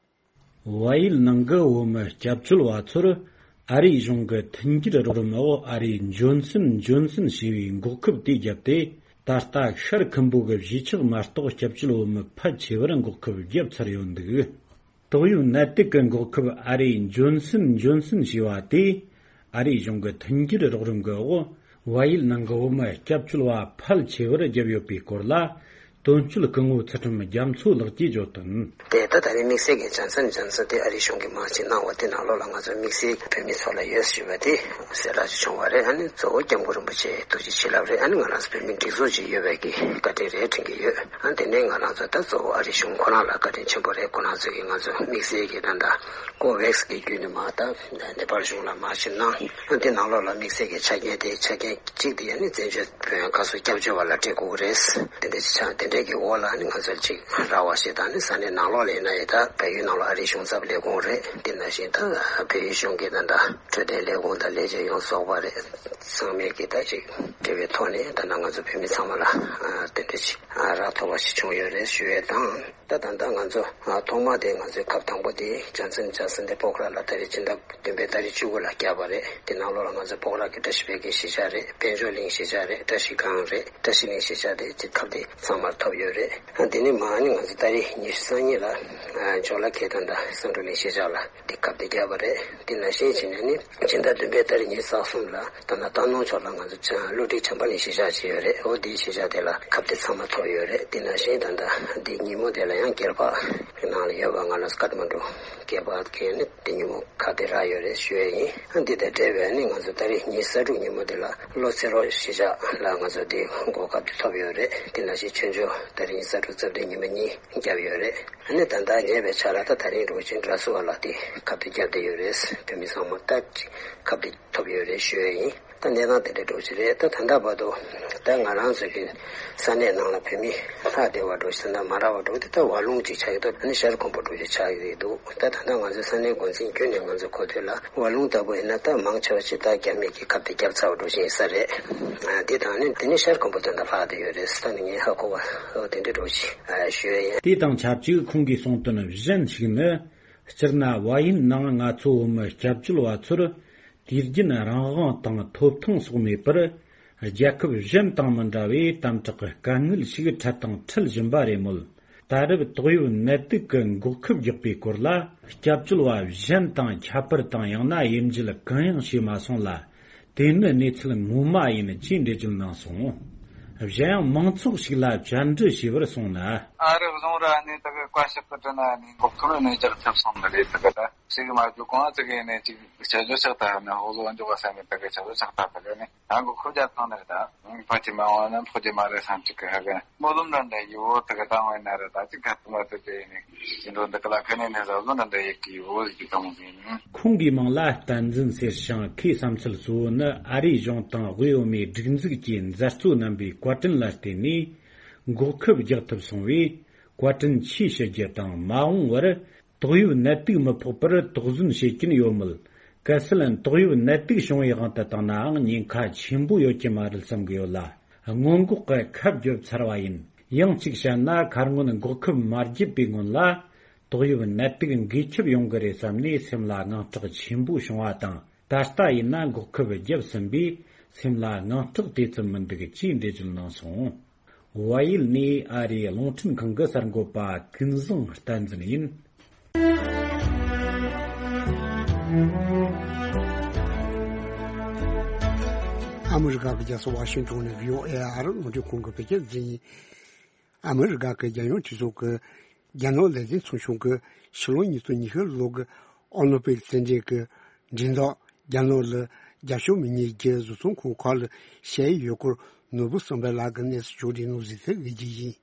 བལ་ཡུལ་ནང་གི་བོད་མི་སྐྱབས་བཅོལ་བ་ཚོར་ཨ་རིའི་གཞུང་གི་མཐུན་འགྱུར་རོགས་རམ་འོག་ཨ་རིའི་འབྱོར་འབྲིང་འབྱོར་འབྲིང་ཞེས་པའི་འགོག་ཁབ་དེ་བརྒྱབ་སྟེ། ད་ལྟ་ཤར་ཁམ་བུ་གི་གཞིས་ཆགས་མ་གཏོགས་སྐྱབས་བཅོལ་བོད་མི་ཕལ་ཆེ་བར་འགོག་ཁབ་བརྒྱབ་ཚར་ཡོད་འདུག། ཏོག་དབྱིབས་ནད་དུག་གི་འགོག་ཁབ་ཨ་རིའི་འབྱོར་འབྲིང་འབྱོར་འབྲིང་ཞེས་པ་དེ། ཨ་རིའི་གཞུང་གི་མཐུན་འགྱུར་རོགས་རམ་གྱི་འོག་བལ་ཡུལ་ནང་གི་བོད་མི་སྐྱབས་བཅོལ་བ་ཕལ་ཆེ་བར་བརྒྱབ་ཡོད་པའི་སྐོར་ལ། དོན་གཅོད་སྐུ་ངོ་ཚུལ་ཁྲིམས་རྒྱ་མཚོ་ལགས་ཀྱིས་བརྗོད་དོན། དེ་ད་ད་རེས་དམིགས་བསལ་གྱི་ཇོན་སན་ཇོན་སན་དེ་ཨ་རིའི་གཞུང་གིས་མར་ཅིག་གནང་བ་དེ་ནང་ལོགས་ལ་ང་ཚོ་དམིགས་བསལ་བོད་མི་ཚོ་ལ་ཡོད་ཞུས་པ་དེ་གསལ་བསྒྲགས་ཅིག་བྱུང་བ་རེད། ཨ་ནི་གཙོ་བོ་སྐྱབས་མགོན་རིན་པོ་ཆེ་ཐུགས་རྗེ་བྱིན་རླབས་རེད། ཨ་ནི་ང་རང་ཚོ་བོད་མི་སྒྲིག་འཛུགས་ཅིག་ཡོད་པའི་གི་བཀའ་དྲིན་རེད་དྲན་གྱི་ཡོད། ཨ་ནི་དེ་ནས་ང་རང་ཚོ་ད་གཙོ་བོ་ཨ་རིའི་གཞུང་ཁོ་རང་ལ་བཀའ་དྲིན་ཆེན་པོ་རེད། ཁོ་རང་ཚོ་གིས་ང་ཚོ་དམིགས་བསལ་གྱི་ད་ལྟ་ཀོ་ཝེག་སི་གི་བརྒྱུད་ནས་མར་ད་ནེ་པཱལ་གཞུང་ལ་མར་ཞིབ་གནང་། ཨ་ནི་དེ་ནང་ལོགས་ལ་དམིགས་བསལ་གྱི་ཆ་རྐྱེན་དེ་ཆ་རྐྱེན་གཅིག་དེ་ཨ་ནི་བཙན་བྱོལ་བོད་ཡོངས་ཁ་གསོ་སྐྱབས་བཅོལ་བ་ལ་སྤྲད་དགོས་ཀྱི་རེད། དེ་འདྲ་ཅིག་ཆགས། དེ་འདྲའི་གི་འོག་ལ་ནི་ང་ཚོར་ཅིག་རག་པ་ཞིག་དང་ནི་ས་གནས་ནང་ལོགས་ལ་ཡིན་ན་ཡང་ད་བལ་ཡུལ་ནང་ལ་ཨ་རིའི་གཞུང་ཚབ་ལས་ཁུངས་རེད། དེ་ནང་བཞིན་ད་བལ་ཡུལ་གཞུང་གི་ད་ལྟ་འཕྲོད་བསྟེན་ལས་ཁུངས་དང་ལས་བྱེད་ཡོངས་རྫོགས་པ་རེད། ཚང་མས་ཀྱི་ད་ཅིག་འབྲེལ་བའི་ཐོག་ནས་ད་ལྟ་ང་ཚོ་བོད་མི་ཚང་མ་ལ་དེ་འདྲ་ཅིག་རག་ཐུབ་པ་ཞིག་བྱུང་ཡོད་རེད་ཞུ་ཡས་དང་། ད་ད་ལྟ་ང་ཚོ་ཐོག་མ་དེ་ང་ཚོའི་ཁབ་དང་པོ་དེ་ཇོན་སན་ཇོན་སན་དེ་པོ་ཁ་ར་ལ་ད་རེས་ཕྱི་ཟླ་བདུན་པའི་ཏ་རིག་བཅུ་དགུ་ལ་བརྒྱབ་པ་རེད། དེ་ནང་ལོགས་ལ་ང་ཚོ་པོ་ཁ་ར་གི་བཀྲ་ཤིས་འཕེལ་གྱི་གཞིས་ཆགས་རེད། དཔལ་འབྱོར་གླིང་གཞིས་ཆགས་རེད། བཀྲ་ཤིས་སྒང་རེད། བཀྲ་ཤིས་གླིང་གཞིས་ཆགས་དེ་ཅིག་ཁབ་དེ་ཚང་མར་ཐོབ་ཡོད་རེད། དེ་ནས་མར་ནི་ང་ཚོ་ཏ་རིག་ཉི་ཤུ་རྩ་གཉིས་ལ་ཇོ་ལ་ཁེ་དང་ད་སེང་འབྲུག་གླིང་གཞིས་ཆགས་ལ་དེ་ཁབ་དེ་བརྒྱབ་པ་རེད། དེ་ནང་བཞིན་བྱས་ནས་ནི་ཕྱི་ཟླ་བདུན་པའི་ཏ་རིག་ཉི་ཤུ་རྩ་གསུམ་ལ་ད་ལྟ་སྟག་ནོར་ཕྱོགས་ལ་ང་ཚོ་བློ་གྲོས་བྱམས་པ་གླིང་གཞིས་ཆགས་ཅིག་ཡོད་རེད། འོ་དེའི་གཞིས་ཆགས་དེ་ལ་ཁབ་དེ་ཚང་མ་ཐོབ་ཡོད་རེད། དེ་ནང་བཞིན་ད་ལྟ་འདི་ཉིན་མོ་དེ་ལ་ཡང་སྒེར་པ་ནང་ལ་ཡོད་པ་ང་རང་ཀ་ཐ་མན་ཌུ་སྒེར་པ་གིས་ནི་དེ་ཉིན་མོ་ཁ་དེ་རག་ཡོད་རེད་ཞུ་ཡས་ཡིན། འདི་དང་འབྲེལ་བའི་ནི་ང་ཚོ་ཏ་རིག་ཉི་ཤུ་རྩ་དྲུག་ཉིན་མོ་དེ་ལ་བློ་གསལ་རོགས་གཞིས་ཆགས་ལ་ང་ཚོ་དེ་གོ་སྐབས་དེ་ཐོབ་ཡོད་རེད། དེ་ནང་བཞིན་ཆོས་འབྱོར་ཏ་རིག་ཉི་ཤུ་རྩ་དྲུག་རྩ་བདུན་ཉིན་མོ་གཉིས་བརྒྱབ་ཡོད་རེད། ཨ་ནི་ད་ལྟ་ཉེ་བའི་ཆར་ལ་ད་ད་རིང་འགྲོ་ཆེན་དྲ་སུ་བ་ལ་དེ་ཁབ་དེ་བརྒྱབ་བསྡད་ཡོད་རེད། བོད་མི་ཚང་མ་ད་ཅིག་ཁབ་དེ་ཐོབ་ཡོད་རེད་ཞུ་ཡས་ཡིན། ད་གནས་སྟངས་དེ་འདྲ་འགྲོ་གི་རེད། ད་ད་ལྟ་བར་དུ་ད་ང་རང་ཚོ་གི་ས་གནས་ནང་ལ་བོད་མི་ལྷག་བསྡད་པ་འགྲོ་གི་ད་ལྟ་མ་རག་པ་འགྲོ་གི་དེ་ད་བ་ལུང་ཅིག་ཆགས་ཀྱི་འདུག་ཨ་ནི་ཤར་ཁམས་པ་འགྲོ་གི་ཆགས་ཀྱི་རེད་འདུག་ད་ད་ལྟ་ང་ཚོའི་ས་གནས་འགོ་འཛིན་བརྒྱུད་ནས་ང་ཚོ་གོ་ཐོས་ལ་བ་ལུང་ལྟ་བུ་ཡིན་ན་ད་མང་ཆེ་བ་ཅིག་ད་རྒྱ་མི་གི་ཁབ་དེ་བརྒྱབ་ཚར་བ་འགྲོ་བཞིན་ཡིན་ས་རེད། ཨ་དེ་དང་ནི་དེ་ནི་ཤར་ཁམས་པ་དོན་དག་ལྷག་བསྡད་ཡོད་རེད། ད་ནི་ངས་ཧ་གོ་བ་འོ་དེ་འདྲ་འགྲོ་ཅིག་ཞུ་ཡ་ཡིན། དེ་དང་ཆབས་ཅིག་ཁོང་གིས་གསུངས་དོན་གཞན་ཞིག་ནི། སྤྱིར་ན་བལ་ཡུལ་ནང་ང་ཚོ་བོད་མི་སྐྱབས་བཅོལ་བ་ཚོར་དུས་རྒྱུན་རང་དབང་དང་ཐོབ་ཐང་སོགས་མེད་པར། རྒྱལ་ཁབ་གཞན་དང་མི་འདྲ་བའི་དམ་དྲག་གི་དཀའ་ངལ་ཞིག་འཕྲད་དང་འཕྲད་བཞིན་པ་རེད་མོད། ད་རེབ་ཏོག་དབྱིབས་ནད་དུག་གི་འགོག་ཁབ་རྒྱག་པའི་སྐོར་ལ། སྐྱབས་བཅོལ་བ་གཞན་དང་ཁྱད་པར་དང་ཡང་ན་དབྱེ་འབྱེད་གང་ཡང་བྱས་མ་སོང་ལ། དེ་ནི་གནས་ཚུལ་ངོ་མ་ཡིན་ཅེས་འགྲེལ་བརྗོད་གནང་སོང་། གཞན་ཡང་མང་ཚོགས་ཤིག་ལ་བཅར་འདྲི་ཞུས་པར་སོང་ན། ཨ་རི་གཞུང་ར་ནས་ད་གི་བཀའ་ཤག་གི་དྲི་ན་ནས་འགོག་ཁབ་ནས་རྒྱག་ཐབས་སོང་ནི་རེད། ད་གི་ད་ཞིག་མ་བརྒྱུད་གོང་ཙི་གི་ནས་ཅིག་ཆ་ཆོ་ཆག་ཐག་ནས་ཧོ་ལོ་འཇོག་པ་ས་ནས་ད་གི་ཆ་ཆོ་ཆག་ཐག་ད་གི་ནས་ཨ་འགོག་ཁབ་རྒྱག་ཐང་ནི་རེད་ད། ཕ་ཆེ་མ་འོང་ན་ཕོ་ཆེ་མ་རེད་བསམ་ཅིག་གི་ཧ་གི་སྨོན་ལམ་འདྲ་འདྲ་ཡོད་ད་གི་བཏང་བས་ན་རེད། ད་ཅིག་ག་ཐུབ་མ་ཐུབ་ཅེ་ནས་ཅི་འགྲོ་འདི་གི་ལ་ཁ་ནས་ནས་ཟབ་ལོ་འདྲ་འདྲ་ཡེ་གི་ཡོད་ཟིག་གི་གཏོང་ཟིན། ཁོང་གི་མིང་ལ་བསྟན་འཛིན་ཟེར་ཞིང་། ཁོའི་བསམ་ཚུལ་གཙོ་བོ་ནི་ཨ་རིའི་གཞུང་དང་དབུས་བོད་མིའི་སྒྲིག་འཛུགས་ཀྱིས་མཛད་གཙོ་རྣམ་པའི་བཀའ་དྲིན་ལ་བརྟེན་ནས་འགོག་ཁབ་རྒྱག་ཐུབ་སོང་བས་བཀའ་དྲིན་ཆེ་ཞུ་རྒྱུ་དང་། མ་འོངས་པར་ཏོག་དབྱིབས་ནད་དུག་མི་ཕོག་པར་དོགས་ཟོན་བྱེད་ཀྱིན་ཡོད་མོད། གལ་སྲིད་ཏོག་དབྱིབས་ནད་དུག་བྱུང་བའི་དབང་དུ་བཏང་ནའང་ཉེན་ཁ་ཆེན་པོ་ཡོད་ཀྱི་མ་རེད་བསམ་གི་ཡོད་ལ། སྔོན་འགོག་གི་ཁབ་བརྒྱབ་ཚར་བ་ཡིན། ཡང་གཅིག་བཤད་ན་ཁ་སྔོན་འགོག་ཁབ་མ་བརྒྱབ་པའི་སྔོན་ལ་ཏོག་དབྱིབས་ནད་དུག་འགོས་ཁྱབ་ཡོང་གི་རེད་བསམ་ནས་སེམས་ལ་དངངས་སྐྲག་ཆེན་པོ་བྱུང་བ་དང་། ད་ལྟ་ཡིན་ན་འགོག་ཁབ་བརྒྱབ་ཟིན་པས་སེམས་ལ་དངངས་སྐྲག་དེ་ཙམ་མི་འདུག་ཅེས་འགྲེལ་བརྗོད་གནང་སོང་། བལ་ཡུལ་ནས་ཨ་རིའི་རླུང་འཕྲིན་ཁང་གི་གསར་འགོད་པ་ཀུན་བཟང་བསྟན་འཛིན་ཡིན། ཨ་མི་རི་ཀ་གི་རྒྱལ་ས་ཝ་ཤིང་ཏོན་ནས་བྷི་ཨོ་ཨེ་ཨ་རི་རླུང་འཕྲིན་ཁང་གི་བོད་སྐད་སྡེ་ཚན་ཡིན། ཨ་མི་རི་ཀ་གི་རྒྱལ་ཡོངས་གྲོས་ཚོགས་ཀྱི་རྒྱ་ནག་ལས་དོན་ཚོགས་ཆུང་གིས་ཕྱི་ལོ་ཉིས་སྟོང་ཉི་ཤུ་ལོ་གི་ཨོ་ལིམ་པིག་རྩེད་འགྲན་གྱི་འགྲན་ཐག་རྒྱ་ནག་ལ་རྒྱབ་ཕྱོགས་མི་སྣའི་རྒྱུ་བཟོ་ཚོང་ཁང་ཁག་ལ་བྱས་ཡོད་སྐོར་ནོར་བུ་བསམ་འཕེལ་ལགས་ཀྱིས་གནས་ཚུལ་ཕྱོགས་སྒྲིག་གནང་ཟིན་ཚུལ་དབུས་རྒྱུ་ཡིན།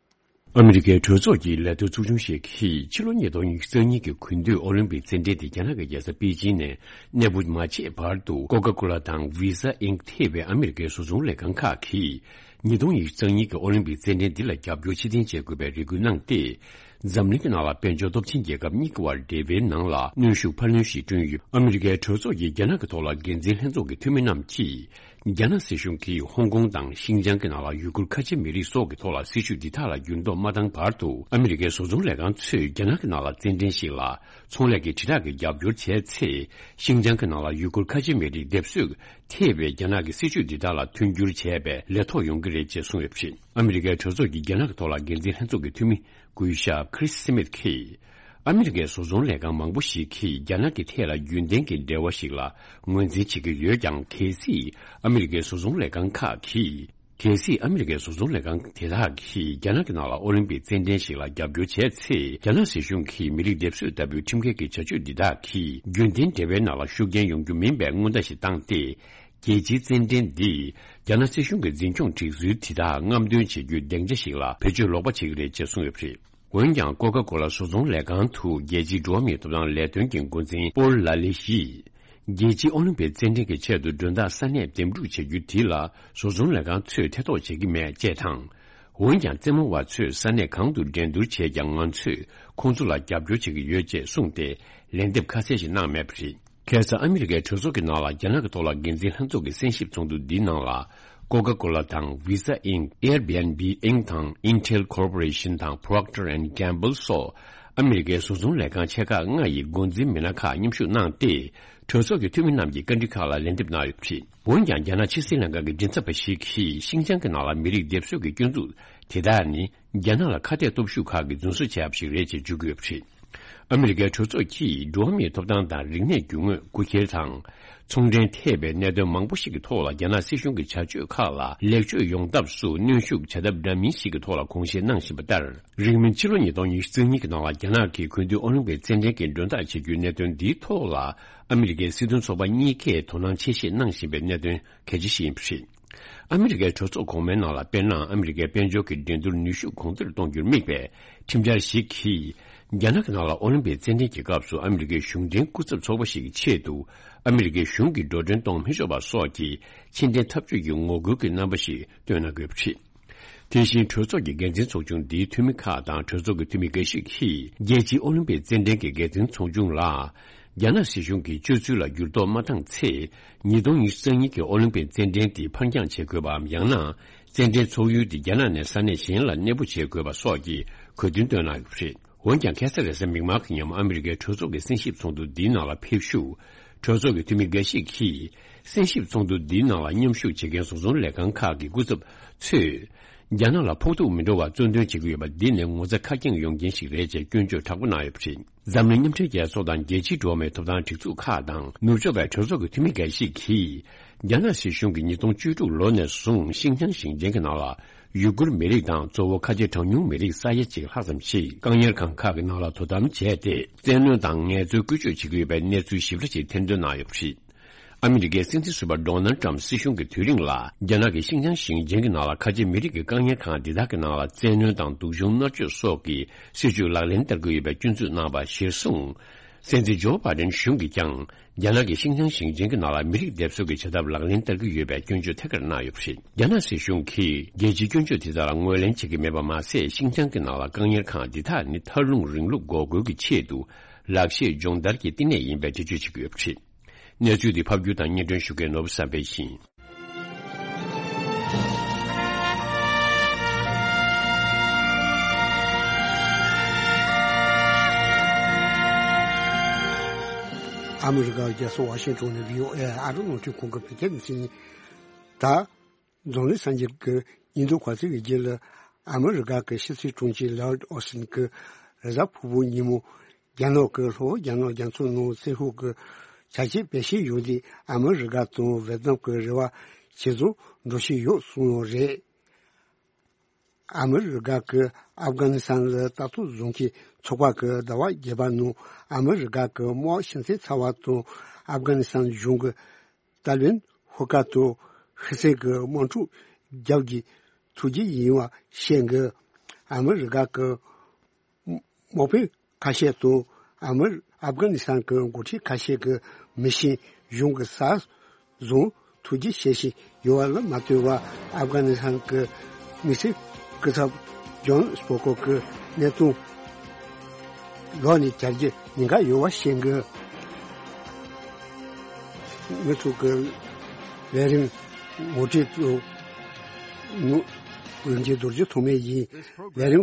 ཨ་མི་རི་ཀའི་གྲོས་ཚོགས་ཀྱི་ལས་དོན་ཚོགས་ཆུང་ཞིག་གིས་ཕྱི་ལོ་ཉིས་སྟོང་ཉི་ཤུ་རྩ་གཉིས་ཀྱི་དགུན་དུས་ཨོ་ལིམ་པིག་རྩེད་འགྲན་དེ་རྒྱ་ནག་གི་རྒྱལ་ས་པེ་ཅིང་ནས་གནས་སྤོ་མ་བྱས་བར་དུ་ཀོ་ཀ་ཀོ་ལ་དང་ཝི་ཟ་ཨིང་ཐེ་བའི་ཨ་མི་རི་ཀའི་བཟོ་ཚོང་ལས་ཁང་ཁག་གིས། ཉིས་སྟོང་ཉི་ཤུ་རྩ་གཉིས་ཀྱི་ཨོ་ལིམ་པིག་རྩེད་འགྲན་འདི་ལ་རྒྱབ་སྐྱོར་ཕྱིར་འཐེན་བྱེད་དགོས་པའི་རེ་སྐུལ་གནང་སྟེ། འཛམ་གླིང་གི་ནང་ལ་དཔལ་འབྱོར་སྟོབས་ཆེན་རྒྱལ་ཁབ་གཉིས་ཀྱི་དབར་འབྲེལ་བའི་ནང་ལ་གནོན་ཤུགས་འཕར་སྣོན་ཞིག་བསྐྲུན་ཡོད། ཨ་མི་རི་ཀའི་གྲོས་ཚོགས་ཀྱི་རྒྱ་ནག་གི་ཐོག་ལ་འགན་འཛིན་ལྷན་ཚོགས་ཀྱི་འཐུས་མི་རྣམས་ཀྱིས། རྒྱ་ནག་སྲིད་གཞུང་གིས་ཧོང་ཀོང་དང་ཤིན་ཅང་གི་ནང་ལ་ཡུ་གུར་ཁ་ཆེ་མི་རིགས་སོགས་ཀྱི་ཐོག་ལ་སྲིད་བྱུས་འདི་དག་ལ་འགྱུར་ལྡོག་མ་བཏང་བར་དུ། ཨ་མི་རི་ཀའི་བཟོ་ཚོང་ལས་ཁང་ཚོས་རྒྱ་ནག་གི་ནང་ལ་རྩེད་འགྲན་ཞིག་ལ་ཚོང་ལས་ཀྱི་དྲིལ་བསྒྲགས་ཀྱི་རྒྱབ་སྐྱོར་བྱས་ཚེ། ཤིན་ཅང་གི་ནང་ལ་ཡུ་གུར་ཁ་ཆེ་མི་རིགས་སྡེབ་གསོད་ཐེབས་པའི་རྒྱ་ནག་གི་སྲིད་བྱུས་འདི་དག་ལ་མཐུན་འགྱུར་བྱས་པའི་ལས་ཐོག་ཡོང་གི་རེད་ཅེས་གསུངས་ཡོད་པ་རེད། ཨ་མི་རི་ཀའི་གྲོས་ཚོགས་ཀྱིས་རྒྱ་ནག་གི་ཐོག་ལ་འགན་འཛིན་ལྷན་ཚོགས་ཀྱི་འཐུས་མི། སྐུ་ཞབས་Chris Smith་གྱིས། ཨ་མི་རི་ཀའི་བཟོ་ཚོང་ལས་ཁང་མང་པོ་ཞིག་གིས་རྒྱ་ནག་གི་ཐད་ལ་རྒྱུན་ལྡན་གྱི་འབྲེལ་བ་ཞིག་ལ་ངོས་འཛིན་བྱེད་ཀྱི་ཡོད་ཀྱང་། གལ་སྲིད་ཨ་མི་རི་ཀའི་བཟོ་ཚོང་ལས་ཁང་ཁག་གིས། གལ་སྲིད་ཨ་མི་རི་ཀའི་བཟོ་ཚོང་ལས་ཁང་དེ་དག་གིས་རྒྱ་ནག་གི་ནང་ལ་ཨོ་ལིམ་པིག་རྩེད་འགྲན་ཞིག་ལ་རྒྱབ་སྐྱོར་བྱས་ཚེ། རྒྱ་ནག་སྲིད་གཞུང་གིས་མི་རིགས་སྡེབ་གསོད་ལྟ་བུའི་ཁྲིམས་འགལ་གྱི་བྱ་སྤྱོད་འདི་དག་གིས་རྒྱུན་ལྡན་འབྲེལ་བའི་ནང་ལ་ཤུགས་རྐྱེན་ཡོང་རྒྱུ་མིན་པའི་སྔོན་བརྡ་ཞིག་བཏང་སྟེ། རྒྱལ་སྤྱིའི་རྩེད་འགྲན་འདིས་རྒྱ་ནག་སྲིད་གཞུང་གི་འཛིན་སྐྱོང་སྒྲིག་སྲོལ་དེ་དག་རྔམ་སྟོན་བྱེད་རྒྱུའི་སྡིངས་ཆ་ཞིག་ལ་བེད་སྤྱོད་ལོག་པ་བྱེད་ཀྱི་རེད་ཅེས་གསུངས་ཡོད་པ་རེད། འོན་ཀྱང་། ཀོ་ཀ་ཀོ་ལ་བཟོ་ཚོང་ལས་ཁང་དུ་རྒྱལ་སྤྱིའི་འགྲོ་བ་མིའི་ཐོབ་ཐང་ལས་དོན་གྱི་འགོ་འཛིན་པོལ་ལ་ལི་ཡིས། རྒྱལ་སྤྱིའི་ཨོ་ལིམ་པིག་རྩེད་འགྲན་གྱི་ཆེད་དུ་མགྲོན་བདག་ས་གནས་འདེམས་སྒྲུག་བྱེད་རྒྱུ་དེ་ལ་བཟོ་ཚོང་ལས་ཁང་ཚོས་ཐེ་གཏོགས་བྱེད་ཀྱི་མེད་ཅེས་དང་། འོན་ཀྱང་། རྩེད་མོ་བ་ཚོས་ས་གནས་གང་དུ་འགྲན་བསྡུར་བྱས་ཀྱང་། ང་ཚོས་ཁོང་ཚོ་ལ་རྒྱབ་སྐྱོར་བྱེད་ཀྱི་ཡོད་ཅེས་གསུངས་ཏེ། ལན་འདེབས་ཁ་གསལ་ཞིག་གནང་མེད་པ་རེད། ཁ་སང་ཨ་མི་རི་ཀའི་གྲོས་ཚོགས་ཀྱི་ནང་ལ་རྒྱ་ནག་གི་ཐོག་ལ་འགན་འཛིན་ལྷན་ཚོགས་ཀྱི་གསན་ཞིབ་ཚོགས་འདུ་འདིའི་ནང་ལ། Coca-Cola་དང་Visa Inc, Airbnb Inc དང་Intel Corporation དང་Procter and Gamble སོགས་ཨ་མི་རི་ཀའི་བཟོ་ཚོང་ལས་ཁང་ཆེ་ཁག་ལྔ་ཡི་འགོ་འཛིན་མི་སྣ་ཁག་མཉམ་ཞུགས་གནང་སྟེ། གྲོས་ཚོགས་ཀྱི་འཐུས་མི་རྣམས་ཀྱིས་བཀའ་འདྲི་ཁག་ལ་ལན་འདེབས་གནང་ཡོད་པ་རེད། འོན་ཀྱང་། རྒྱ་ནག་ཕྱི་སྲིད་ལྷན་ཁང་གི་མགྲིན་ཚབ་པ་ཞིག་གིས་ཤིན་ཅང་གི་ནང་ལ་མི་རིགས་སྡེབ་གསོད་ཀྱི་སྐྱོན་འཛུགས་དེ་དག་ནི། རྒྱ་ནག་ལ་ཁ་གཏད་སྟོབས་ཤུགས་ཁག་གིས་རྫུན་བཟོ་བྱས་པ་ཞིག་རེད་ཅེས་བརྗོད་ཀྱི་ཡོད་པ་རེད། ཨ་མི་རི་ཀའི་གྲོས་ཚོགས་ཀྱིས་འགྲོ་བ་མིའི་ཐོབ་ཐང་དང་རིག་གནས་རྒྱུ་དངོས་རྐུ་འཁྱེར་དང་། ཚོང་འབྲེལ་ཐེ་བའི་གནད་དོན་མང་པོ་ཞིག་གི་ཐོག་ལ་རྒྱ་ནག་སྲིད་གཞུང་གི་བྱ་སྤྱོད་ཁག་ལ་ལེགས་བཅོས་ཡོང་ཐབས་སུ་གནོན་ཤུགས་བྱ་ཐབས་འདྲ་མིན་ཞིག་གི་ཐོག་ལ་དགོངས་བཞེས་གནང་བཞིན་པ་ལྟར། རིང་མིན་ཕྱི་ལོ་ཉིས་སྟོང་ཉི་ཤུ་རྩ་གཉིས་ཀྱི་ནང་ལ་རྒྱ་ནག་གིས་གུས་འདུད་ཨོ་ལིམ་པིག་རྩེད་འགྲན་གྱི་མགྲོན་བདག་བྱེད་རྒྱུའི་གནད་དོན་འདིའི་ཐོག་ལ་ཨ་མི་རི་ཀའི་སྲིད་དོན་ཚོགས་པ་གཉིས་ཀས་དོ་སྣང་ཆེ་བཞེས་གནང་བཞིན་པའི་གནད་དོན་གལ་ཆེ་ཞིག་ཡིན་པ་རེད། ཨ་མི་རི་ཀའི་གྲོས་ཚོགས་གོང་མའི་ནང་ལ། དཔེར་ན། ཨ་མི་རི་ཀའི་དཔལ་འབྱོར་གྱི་འགྲན་བསྡུར་ནུས་ཤུགས་གོང་མཐོར་གཏོང་རྒྱུར་དམིགས་པའི་ཁྲིམས་འཆར་ཞིག་གིས། རྒྱ་ནག་གི་ནང་ལ་ཨོ་ལིམ་པིག་རྩེད་འགྲན་གྱི་སྐབས་སུ་ཨ་མི་རི་ཀའི་གཞུང་འབྲེལ་སྐུ་ཚབ་ཚོགས་པ་ཞིག་གི་ཆེད་དུ། ཨ་མི་རི་ཀའི་གཞུང་གིས་འགྲོ་གྲོན་གཏོང་མི་ཆོག་པ་སོགས་ཀྱི་ཕྱིར་འཐེན་འཐབ་ཇུས་ཀྱི་ངོ་རྒོལ་གྱི་རྣམ་པ་ཞིག་བཏོན་གནང་དགོས་པ་རེད། དེ་བཞིན། གྲོས་ཚོགས་ཀྱི་འགན་འཛིན་ཚོགས་ཆུང་འདིའི་འཐུས་མི་ཁག་དང་གྲོས་ཚོགས་ཀྱི་འཐུས་མི་འགའ་ཞིག་གིས། རྒྱལ་སྤྱིའི་ཨོ་ལིམ་པིག་རྩེད་འགྲན་གྱི་འགན་འཛིན་ཚོགས་ཆུང་ལ། རྒྱ་ནག་སྲིད་གཞུང་གི་སྤྱོད་ཚུལ་ལ་འགྱུར་ལྡོག་མ་བཏང་ཚེ། ཉིས་སྟོང་ཉི་ཤུ་རྩ་གཉིས་ཀྱི་ཨོ་ལིམ་པིག་རྩེད་འགྲན་དེ་ཕར་འགྱངས་བྱེད་དགོས་པའམ། ཡང་ན། རྩེད་འགྲན་ཚོགས་ཡུལ་དེ་རྒྱ་ནག་ནས་ས་གནས་གཞན་ལ་གནས་སྤོ་བྱེད་དགོས་པ་སོགས་ཀྱི་གོ་སྟོན་བཏོན་གནང་ཡོད་པ་རེད། འོན་ཀྱང་། ཁ་སང་རེས་གཟའ་མིག་དམར་གྱི་ཉིན་མོ་ཨ་མི་རི་ཀའི་གྲོས་ཚོགས་ཀྱི་གསན་ཞིབ་ཚོགས་འདུ་འདིའི་ནང་ལ་ཕེབས་ཞུགས། གྲོས་ཚོགས་ཀྱི་འཐུས་མི་འགའ་ཞིག་གིས། གསན་ཞིབ་ཚོགས་འདུ་འདིའི་ནང་ལ་མཉམ་ཞུགས་བྱེད་མཁན་བཟོ་ཚོང་ལས་ཁང་ཁག་གི་སྐུ་ཚབ་ཚོས། རྒྱ་ནག་ལ་ཕོག་ཐུག་མི་འགྲོ་བར་གཙོ་འདོན་བྱེད་ཀྱི་ཡོད་པ་འདི་ནི་ངོ་ཚ་ཁ་སྐྱེངས་ཡོང་རྐྱེན་ཞིག་རེད་ཅེས་སྐྱོན་བརྗོད་དྲག་པོ་གནང་ཡོད་པ་རེད། འཛམ་གླིང་མཉམ་འབྲེལ་རྒྱལ་ཚོགས་དང་རྒྱལ་སྤྱིའི་འགྲོ་བ་མིའི་ཐོབ་ཐང་སྒྲིག་འཛུགས་ཁག་དང་ནུབ་ཕྱོགས་པའི་གྲོས་ཚོགས་ཀྱི་འཐུས་མི་འགའ་ཞིག་གིས། རྒྱ་ནག་སྲིད་གཞུང་གིས་ཉིས་སྟོང་བཅུ་དྲུག་ལོ་ནས་བཟུང་ཤིན་ཅང་ཞིང་ཆེན་གྱི་ནང་ལ་ཡུ་གུར་མི་རིགས་དང་གཙོ་བོ་ཁ་ཆེ་གྲངས་ཉུང་མི་རིགས་ས་ཡ་གཅིག་ལྷག་ཙམ་ཞིག་བཀག་ཉར་ཁང་ཁག་གི་ནང་ལ་དོ་དམ་བྱས་ཏེ། བཙན་གནོན་དང་ངལ་རྩོལ་བཀོལ་སྤྱོད་བྱེད་ཀྱི་ཡོད་པའི་གནས་ཚུལ་ཞིབ་ཕྲ་ཞིག་ཐེར་འདོན་གནང་ཡོད་པ་རེད། ཨ་མི་རི་ཀའི་སྲིད་འཛིན་ཟུར་པ་ཌོ་ནལ་ཏྲམ་སྲིད་གཞུང་གི་དུས་རིང་ལ། རྒྱ་ནག་གི་ཤིན་ཅང་ཞིང་ཆེན་གྱི་ནང་ལ་ཁ་ཆེ་མི་རིགས་ཀྱི་བཀག་ཉར་ཁང་འདི་དག་གི་ནང་ལ་བཙན་གནོན་དང་སྡུག་སྦྱོང་མནར་གཅོད་སོགས་ཀྱི་སྲིད་བྱུས་ལག་ལེན་བསྟར་གྱི་ཡོད་པའི་སྐྱོན་འཛུགས་གནང་བ་གཞིར་བཟུང་། སྲིད་འཛིན་ཇོ་བྷ་ཌེན་གཞུང་གིས་ཀྱང་། རྒྱ་ནག་གི་ཤིན་ཅང་ཞིང་ཆེན་གྱི་ནང་ལ་མི་རིགས་སྡེབ་གསོད་ཀྱི་བྱ་ཐབས་ལག་ལེན་བསྟར་གྱི་ཡོད་པའི་སྐྱོན་བརྗོད་ཐད་ཀར་གནང་ཡོད་པ་རེད། རྒྱ་ནག་སྲིད་གཞུང་གིས་རྒྱལ་སྤྱིའི་སྐྱོན་བརྗོད་དེ་དག་ལ་ངོས་ལེན་བྱེད་ཀྱི་མེད་པ་མ་ཟད། ཤིན་ཅང་གི་ནང་ལ་བཀག་ཉར་ཁང་འདི་དག་ནི་མཐར་ལྷུང་རིང་ལུགས་འགོག་རྒོལ་གྱི་ཆེད་དུ་ལག་ཤེས་སྦྱོང་བརྡར་གྱི་བསྟི་གནས་ཡིན་པའི་འགྲེལ་བརྗོད་བྱེད་ཀྱི་ཡོད་པ་རེད། གནས་ཚུལ་འདི་ཕབ་སྒྱུར་དང་སྙན་སྒྲོན་ཞུ་མཁན་ནོར་བུ་བསམ་འཕེལ་ཡིན། ཨ་མི་རི་ཀའི་རྒྱལ་ས་ཝ་ཤིང་ཊོན་ནས་བྷི་ཨོ་ཨེ་ཨ་རི་རླུང་འཕྲིན་ཁང་གི་བོད་སྐད་སྡེ་ཚན་ཡིན། ད། འཛམ་གླིང་གསར་འགྱུར་གྱི་སྙིང་བསྡུས་གོ་ཚིགས་ཀྱི་རྗེས་ལ། ཨ་མི་རི་ཀ་གི་ཕྱི་སྲིད་དྲུང་ཆེ་ལོའིཌ་ཨོ་སི་ཊིན་གྱིས་རེས་གཟའ་ཕུར་བུ་ཉིན་མོ། རྒྱ་ནག་གི་ལྷོ་རྒྱ་ནག་རྒྱ་མཚོ་ནང་བཙན་ཤོག་གི་བྱ་སྤྱོད་སྤེལ་བཞིན་ཡོད་དུས། ཨ་མི་རི་ཀ་དང་ཝེ་ཏི་ནམ་གྱི་རེ་བ་ཇེ་བཟང་འགྲོ་བཞིན་ཡོད་གསུངས་ཡོད་རེད། ཨ་མི་རི་ཀ་གིས་ཨབ་གྷ་ནི་སི་ཐན་ལ་ལྟ་རྟོག་བཟོ་མཁན་ཚོགས་པ་གིས་ཟླ་བ་བརྒྱད་པ་ནང་ཨ་མི་རི་ཀ་གི་དམག་ཤིང་ཚད་ཚ་བ་དང་ཨབ་གྷ་ནི་སི་ཐན་གཞུང་གི་ཏཱ་ལི་བན་ཧུར་ཁ་དང་ཧི་སན་གྱི་དམག་འཁྲུག་རྒྱབ་ཀྱི་ཐུགས་རྗེ་ཡིན་པ་བཤད་འདུག་ཨ་མི་རི་ཀ་གི་དམག་དཔོན་ཁ་ཤས་དང་ཨ་མི་ཨབ་གྷ་ནི་སི་ཐན་གྱི་འགོ་ཁྲིད་ཁ་ཤས་ཀྱིས་མི་ཤེས་གཞུང་གི་ས་བཟུང་ཐུགས་རྗེ་ཆེ་ཞིག་ཡོད་པ་ལ་མ་ལྟོས་པར། ཨབ་གྷ་ནི་སི་ཐན་གྱི་དམིགས་བསལ་སྐུ་ཚབ་ཇོན་སྤོ་ཀོ་གིས་གནས་སྟངས་ལོག་ནས་བྱ་རྒྱུ་ཉེན་ཁ་ཡོད་པ་བཤད་འདུག་ང་ཚོ་གི་ལས་རིམ་ ངོ་སྤྲོད་དུ་ངོ་། དགོན་གྱི་རྡོ་རྗེ་ཐོགས་མེད་ཡིན། ལས་རིམ།